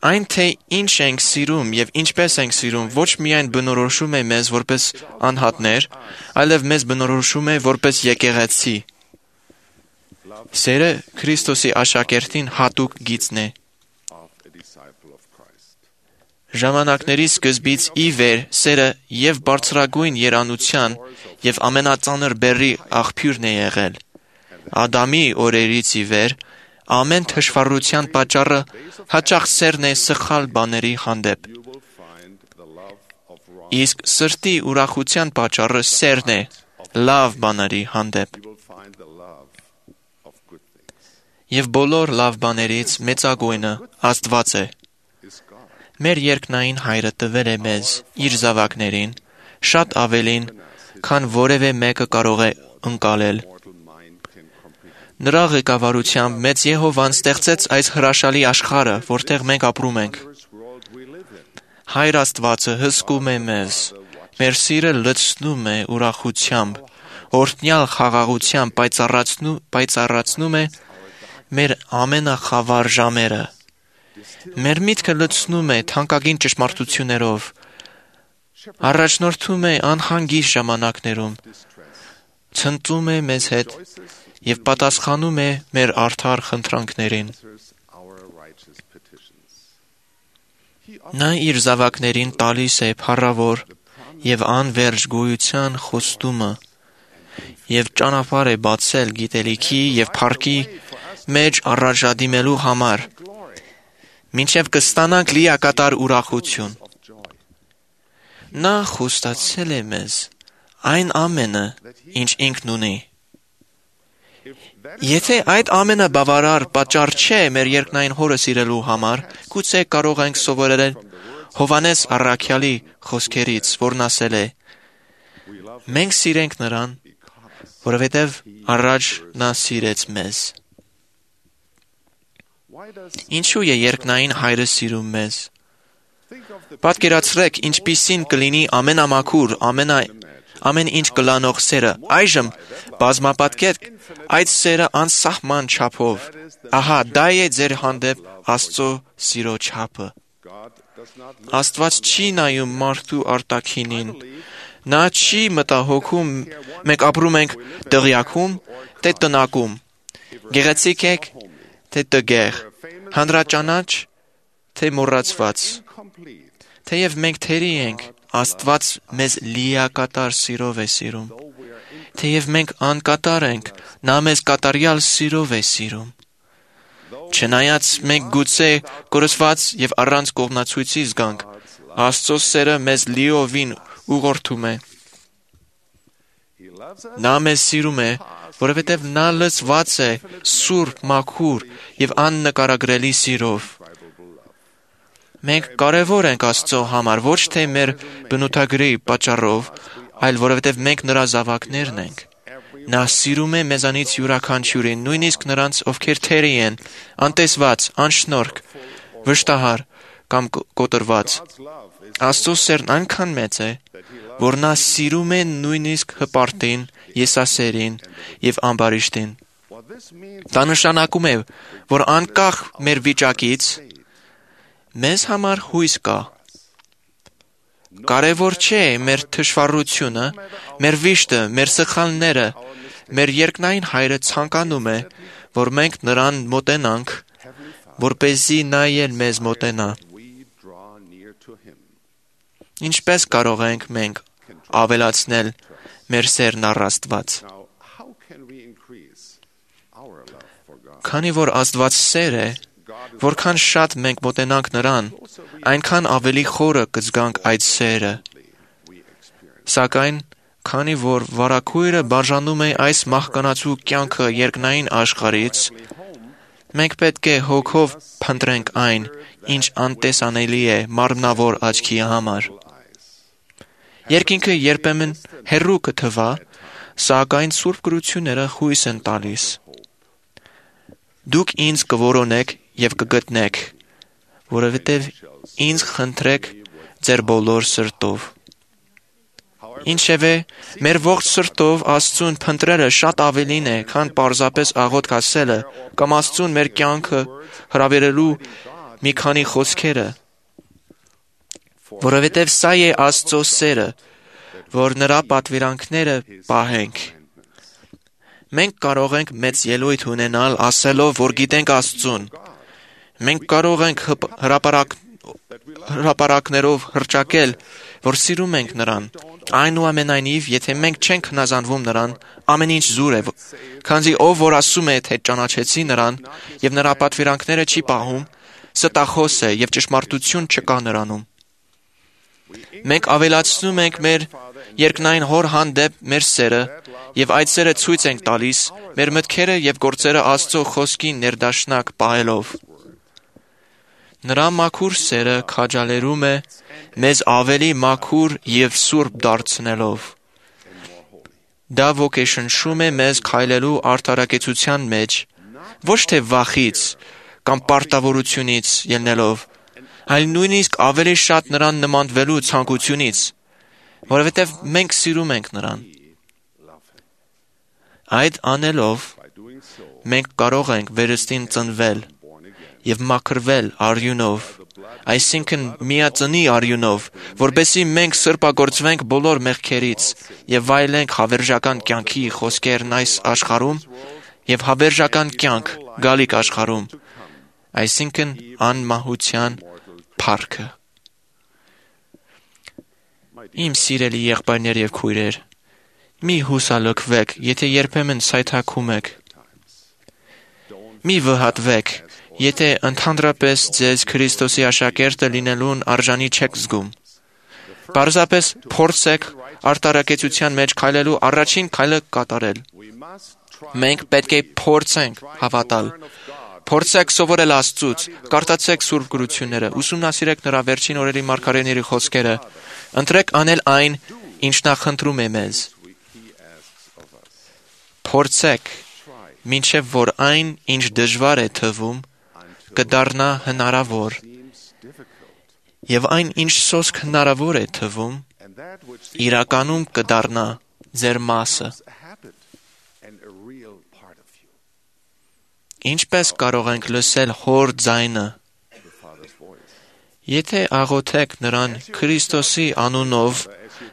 Speaker 5: Այն, թե ինչ ենք սիրում և ինչպես ենք սիրում, ոչ միայն բնորոշում է մեզ որպես անհատներ, այլև մեզ բնորոշում է որպես եկեղեցի։ Սերը Քրիստոսի աշակերտին հատուկ գիծն է։ Ժամանակների սկզբից ի վեր սերը և բարձրագույն երանության և ամենածանր բեռի աղբյուրն է եղել։ Ադամի օրերից ի վեր ամեն թշվառության պատճառը հաճախ սերն է սխալ բաների հանդեպ։ Իսկ սրտի ուրախության պատճառը սերն է լավ բաների հանդեպ։ Եվ բոլոր լավ բաներից մեծագույնը Աստված է։ Մեր երկնային Հայրը տվել է մեզ, իր զավակներին, շատ ավելին, քան որևէ մեկը կարող է ընկալել։ Նրա ղեկավարությամբ մեծ Եհովան ստեղծեց այս հրաշալի աշխարհը, որտեղ մենք ապրում ենք։ Հայր Աստվածը հսկում է մեզ, մեր սիրը լցնում է ուրախությամբ, օրհնյալ խաղաղությամբ պայծառացնում է մեր ամենախավար ժամերը։ Մեր միտքը լցնում է թանկագին ճշմարտություններով, առաջնորդում է անհանգիստ ժամանակներում, ցնծում է մեզ հետ և պատասխանում է մեր արդար խնդրանքներին։ Նա իր զավակներին տալիս է փառավոր և անվերջ գոյության խոստումը և ճանապարհ է բացել գիտելիքի և փառքի մեջ առաջադիմելու համար, մինչև կստանանք լիակատար ուրախություն։ Նա խոստացել է մեզ այն ամենը, ինչ ինքն ունի։ Եթե այդ ամենը բավարար պատճառ չէ մեր երկնային Հորը սիրելու համար, գուցե կարող ենք սովորել Հովհաննես առաքյալի խոսքերից, որն ասել է. մենք սիրենք նրան, որովհետև առաջ նա սիրեց մեզ։ Ինչու է երկնային Հայրը սիրում մեզ։ Պատկերացրեք, ինչպիսին կլինի ամենամաքուր, ամեն ինչ կլանող սերը։ Այժմ բազմապատկեք այդ սերը անսահման չափով։ Ահա դա է ձեր հանդեպ Աստծո սիրո չափը։ Աստված չի նայում մարդու արտաքինին։ Նա չի մտահոգում մենք ապրում ենք դղյակում, թե տնակում, գեղեցիկ եք, թե տգեղ, հանրաճանաչ, թե մոռացված։ Թեև մենք թերի ենք, Աստված մեզ լիակատար սիրով է սիրում։ Թեև մենք անկատար ենք, նա մեզ կատարյալ սիրով է սիրում։ Չնայած մենք գուցե կորսված և առանց կողմնացույցի զգանք, Աստծո սերը մեզ լիովին ուղղորդում է։ Նա մեզ սիրում է, որովհետև նա լցված է սուրբ, մաքուր և աննկարագրելի սիրով։ Մենք կարևոր ենք Աստծո համար ոչ թե մեր բնութագրի պատճառով, այլ որովհետև մենք նրա զավակներն ենք։ Նա սիրում է մեզանից յուրաքանչյուրին, նույնիսկ նրանց, ովքեր թերի են, անտեսված, անշնորհք, վշտահար կամ կոտրված։ Աստծո սերն այնքան մեծ է, որ նա սիրում է նույնիսկ հպարտին, եսասերին և ամբարիշտին։ Դա նշանակում է, որ անկախ մեր վիճակից մեզ համար հույս կա։ Կարևոր չէ մեր թշվառությունը, մեր վիշտը, մեր սխալները, մեր երկնային Հայրը ցանկանում է, որ մենք նրան մոտենանք, որպեսզի նա էլ մեզ մոտենա։ Ինչպես կարող ենք մենք ավելացնել մեր սերն առ Աստված։ Քանի որ Աստված սեր է, որքան շատ մենք մոտենանք նրան, այնքան ավելի խորը կզգանք այդ սերը։ Սակայն, քանի որ վարագույրը բաժանում է այս մահկանացու կյանքը երկնային աշխարհից, մենք պետք է հոգով փնտրենք այն, ինչ անտեսանելի է մարմնավոր աչքի համար։ Երկինքը երբեմն հեռու կթվա, սակայն Սուրբ Գրությունները հույս են տալիս։ Դուք ինձ կորոնեք և կգտնեք, որովհետև ինձ խնդրեք ձեր բոլոր սրտով։ Ինչևէ, մեր ողջ սրտով Աստծուն փնտրելը շատ ավելին է, քան պարզապես աղոթք ասելը կամ Աստծուն մեր կյանքը հրավիրելու մի քանի խոսքերը, որովհետև սա է Աստծո սերը, որ նրա պատվիրանքները պահենք։ Մենք կարող ենք մեծ ելույթ ունենալ ասելով, որ գիտենք Աստծուն։ Մենք կարող ենք հրապարակներով հռչակել, որ սիրում ենք նրան։ Այնուամենայնիվ, եթե մենք չենք հնազանդվում նրան, ամեն ինչ զուր է, քանզի ով որ ասում է, թե ճանաչեցի նրան եւ նրա պատվիրանքները չի պահում, ստախոս է եւ ճշմարտություն չկա նրանում։ Մենք ավելացնում ենք մեր երկնային Հոր հանդեպ մեր սերը եւ այդ սերը ցույց ենք տալիս մեր մտքերը եւ գործերը Աստծո խոսքին ներդաշնակ պահելով։ Նրա մաքուր սերը քաջալերում է մեզ ավելի մաքուր եւ սուրբ դարձնելով։ Դա ոգեշնչում է մեզ քայլելու արդարակեցության մեջ, ոչ թե վախից կամ պարտավորությունից ելնելով, այլ նույնիսկ ավելի շատ նրան նմանվելու ցանկությունից, որովհետև մենք սիրում ենք նրան։ Այդ անելով մենք կարող ենք վերստին ծնվել եւ մաքրվել արյունով, այսինքն միածնի արյունով, որբեսի մենք սրբագործվենք բոլոր մեղքերից եւ վայելենք հավերժական կյանքի խոսքերն այս աշխարհում եւ հավերժական կյանք գալիք աշխարհում, այսինքն անմահության փառքը։ Իմ սիրելի եղբայրներ եւ քույրեր, մի հուսալքվեք, եթե երբեմն սայթաքում եք։ Մի վհատվեք, եթե ընդհանրապես ձեզ Քրիստոսի աշակերտը լինելուն արժանի չեք զգում։ Պարզապես փորձեք արտարակեցության մեջ քայլելու առաջին քայլը կատարել։ Մենք պետք է փորձենք հավատալ։ Փորձեք սովորել Աստծուց, կարդացեք Սուրբ Գրությունները, ուսումնասիրեք նրա վերջին օրերի մարգարեների խոսքերը, ընտրեք անել այն, ինչ նա խնդրում է մեզ։ Փորձեք, մինչև որ այն, ինչ դժվար է թվում, կդառնա հնարավոր, եւ այն, ինչ սոսկ հնարավոր է թվում, իրականում կդառնա ձեր մասը։ Ինչպես կարող ենք լսել Հոր ձայնը։ Եթե աղոթեք նրան Քրիստոսի անունով,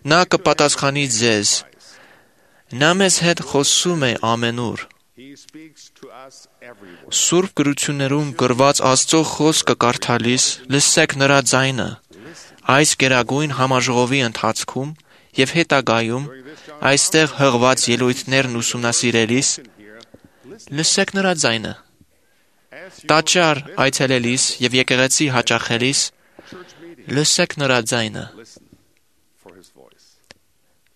Speaker 5: նա կպատասխանի ձեզ։ Նա մեզ հետ խոսում է ամենուր։ Սուրբ Գրություններում գրված Աստծո խոսքը կարդալիս լսեք նրա ձայնը։ Այս գերագույն համաժողովի ընթացքում եւ հետագայում այստեղ հղված ելույթներն ուսումնասիրելիս լսեք նրա ձայնը։ Տաճար այցելելիս եւ եկեղեցի հաճախելիս լսեք նրա ձայնը։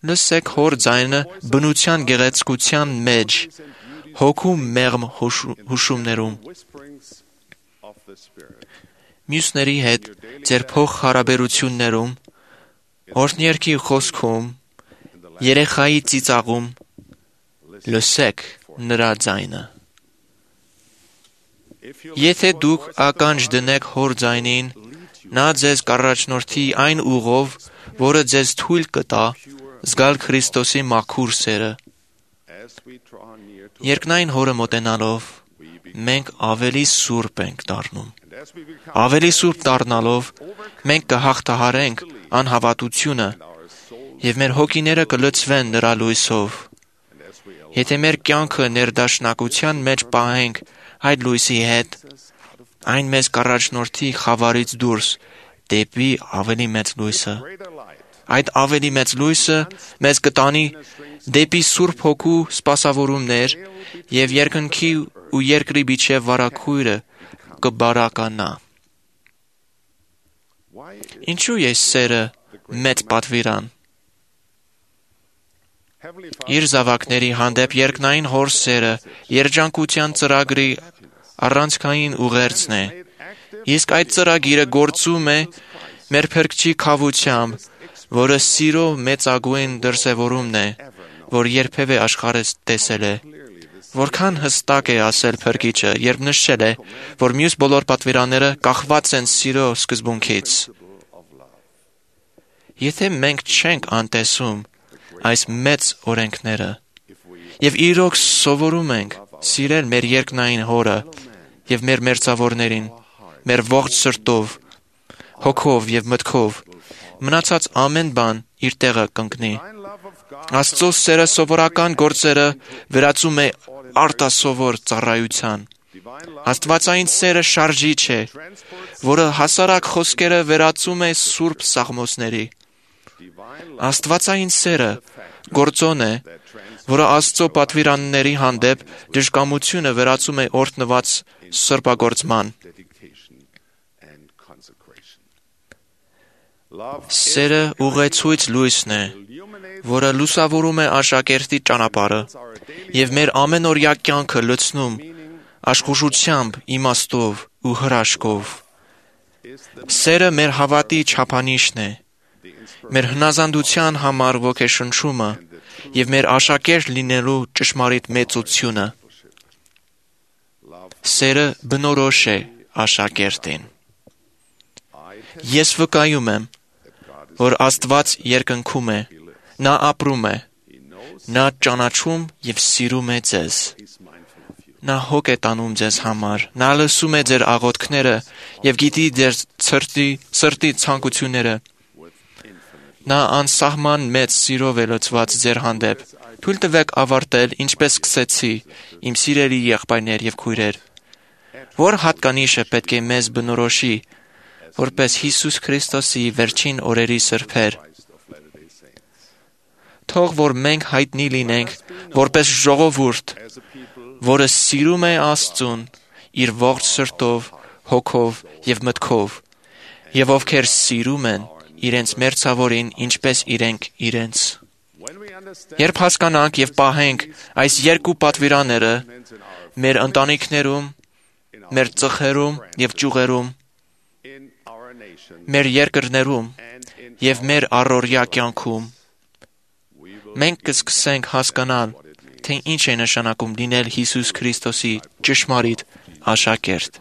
Speaker 5: Լսեք Հոր ձայնը բնության գեղեցկության մեջ, հոգու մեղմ հուշումներում։ Մյուսների հետ ձեր փոխհարաբերություններում, օրհներքի խոսքում, երեխայի ծիծաղում լսեք նրա ձայնը։ Եթե դուք ականջ դնեք Հոր ձայնին, նա ձեզ կառաջնորդի այն ուղով, որը ձեզ թույլ կտա զգալ Քրիստոսի մաքուր սերը։ Երկնային Հորը մոտենալով, մենք ավելի սուրբ ենք դառնում։ Ավելի սուրբ դառնալով, մենք կհաղթահարենք անհավատությունը եւ մեր հոգիները կլցվեն նրա լույսով։ Եթե մեր կյանքը ներդաշնակության մեջ պահենք այդ լույսի հետ, այն մեզ կառաջնորդի խավարից դուրս դեպի ավելի մեծ լույսը։ Այդ ավելի մեծ լույսը մեզ կտանի դեպի Սուրբ Հոգու սպասավորումներ եւ երկնքի ու երկրի միջև վարակույրը կբարականա։ Ինչու է սերը մեծ պատվիրան։ Իր զավակների հանդեպ երկնային հոր սերը երջանկության ծրագրի առանցքային ուղերձն է, իսկ այդ ծրագիրը գործում է մեր Փրկչի քավությամբ, որը սիրո մեծագույն դրսևորումն է, որ երբևէ աշխարհը տեսել է։ Որքան հստակ է ասել Փրկիչը, երբ նշել է, որ մյուս բոլոր պատվիրանները կախված են սիրո սկզբունքից։ Եթե մենք չենք անտեսում այս մեծ օրենքները, եւ իրոք սովորում ենք սիրել մեր երկնային հորը եւ մեր մերձավորներին, մեր ողջ սրտով, հոգով եւ մտքով, մնացած ամեն բան իր տեղը կընկնի։ Աստծո սերը սովորական գործերը վերածում է արտասովոր ծառայության։ Աստվածային սերը շարժիչ է, որը հասարակ խոսքերը վերածում է սուրբ սաղմոսների։ Աստվածային սերը գործոն է, որը Աստծո պատվիրանների հանդեպ դժկամությունը վերածում է օրհնված սրբագործման։ Սերը ուղեցույց լույսն է, որը լուսավորում է աշակերտի ճանապարհը եւ մեր ամենօրյա կյանքը լցնում աշխուժությամբ, իմաստով ու հրաշքով։ Սերը մեր հավատի չափանիշն է, մեր հնազանդության համար ոգեշնչումը եւ մեր աշակերտ լինելու ճշմարիտ մեծությունը։ Սերը բնորոշ է աշակերտին։ Ես վկայում եմ, որ Աստված երկնքում է, նա ապրում է, նա ճանաչում եւ սիրում է ձեզ։ Նա հոգ է տանում ձեզ համար, նա լսում է ձեր աղոթքները եւ գիտի ձեր սրտի ցանկությունները։ Նա անսահման մեծ սիրով է լցված ձեր հանդեպ։ Թույլ տվեք ավարտել, ինչպես սկսեցի, իմ սիրելի եղբայրներ եւ քույրեր։ Որ հատկանիշը պետք է մեզ բնորոշի, որպես Հիսուս Քրիստոսի վերջին օրերի սրբեր։ Թող որ մենք հայտնի լինենք, որպես ժողովուրդ, որը սիրում է Աստծուն իր ողջ սրտով, հոգով եւ մտքով, եւ ովքեր սիրում են իրենց մերձավորին, ինչպես իրենք իրենց։ Երբ հասկանանք եւ պահենք այս երկու պատվիրանները մեր ընտանիքներում, մեր ծխերում եւ ճյուղերում, մեր երկրներում եւ մեր առօրյա կյանքում, մենք կսկսենք հասկանալ, թե ինչ է նշանակում լինել Հիսուս Քրիստոսի ճշմարիտ աշակերտ։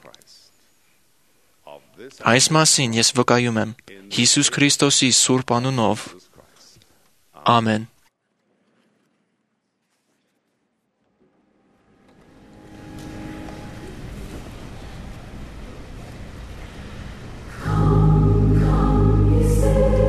Speaker 5: Այս մասին ես վկայում եմ Հիսուս Քրիստոսի սուրբ անունով։ Ամեն։
Speaker 9: Though hard to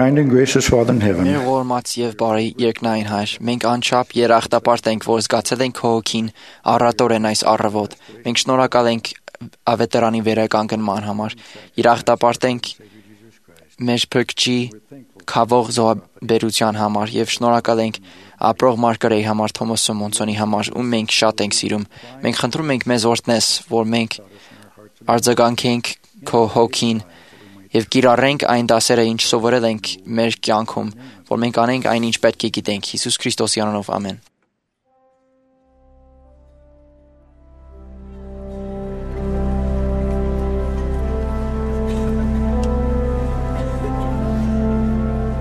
Speaker 7: kind and gracious Father in heaven,
Speaker 8: Մեր ողորմած եւ բարի երկնային Հայր, մենք անչափ երախտապարտ ենք, որ զգացել ենք քո հոգին առատորեն այս առավոտ։ Մենք շնորհակալ ենք ավետարանի վերականգնման համար։ Երախտապարտ ենք մեր փրկչի քավող զոհաբերության համար եւ շնորհակալ ենք ապրող Մարգարեի համար, Թոմաս Սիմոնսոնի համար, ում մենք շատ ենք սիրում։ Մենք խնդրում ենք մեզ օրհնես, որ մենք արձագանքենք քո հոգին եւ կիրառենք այն դասերը, ինչ սովորել ենք մեր կյանքում, որ մենք անենք այն, ինչ պետք է գիտենք։ Հիսուս Քրիստոսի անունով, ամեն։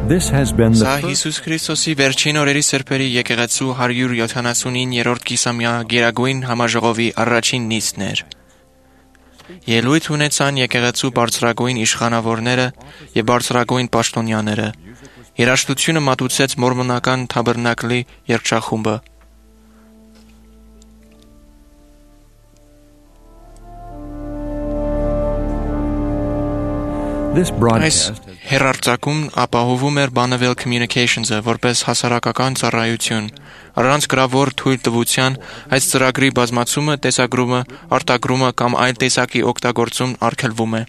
Speaker 9: This has been
Speaker 5: Սա
Speaker 9: the
Speaker 5: Հիսուս Քրիստոսի վերջին օրերի սրբերի եկեղեցու 179-րդ կիսամյա Գերագույն համաժողովի առաջին նիստն էր։ Ելույթ ունեցան եկեղեցու բարձրագույն իշխանավորները եւ բարձրագույն պաշտոնյաները։ Երաժշտությունը մատուցեց մորմոնական թաբերնակլի երգչախումբը։
Speaker 9: This
Speaker 5: Այս
Speaker 9: broadcast
Speaker 5: հեռարձակումն ապահովում էր Bonneville Communications-ը որպես հասարակական ծառայություն։ Առանց գրավոր թույլտվության այս ծրագրի բազմացումը, տեսագրումը, արտագրումը կամ այլ տեսակի օգտագործում արգելվում է։